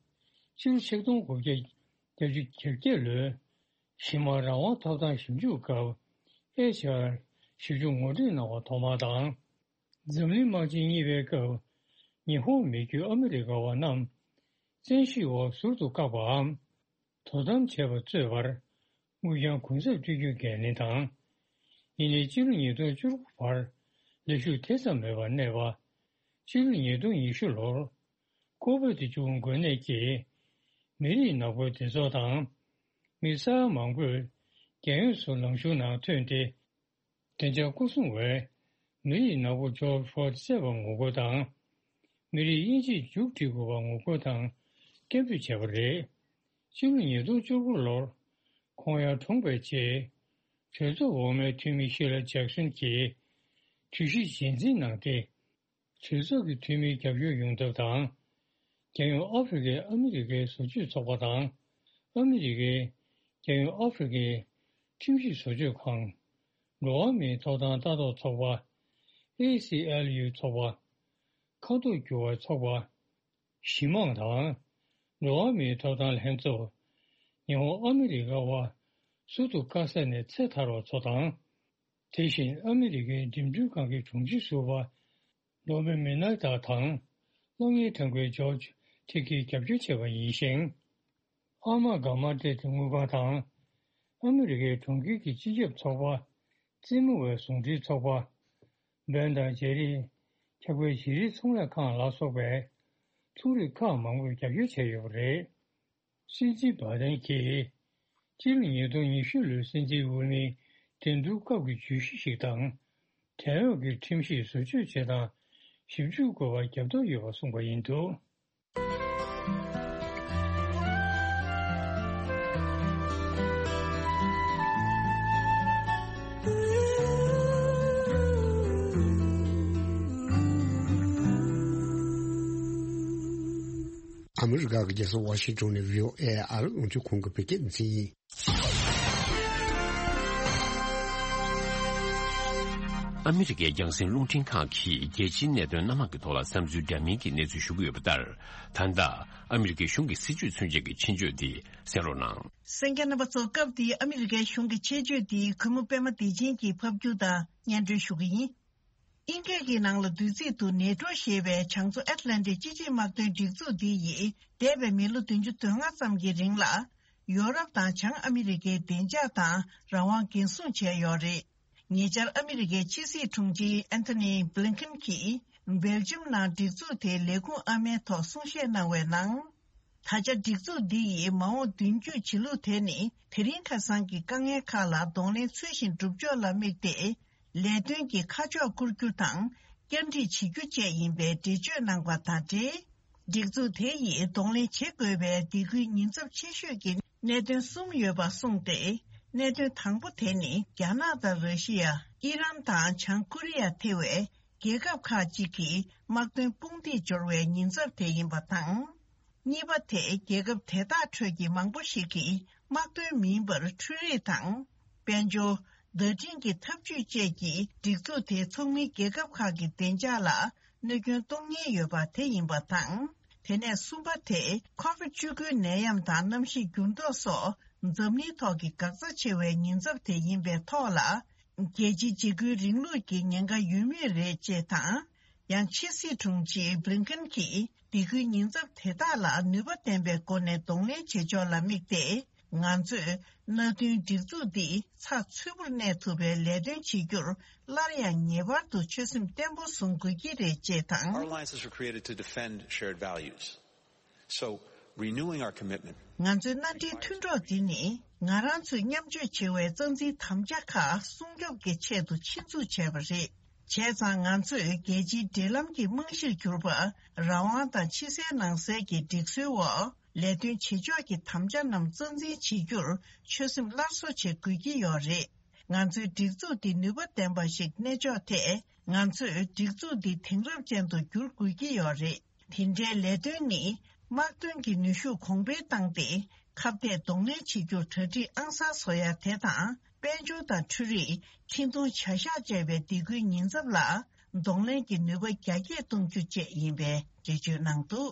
ཕྱི་ལོ་ཆིག་སྟོང་དགུ་བརྒྱ་བརྒྱད་ཅུ་གྱ་བརྒྱད་ལོའི་གཞི་དམངས་རང་དབང་ཐོབ་ཐང་ཞིབ་འཇུག་སྐབས་ཨེཆ་ཨར་ཞིབ་འཇུག་ངོ་སྤྲོད་གནང་བ་ཐོག་མ་དང་། འཛམ་གླིང་དམག་ཆེན་གཉིས་པའི་སྐབས་ཉི་ཧོང་མི་རྒྱུད་ཨ་མི་རི་ཀ་བ་རྣམས་བཙན་ཤེད་འོག་ཟུར་དུ་བཀག་པའམ། དོ་དམ་བྱས་པ་གཙོས་པར་དངུལ་རྐྱང་གུན་གསབ་སྤྲོད་རྒྱུའི་འགན་ལེན་དང་། ཡིན་ནའི་སྤྱི་ལོ་ཉིས་སྟོང་བཅུ་དགུ་བར་ལས་ཞུགས་དེ་ཙམ་མེད་པར་གནས་པ། སྤྱི་ལོ་ཉིས་སྟོང་ཉི་ཤུ་ལོར་ཀོ་བིད་བཅུ་དགུ་འགོས་ནད་ཀྱིས་མི་རིགས་ནག་པོའི་སྡེ་ཚོགས་དང་། མི་ས་ཡ་མང་པོས་རྒྱལ་ཡོངས་སུ་ལངས་ཕྱོགས་ནང་ཐོན་ཏེ། བདེ་འཇགས་སྐོར་སྲུང་བས་མི་རིགས་ནག་པོ་ཇོར་ཕོར་ཌི་བསད་པར་ངོ་རྒོལ་དང་། མི་རིགས་དབྱེ་འབྱེད་མཇུག་སྒྲིལ་དགོས་པར་ངོ་རྒོལ་དང་སྐད་འབོད་བྱས་པ་རེད། སྤྱི་ལོ་ཉིས་སྟོང་བཅུ་དགུ་ལོར་ཁོང་ཡར་གྲོངས་པའི་རྗེས། གྲོས་ཚོགས་འོག་མའི་འཐུས་མི་ཤི་ལ་ཇེག་སོན་གྱིས་གྲོས་གཞི་རྗེས་འཛིན་གནང་སྟེ། གྲོས་ཚོགས་ཀྱི་འཐུས་མིའི་རྒྱབ་སྐྱོར་ཡོང་ཐབས་དང་། རྒྱལ་ཡོངས་ཨ་ཧྥེ་རི་ཁའི་ཨ་མི་རི་ཀའི་བཟོ་བཅོས་ཚོགས་པ་དང་། ཨ་མི་རི་ཀའི་རྒྱལ་ཡོངས་ཨ་ཧྥེ་རི་ཁའི་ཁྲིམས་ཞིབ་བཟོ་བཅོས་ཁང་། འགྲོ་བ་མིའི་ཐོབ་ཐང་ལྟ་རྟོག་ཚོགས་པ། ཨེ་སི་ཨེལ་ཡུ་ཚོགས་པ། ཁ་དོག་བསྒྱུར་བའི་ཚོགས་པ། གཞི་དམངས་དང་། འགྲོ་བ་མིའི་ཐོབ་ཐང་ལྷན་ཚོགས། ཉི་ཧོང་ཨ་མི་རི་ཀ་བ་ཟུར་དུ་བཀག་ས་ནས་ཚེ་ཐར་བ་ཚོ་དང་། དེ་བཞིན་ཨ་མི་རི་ཀའི་འགྲིམ་འགྲུལ་ཁང་གི་དྲུང་ཆེ་ཟུར་པ་ལོ་མེ་མི་ནར་ཏ་དང་སློབ་གཉེར་ཁང་པའི་ཇོར་ཇི་ཐི་ཀིས་རྒྱབ་སྐྱོར་བྱས་པ་ཡིན་ཞིང་། ཨ་མ་གྷ་མ་ཏེ་དངུལ་ཁང་དང་། ཨ་མི་རི་ཀའི་གྲོང་ཁྱེར་གྱི་སྤྱི་ཁྱབ་ཚོགས་པ། རྩེད་མོ་བའི་ཟུང་འབྲེལ་ཚོགས་པ། འབེན་དང་ལྗེ་རིགས། འཁྱག་པའི་བྱི་རིལ་ཚོང་ལས་ཁང་ལ་སོགས་པའི་ཚོང་རིགས་ཁག་མང་པོས་རྒྱབ་སྐྱོར་བྱས་ཡོད་པ་རེད། སྲིད་འཛིན་བྷ་དན་གྱིས་སྤྱི་ལོ་ཉིས་སྟོང་ཉི་ཤུ་ལོའི་སྲིད་འཛིན་འོས་མིའི་འགྲན་བསྡུར་སྐབས་ཀྱི་བརྗོད་གཞི་ཞིག་དང་། བྲན་གཡོག་གི་ཁྲིམས་ཞིབ་བཟོ་བཅོས་བྱེད་སྟངས་ཞིབ་འཇུག་དགོས་པར་རྒྱབ་སྐྱོར་ཡོད་པ་གསུངས་པ་ཡིན་འདུག་ཨ་མི་རི་ཀ་གི་རྒྱལ་ས་ཝ་ཤིང་ཊོན་ནས་བྷི་ཨོ་ཨེ་ཨ་རི་རླུང་འཕྲིན་ཁང་གི་བོད་སྐད་སྡེ་ཚན་ཡིན། ཨ་མི་རི་ཀའི་རྒྱང་སྲིང་རླུང་འཕྲིན་ཁང་གིས་རྒྱལ་སྤྱིའི་གནད་དོན་སྣ་མང་གི་ཐོག་ལ་བསམ་ཚུལ་འདྲ་མིན་གྱི་གནས་ཚུལ་ཞུ་གི་ཡོད་པ་ལྟར། ད་ལྟ་ཨ་མི་རི་ཀའི་གཞུང་གི་སྲིད་བྱུས་མཚོན་ཆེད་ཀྱི་ཆེད་བརྗོད་འདི་གསན་རོགས་གནང་། གསན་མཁན་རྣམ་པ་ཚོ། སྐབས་འདིའི་ཨ་མི་རི་ཀའི་གཞུང་གི་ཆེད་བརྗོད་འདི་གུས་མོ་པད་མ་བདེ་ཆེན་གྱིས་ཕབ་སྒྱུར་དང་སྙན་སྒྲོན་ཞུ་གི་ཡིན། ཨིན་སྐད་ཀྱི་ནང་ལ་བསྡུས་ཚིག་ཏུ་ནེ་ཊོ་ཞེས་པའི་བྱང་མཚོ་ཨེཊ་ལན་ཊིག་སྤྱི་ཆིངས་དམག་དོན་སྒྲིག་འཛུགས་འདི་ཡིས་འདས་པའི་མི་ལོ་བདུན་ཅུ་དོན་ལྔ་ཙམ་གྱི་རིང་ལ། ཡོ་རོབ་དང་བྱང་ཨ་མི་རི་ཀའི་བདེ་འཇགས་དང་རང་དབང་འགན་སྲུང་བྱས་ཡོད་རེད། ཉེ་ཆར་ཨ་མི་རི་ཀའི་ཕྱི་སྲིད་དྲུང་ཆེ་ཨན་ཐོ་ནི་བྷི་ལིན་ཁིན་གྱིས་སྦེལ་ཇམ་ནང་སྒྲིག་འཛུགས་དེའི་ལས་ཁུངས་ཨ་མའི་ཐོག་གསུང་བཤད་གནང་བའི་ནང་། ད་ཆ་སྒྲིག་འཛུགས་འདི་ཡིས་མ་འོངས་མདུན་སྐྱོད་བྱེད་ལུགས་དེ་ནི་དེ་རིང་ཁ་སང་གི་དཀའ་ངལ་ཁག་ལ་གདོང་ལེན་ཚུལ་བཞིན་སྒྲུབ་ཕྱོགས་ལ་དམིགས་ཏེ། ལས་དོན་གྱི་ཁ་ཕྱོགས་བསྐོར་རྒྱུ་དང་བསྐྱར་སྒྲིག་བྱེད་རྒྱུ་བཅས་ཡིན་པའི་འགྲེལ་བརྗོད་གནང་པ་དང་འབྲེལ། སྒྲིག་འཛུགས་དེ་ཡིས་གདོང་ལེན་བྱེད་དགོས་པའི་སྡེ་ཁུལ་ཉེན་ཚབས་ཆེ་ཤོས་ཀྱི་གནད་དོན་གསུམ་ཡོད་པ་གསུངས་ཏེ། གནད་དོན་དང་པོ་དེ་ནི་རྒྱ་ནག་དང་ར་ཤི་ཡ། ཨི་རན་དང་བྱང་ཀོ་རི་ཡ་ཐེ་བའི་རྒྱལ་ཁབ་ཁག་ཅིག་གི་དམག་དོན་དཔུང་སྡེ་འབྱོར་བའི་ཉེན་ཚབས་དེ་ཡིན་པ་དང་། གཉིས་པ་དེ་རྒྱལ་ཁབ་དེ་དག་ཁྲོད་ཀྱི་མང་པོ་ཞིག་གིས་དམག་དོན་མིན་པར་འཕྲུལ་རིག་དང་། དཔལ་འབྱོར། བརྡ་འཕྲིན་གྱི་འཐབ་ཇུས་བཅས་ཀྱི་སྒྲིག་འཛུགས་དེའི་ཚོགས་མིའི་རྒྱལ་ཁབ་ཁག་གི་བདེ་འཇགས་ལ་གནོད་སྐྱོན་གཏོང་ཉེན་ཡོད་པ་དེ་ཡིན་པ་དང་། དེ་ནས་གསུམ་པ་དེ་ཁོ་ཝིད་བཅུ་དགུའི་ནད་ཡམས་དང་གནམ་གཤིས་འགྱུར་ལྡོག་སོགས་འཛམ་གླིང་ཐོག་གི་འགག་རྩ་ཆེ་བའི་ཉེན་ཚབས་དེ་ཡིན་པའི་ཐོག་ལ། རྒྱལ་སྤྱིའི་འཇིགས་སྐུལ་རིང་ལུགས་ཀྱི་ཉེན་ཁ་ཡོད་མུས་རེད་ཅེས་དང་། ཡང་ཕྱི་སྲིད་དྲུང་ཆེ་བྷི་ལིན་ཁིན་གྱིས་སྡེ་ཁུལ་ཉེན་ཚབས་དེ་དག་ལ་ནུས་པ་ལྡན་པའི་སྒོ་ནས་གདོང་ལེན་བྱེད་ཕྱོགས་ལ་དམིགས་ཏེ། ང་ཚོས་མནའ་མཐུན་སྒྲིག་འཛུགས་འདི་ཚགས་ཚུད་པོར་གནས་ཐུབ་པའི་ལས་དོན་བྱེད་རྒྱུར་སླར་ཡང་ངེས་པར་དུ་ཆོད་སེམས་བརྟན་པོ་བཟུང་དགོས་ཀྱི་རེད་ཅེས་དང་། Our alliances were created to defend shared values. So, renewing our commitment. ང་ཚོའི་མནའ་འབྲེལ་མཐུན་གྲོགས་འདི་ནི་ང་རང་ཚོས་མཉམ་སྤྱོད་བྱེད་པའི་རྩ་འཛིན་དམ་བཅའ་ཁག་སྲུང་སྐྱོབ་ཀྱི་ཆེད་དུ་ཆེད་འཛུགས་བྱས་པ་རེད། བྱས་ཙང་ང་ཚོས་རྒྱལ་སྤྱིའི་འབྲེལ་ལམ་གྱི་རྨང་གཞིར་གྱུར་པ་རང་དབང་དང་ཕྱི་གསལ་ནང་གསལ་གྱི་སྒྲིག་སྲོལ་འོག་ལས་དོན་བྱེད་ཕྱོགས་ཀྱི་དམ་བཅའ་རྣམས་རྩ་འཛིན་བྱེད་རྒྱུར་ཆོད་སེམས་སླར་གསོ་བྱེད་དགོས་ཀྱི་ཡོད་རེད། ང་ཚོའི་སྒྲིག་འཛུགས་འདི་ནུས་པ་ལྡན་པ་ཞིག་གནས་ཕྱོགས་ཐད་ང་ཚོས་སྒྲིག་འཛུགས་འདི་དེང་རབས་ཅན་དུ་བསྒྱུར་དགོས་ཀྱི་ཡོད་རེད། དེ་འདྲའི་ལས་དོན་ནི་དམག་དོན་གྱི་ནུས་ཤུགས་གོང་འཕེལ་བཏང་སྟེ་ཁ་གཏད་གདོང་ལེན་བྱེད་རྒྱུར་གྲ་སྒྲིག་ཨང་གསར་བཟོ་ཡ་དེ་དང་། དཔལ་འབྱོར་དང་འཕྲུལ་རིག་འཕྲིན་གཏོང་བྱ་གཞག་བཅས་པའི་སྡེ་ཁུལ་ཉེན་ཚབས་ལ་གདོང་ལེན་གྱི་ནུས་པ་རྒྱ་སྐྱེད་གཏོང་རྒྱུ་བཅས་ཡིན་པའི་འགྲེལ་བརྗོད་གནང་འདུག་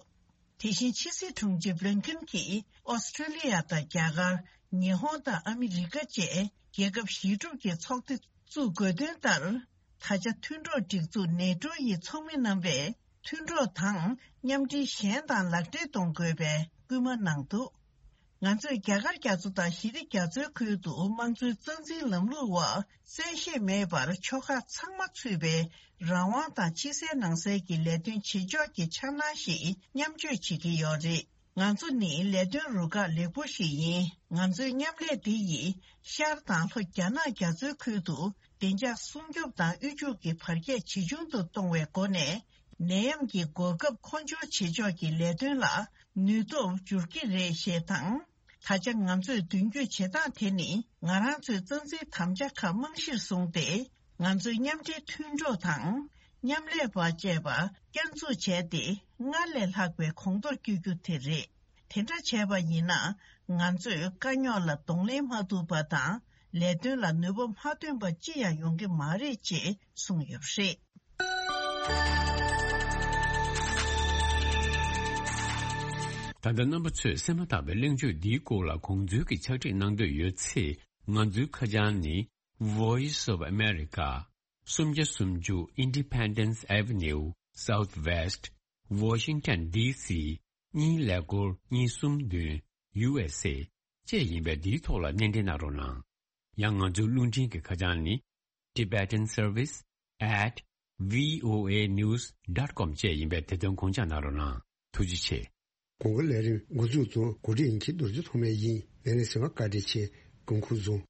དེ་བཞིན་ཕྱི་སྲིད་དྲུང་ཆེ་བྷི་ལིན་ཁིན་གྱིས་ཨོ་སི་ཁྲུ་ལི་ཡ་དང་རྒྱ་གར། ཉི་ཧོང་དང་ཨ་མི་རི་ཀ་བཅས་རྒྱལ་ཁབ་གཞི་གྲུབ་ཀྱི་ཚོགས་སྡེ་བཙུགས་དགོས་དོན་ལྟར། ད་ཆ་མཐུན་གྲོགས་སྒྲིག་འཛུགས་ནེ་ཊོ་ཡི་ཚོགས་མི་རྣམ་པས་མཐུན་གྲོགས་དང་མཉམ་འབྲེལ་གཞན་དང་ལག་འབྲེལ་གཏོང་དགོས་པའི་སྐུལ་མ་གནང་འདུག་ང་ཚོས་རྒྱ་གར་རྒྱ་མཚོ་དང་ཞི་བདེ་རྒྱ་མཚོའི་ཁུལ་དུ་དམངས་གཙོའི་རྩ་འཛིན་ལམ་ལུགས་འོག་གསལ་བཤད་མེད་པར་ཕྱོགས་ཁག་ཚང་མ་ཚུད་པའི་རང་དབང་དང་ཕྱི་གསལ་ནང་གསལ་གྱི་ལས་དོན་བྱེད་ཕྱོགས་ཀྱི་འཆར་སྣང་ཞིག་མཉམ་སྤྱོད་བྱེད་ཀྱི་ཡོད་རེད། ང་ཚོ་ནི་ལས་དོན་རུ་ཁག་ལེགས་པོ་ཞིག་ཡིན། ང་ཚོའི་མཉམ་ལས་འདི་ཡིས་ཤར་དང་ལྷོ་རྒྱ་ནག་རྒྱ་མཚོའི་ཁུལ་དུ་བདེ་འཇགས་སྲུང་སྐྱོབ་དང་དབུལ་ཕྱུག་གི་བར་ཁྱད་ཇེ་ཆུང་དུ་གཏོང་བའི་སྒོ་ནས། ནད་ཡམས་ཀྱི་འགོག་ཁབ་མཁོ་སྦྱོར་བྱེད་ཕྱོགས་ཀྱི་ལས་དོན་ལ་ནུས་སྟོབས་འགྱུར་གྱི་རེད་ཞེས་དང་། ད་ཆ་ང་ཚོས་མདུན་སྐྱོད་བྱེད་སྟངས་དེ་ནི་ང་རང་ཚོའི་རྩ་འཛིན་དམ་བཅའ་ཁག་རྨང་གཞིར་བཟུང་སྟེ། ང་ཚོས་མཉམ་འབྲེལ་མཐུན་གྲོགས་དང་མཉམ་ལས་པ་བཅས་པ་བསྐྱར་འཛུགས་བྱས་ཏེ། སྔར་ལས་ལྷག་པའི་གོང་མཐོར་བསྐྱོད་རྒྱུ་དེ་རེད། དེ་འདྲ་བྱས་པ་ཡིན་ན། ང་ཚོས་དཀའ་རྙོག་ལ་གདོང་ལེན་མ་ཐུབ་པ་དང་། ལས་དོན་ལ་ནུས་པ་མ་ཐོན་པ་ཅི་ཡང་ཡོང་གི་མ་རེད་ཅེས་གསུངས་ཡོད་པ་རེད། ད་ལྟ་རྣམ་པ་ཚོས་གསན་མ་ཐག་པའི་གླེང་བརྗོད་འདིའི་སྐོར་ལ་དགོངས་ཚུལ་གྱི་ཕྱག་བྲིས་གནང་འདོད་ཡོད་ཚེ། ང་ཚོའི་ཁ་བྱང་ནི། Voice of America། སུམ་བརྒྱ་སུམ་ཅུ་Independence Avenue Southwest Washington D C གཉིས་ཀླད་ཀོར་གཉིས་གསུམ་བདུན། U S A བཅས་ཡིན་པས། འདིའི་ཐོག་ལ་སྣེ་འདྲེན་གནང་རོགས་གནང་། ཡང་ང་ཚོའི་རླུང་འཕྲིན་གྱི་ཁ་བྱང་ནི། Tibetan Service at V O A news dot com བཅས་ཡིན་པས། དེ་དོན་དགོངས་འཇགས་གནང་རོགས་གནང་། ཐུགས་རྗེ་ཆེ། གོང་གི་ལས་རིམ་འགོ་འཛུགས་དང་གོ་སྒྲིག་མཁན་རྡོ་རྗེ་ཐོགས་མེད་ཡིན། ལས་རིམ་གསན་པར་བཀའ་དྲིན་ཆེ། སྐུ་ཁམས་བཟང་།